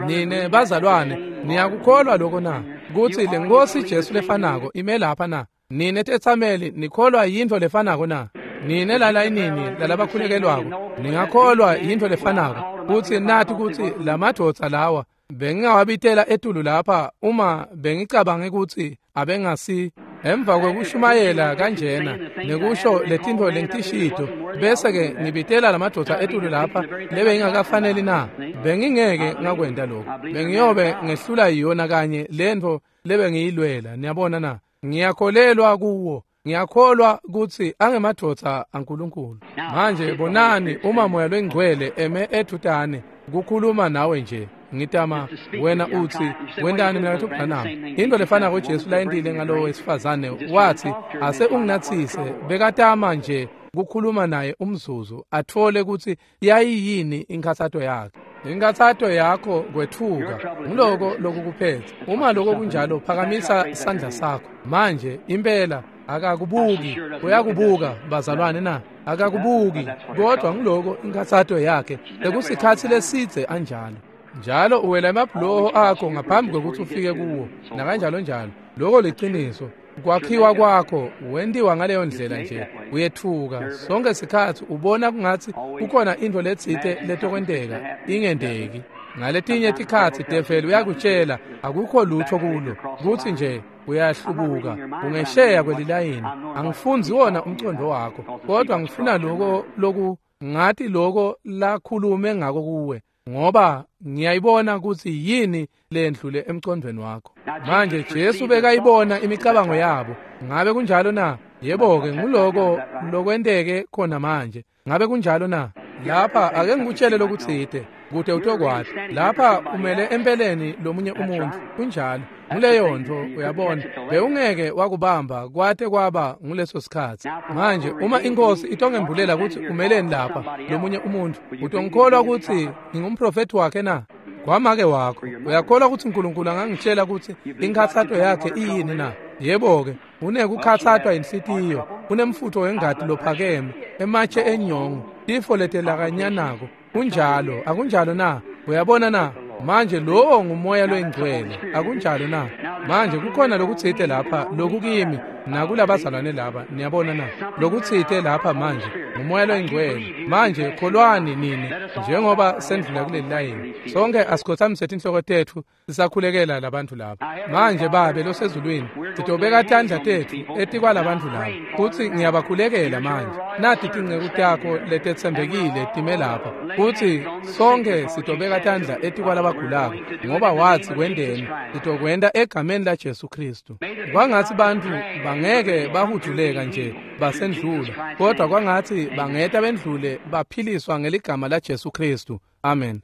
Nine bazalwane niyakukholwa lokho na? kutsi leNkhosi Jesu lefanako ime lapha na? Nine tetsameli nikholwa yintfo lefanako na? Nine lalayinini lalabakhulekelwako ningakholwa yintfo lefanako kutsi nathi kutsi lamadvodza lawa bengingawabitela etulu lapha uma bengicabange kutsi abengasi emva kwekushumayela kanjena nekusho letintfo lengitishito bese-ke ngibitela lamadvodza etulu lapha lebengingakafaneli na? Bengingeke ngakwenta lokho. Bengiyobe ngehlula yona kanye lentfo lebengiyilwela. Niyabona na? Ngiyakholelwa kuwo. Ngiyakholwa kutsi angemadvodza aNkulunkulu. Manje bonani uma Moya loNgcwele eme ethutane kukhuluma nawe nje. Ngitama wena utsi wentani mina Branham? Into lefanako Jesu layentile ngalowo wesifazane, wathi ase unginatsise. Bekatama nje kukhuluma naye umzuzu atfole kutsi yayiyini inkhatsato yakhe. Inkhatsato yakho kwetfuka nguloko lokukuphethe. Uma lokho kunjalo phakamisa sandla sakho manje. Impela akakubuki. Uyakubuka bazalwane na? Akakubuki, kodwa ngiloko inkhatsato yakhe lekusikhatsi lesidze anjalo njalo. Uwela emabhuloho akho ngaphambi kwekutsi ufike kuwo nakanjalo njalo. Loko liciniso. Kwakhiwa kwakho wentiwa ngaleyo ndlela nje. Uyetfuka sonke sikhatsi, ubona kungatsi kukhona intfo letsite letokwenteka ingenteki. Ngaletinye tikhatsi develi uyakutshela akukho lutho kulo, kutsi nje uyahlubuka ungesheya kwelilayini. Angifundzi wona umcondo wakho, kodwa ngifuna loko loku ngathi loko lakhulume ngako kuwe, ngoba ngiyayibona kutsi yini lendlule emcondweni wakho. Manje Jesu bekayibona imicabango yabo. Ngabe kunjalo na? Yebo-ke, nguloko lokwenteke khona manje. Ngabe kunjalo na? Lapha ake ngikutshele lokutsite kute utokwati. Lapha umele empeleni lomunye umuntu. Kunjalo. Nguleyo ntfo, uyabona. Bewungeke wakubamba kwate kwaba nguleso sikhatsi. Manje uma iNkhosi itongembulela kutsi umeleni lapha lomunye umuntu, utongikholwa kutsi ngingumprofethi wakhe na? Kwamake wakho, uyakholwa kutsi uNkulunkulu angangitshela kutsi inkhatsato yakhe iyini na? Yebo-ke, unekukhatsatwa inhlitiyo, unemfutfo wengati lophakeme, ematshe enyongo, tifo letelakanyanako. Kunjalo, akunjalo na? Uyabona na? Manje lowo nguMoya loNgcwele, akunjalo na? Manje kukhona lokutsite lapha lokukimi nakulabazalwane laba, niyabona na? Lokutsite lapha manje nguMoya loNgcwele. Manje kholwani nini njengoba sendlula kuleli layini. Sonke asikhothamise tinhloko tetfu sisakhulekela labantu laba. Manje Babe losezulwini, sitobeka tandla tetfu etikwalabantfu laba kutsi ngiyabakhulekela manje. Nati tinceku takho letetsembekile time lapha kutsi sonke sitobeka tandla etikwalabagulako, ngoba watsi kwenteni sitokwenta egameni la Jesu Kristu. Kwangatsi bantfu bangeke bahuduleka nje basendlula, kodwa kwangatsi bangeta bendlule baphiliswa ngeligama la Jesu Kristu. Amen.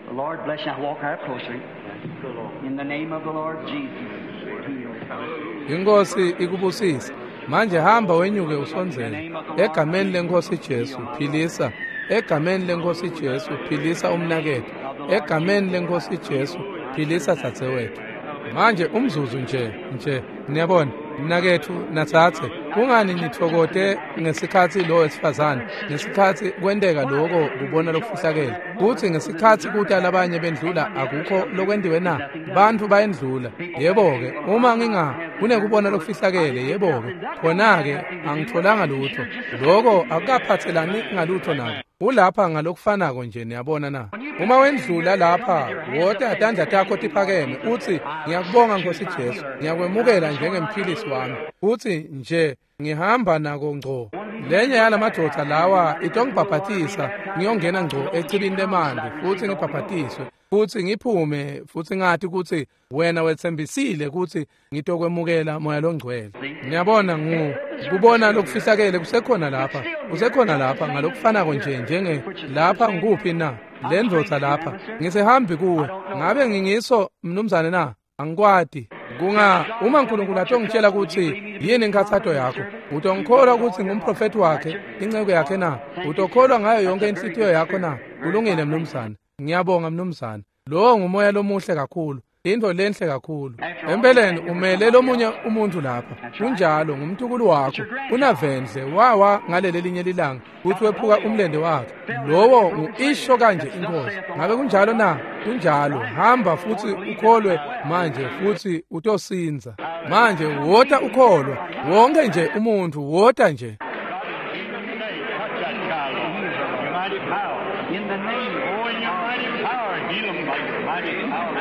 The Lord bless you. Walk out closer. In the name of the Lord Jesus. Inkosi ikubusise. Manje hamba wenyuke usondzele. Egameni leNkhosi Jesu philisa. Egameni leNkhosi Jesu philisa umnaketfu. Egameni leNkhosi Jesu philisa dzadzewetfu. Manje umzuzu nje niyabona mnaketfu natsatse, kungani nitfokote ngesikhatsi lo wesifazane, ngesikhatsi kwenteka loko kubona lokufihlakele, kutsi ngesikhatsi kuta labanye bendlula akukho lokwentiwe na? Bantfu bayendlula. Yebo-ke, uma nginga kunekubona lokufihlakele, yebo-ke, khona-ke angitholanga lutho. Loko akukaphatselani ngalutho nako. Ulapha ngalokufanako nje, niyabona na? Uma wendlula lapha, wota tandla takho tiphakeme utsi ngiyakubonga Nkosi Jesu, ngiyakwemukela njengemphilisi wami. Utsi nje ngihamba nako ngco. Lenye yalamadvodza lawa itongibhabhatisa, ngiyongena ngco echibini lemanti futsi ngibhabhatiswe futsi ngiphume futsi ngati kutsi wena wetsembisile kutsi ngitokwemukela Moya loNgcwele. Ngiyabona kubona lokufihlakele kusekhona lapha, kusekhona lapha ngalokufanako nje njenge lapha ngikuphi na? Le ndvodza lapha ngisehambi kuwe. Ngabe ngingiso mnumzane na? Angikwati. Kunga uma uNkulunkulu atongitshela kutsi yini inkhatsato yakho, utongikholwa kutsi ngumprofethi wakhe, inceku yakhe na? Utokholwa ngayo yonke inhlitiyo yakho na? Kulungile mnumzane. Ngiyabonga mnumzane. Lowo ngumoya lomuhle kakhulu. Into lenhle kakhulu. Empeleni umele lomunye umuntu lapha. Kunjalo ngumntukulu wakho. Unavendle wawa ngaleli linye lilanga futhi wephuka umlende wakhe. Lowo ngu-isho kanje inkosi. Ngabe kunjalo na? Kunjalo. Hamba futhi ukholwe manje futhi utosinza. Manje wota ukholwa. Wonke nje umuntu wota nje. In the name, oh, in your mighty power, heal them by your mighty power.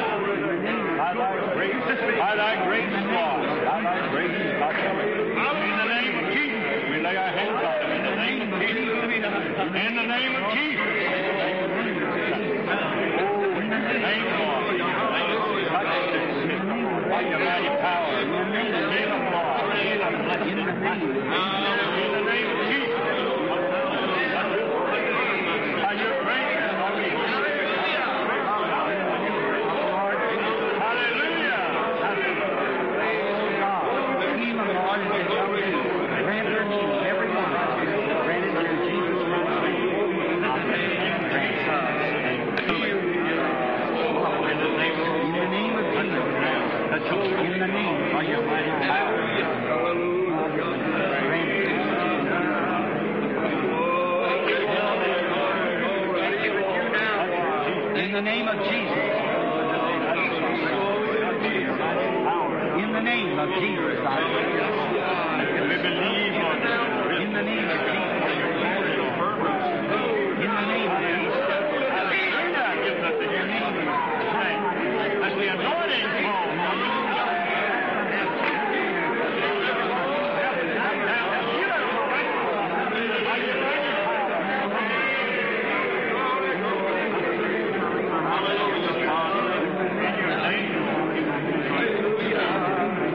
By thy grace, by thy grace, Lord, by thy grace, in the name of Jesus, we lay our hands on them. In the name of Jesus, in the name of Jesus. Oh, in the name, Lord, in your name, touch the sick by your mighty power. Heal them, Lord, heal them, bless them. In the name of Jesus. By your grace, hallelujah. Heal them, Lord, as they come to you. Grant their needs, every one. Grant it in Jesus Christ's name. Amen. Grant. In the name of Jesus. In the name of your mighty power. Grant it. In the name of Jesus. In the name of Jesus, I pray. We believe on you. In the name of Jesus. In the name of Jesus. Hallelujah. Give us the As the anointing fall. In the name of Jesus.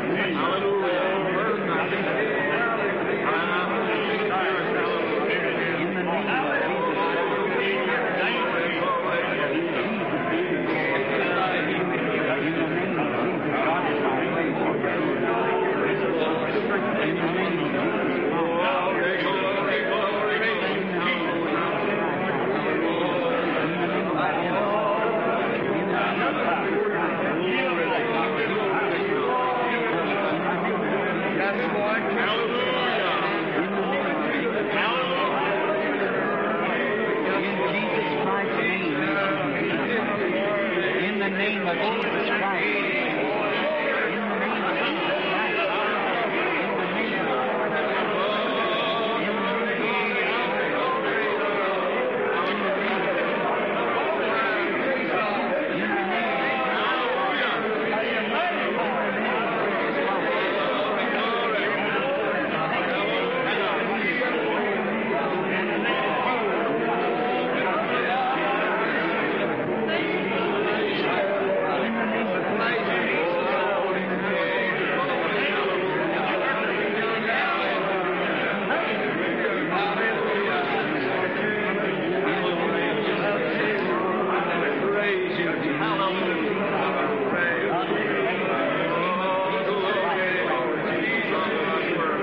In the name of Jesus, God is my place. In the name of Jesus. In Jesus Christ's name, may she be healed. In the name of Jesus Christ. In the name of Jesus Christ. In the name of In the name of Jesus Christ, Lord, grant it.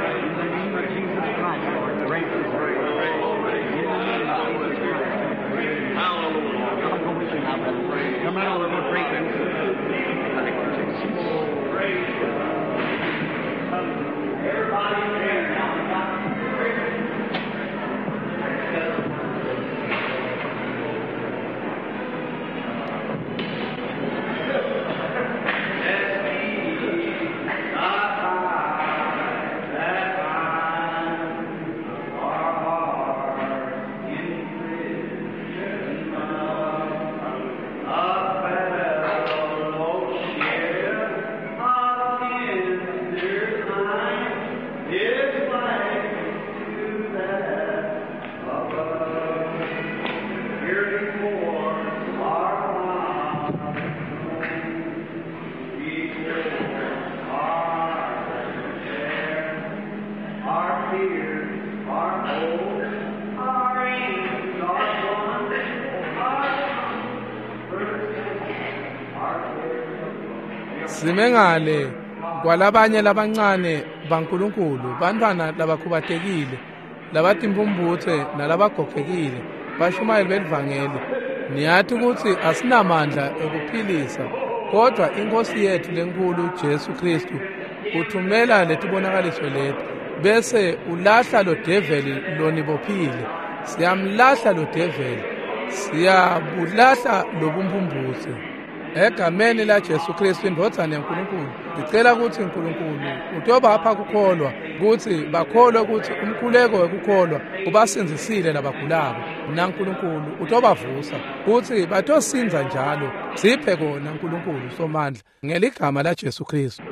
In the name of Jesus Christ. I'll go with you now, brother. Come right over, we'll pray for you. Simengale kwalabanye labancane baNkulunkulu, bantwana labakhubatekile, labatimpumputhe nalabagogekile, bashumayeli belivangeli. Niyati kutsi asinamandla ekuphilisa Kodwa iNkosi yethu lenkulu Jesu Kristu uthumela letibonakaliso leti bese ulahla lo develi lonibophile. Siyamlahla lo develi, siyabulahla lobumphumphutse. Egameni la Jesu Kristu indvodzana yaNkulunkulu, ngicela ukuthi uNkulunkulu utobapha kukholwa, ukuthi bakholwe ukuthi umkhuleko wekukholwa ubasindzisile labagulako, naNkulunkulu utobavusa ukuthi batosinza njalo. Siphe kona uNkulunkulu Somandla ngeligama la Jesu Kristu.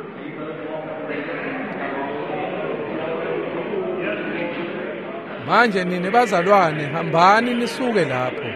Manje nini bazalwane, hambani nisuke lapho.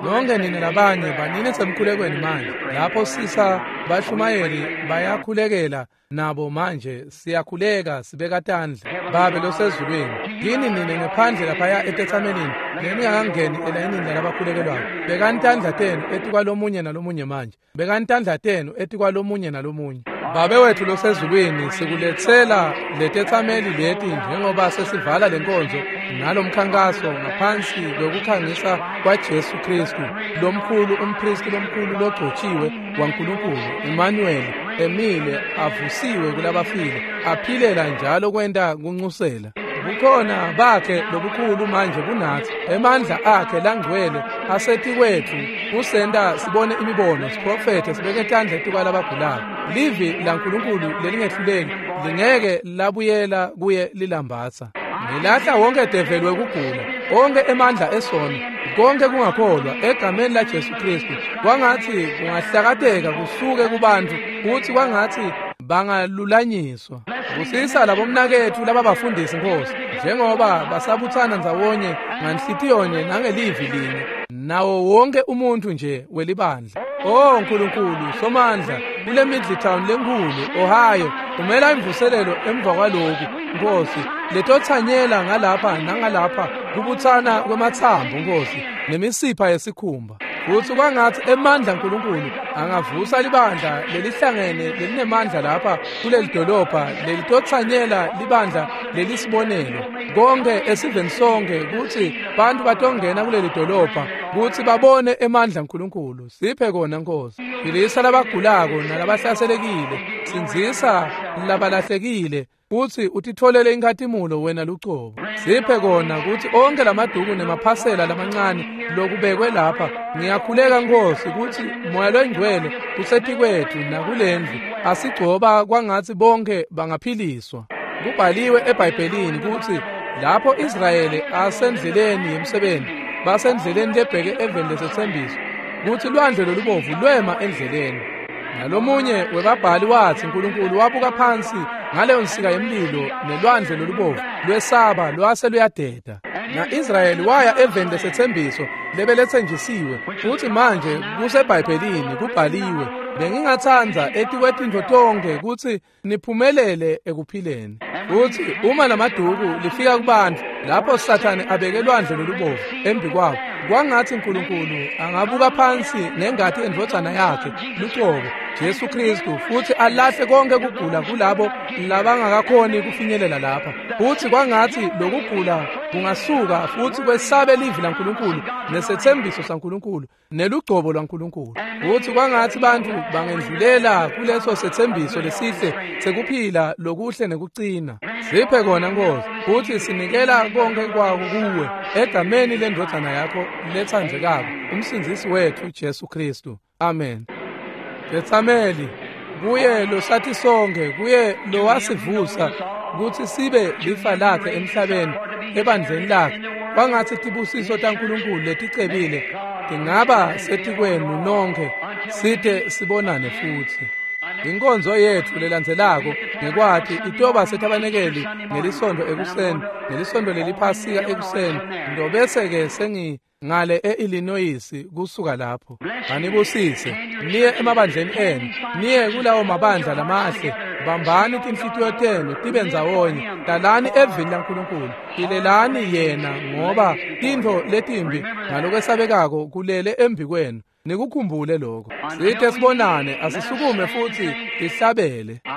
Nonke nini labanye banini semkhulekweni manje. Lapho sisa bashumayeli bayakhulekela nabo manje, siyakhuleka sibeka tandla. Babe losezulwini, yini nini ngephandle laphaya etetsamelini leningakangeni elayinini lalabakhulekelwayo, bekani tandla tenu etikwalomunye nalomunye manje. Bekani tandla tenu etikwalomunye nalomunye. Babe wethu losezulwini, sikuletsela letetsameli leti njengoba sesivala lenkonzo nalomkhankaso ngaphansi kwekukhangisa kwaJesu Kristu lomkhulu, umpristi lomkhulu logcotshiwe waNkulunkulu, Emmanuel, emile avusiwe kulabafile, aphilela njalo kwenta kuncusela. Bukhona bakhe lobukhulu manje kunathi, emandla akhe langcwele asetikwethu kusenta sibone imibono, siprofethe, sibeke tandla etikwalabagulayo. Livi laNkulunkulu lelingehluleki lingeke labuyela kuye lilambatsa. Ngilahla wonke develi wekugula, onke emandla esono, konke kungakholwa egameni la Jesu Kristu. Kwangathi kungahlakateka kusuke kubantu, kuthi kwangathi bangalulanyiswa. Busisa labomnakethu lababafundisi Nkosi, njengoba basabuthana ndzawonye nganhlitiyonye nangelivi linye nawo wonke umuntu nje welibandla. Oh Nkulunkulu Somandla, kule Middletown lenkulu Ohio, umela imvuselelo emva kwaloku Nkosi, letothanyela ngalapha nangalapha kubuthana kwemathambo Nkosi nemisipha yesikhumba. Futhi kwangathi emandla uNkulunkulu angavusa libandla lelihlangene lelinemandla lapha kuleli dolobha lelitothanyela libandla lelisibonelo konke esiveni sonke, kuthi bantu batongena kuleli dolobha kuthi babone emandla uNkulunkulu. Siphe kona Nkosi. Philisa labagulako nalabahlaselekile, sindzisa labalahlekile, kuthi utitholele inkhatimulo wena lucobo. Siphe kona kuthi onke lamaduku nemaphasela lamancane lokubekwe lapha, ngiyakhuleka Nkosi kuthi Moya loNgcwele usetikwethu nakulendlu, asigcoba kwangathi bonke bangaphiliswa. Kubhaliwe eBhayibhelini kuthi lapho Israyeli asendleleni yemsebenzi, basendleleni lebheke eveni lesetsembiso, kuthi lwandle lolubovu lwema endleleni. Nalomunye webabhali wathi uNkulunkulu wabuka phansi ngaleyo nsika yemlilo nelwandle lolubovu lwesaba lwase luyadeda. Na-Israyeli waya eveni lesetsembiso lebeletsenjisiwe, futhi manje kuseBhayibhelini kubhaliwe. Bengingatsandza etikwetintfo tonkhe kutsi niphumelele ekuphileni. Futhi uma lamaduku lifika kubantu lapho Sathane abeke lwandle lolubovu embi kwabo, kwangathi uNkulunkulu angabuka phansi nengati endvodzana yakhe lucobo Jesu Kristu, futhi alahle konke kugula kulabo labangakakhoni kufinyelela lapha. Futhi kwangathi lokugula kungasuka futhi kwesabe livi laNkulunkulu nesethembiso saNkulunkulu nelugcobo lwaNkulunkulu. Futhi kwangathi bantu bangendlulela kuleso sethembiso lesihle sekuphila lokuhle nekucina. Siphe kona Nkosi, futhi sinikela konke kwako kuwe egameni lendvodzana yakho letsandzekako, umsindzisi wethu Jesu Kristu. Amen. Tetsameli, kuye losathi sonke, kuye lowasivusa kutsi sibe lifa lakhe emhlabeni ebandleni lakhe, kwangathi tibusiso taNkulunkulu leticebile tingaba setikwenu nonke site sibonane futhi. Inkonzo yethu lelandzelako ngekwati itoba setabanekeli ngelisondo ekuseni, ngelisondo leliphasika ekuseni, ndobese-ke sengi ngale e-Illinois kusuka lapho. Anibusise niye emabandleni enu, niye kulawo mabandla lamahle. Bambani tinhlitiyo tenu tibe ndzawonye, dalani evini laNkulunkulu, philelani yena, ngoba tintfo letimbi ngalokwesabekako kulele embi kwenu. Nikukhumbule lokho. Sithe sibonane, asisukume futhi sihlabele. I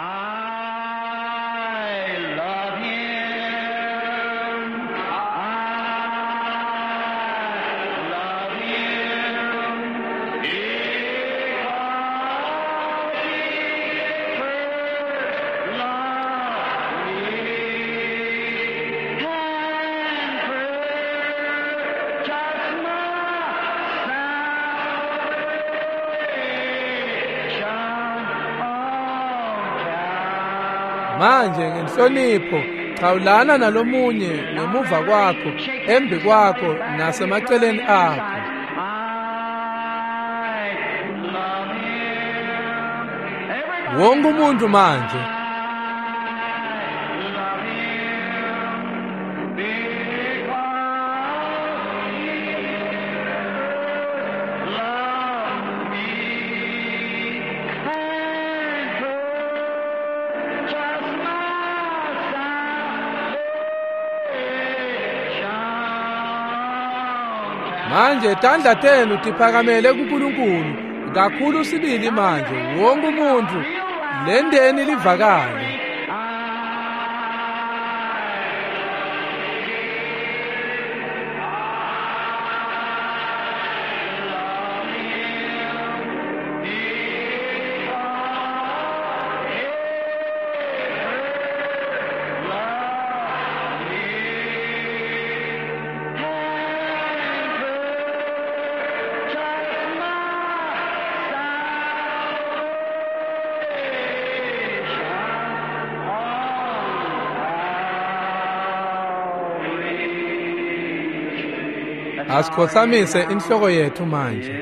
love him. I love him. Manje ngenhlonipho chawulana nalomunye ngemuva kwakho, embi kwakho nasemaceleni akho. Wonke umuntu manje. Manje tandla tenu tiphakamele kuNkulunkulu kakhulu sibili manje wonke umuntu lendeni livakale. Asikhothamise inhloko yethu manje.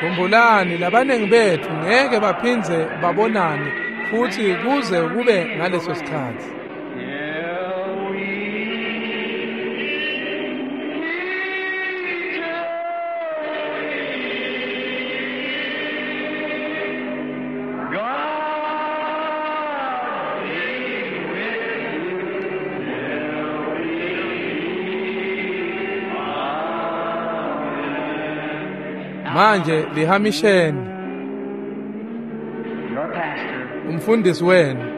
Khumbulani labanengi bethu ngeke baphindze babonane futhi kuze kube ngaleso sikhathi. Manje lihamisheni. Umfundisi wenu.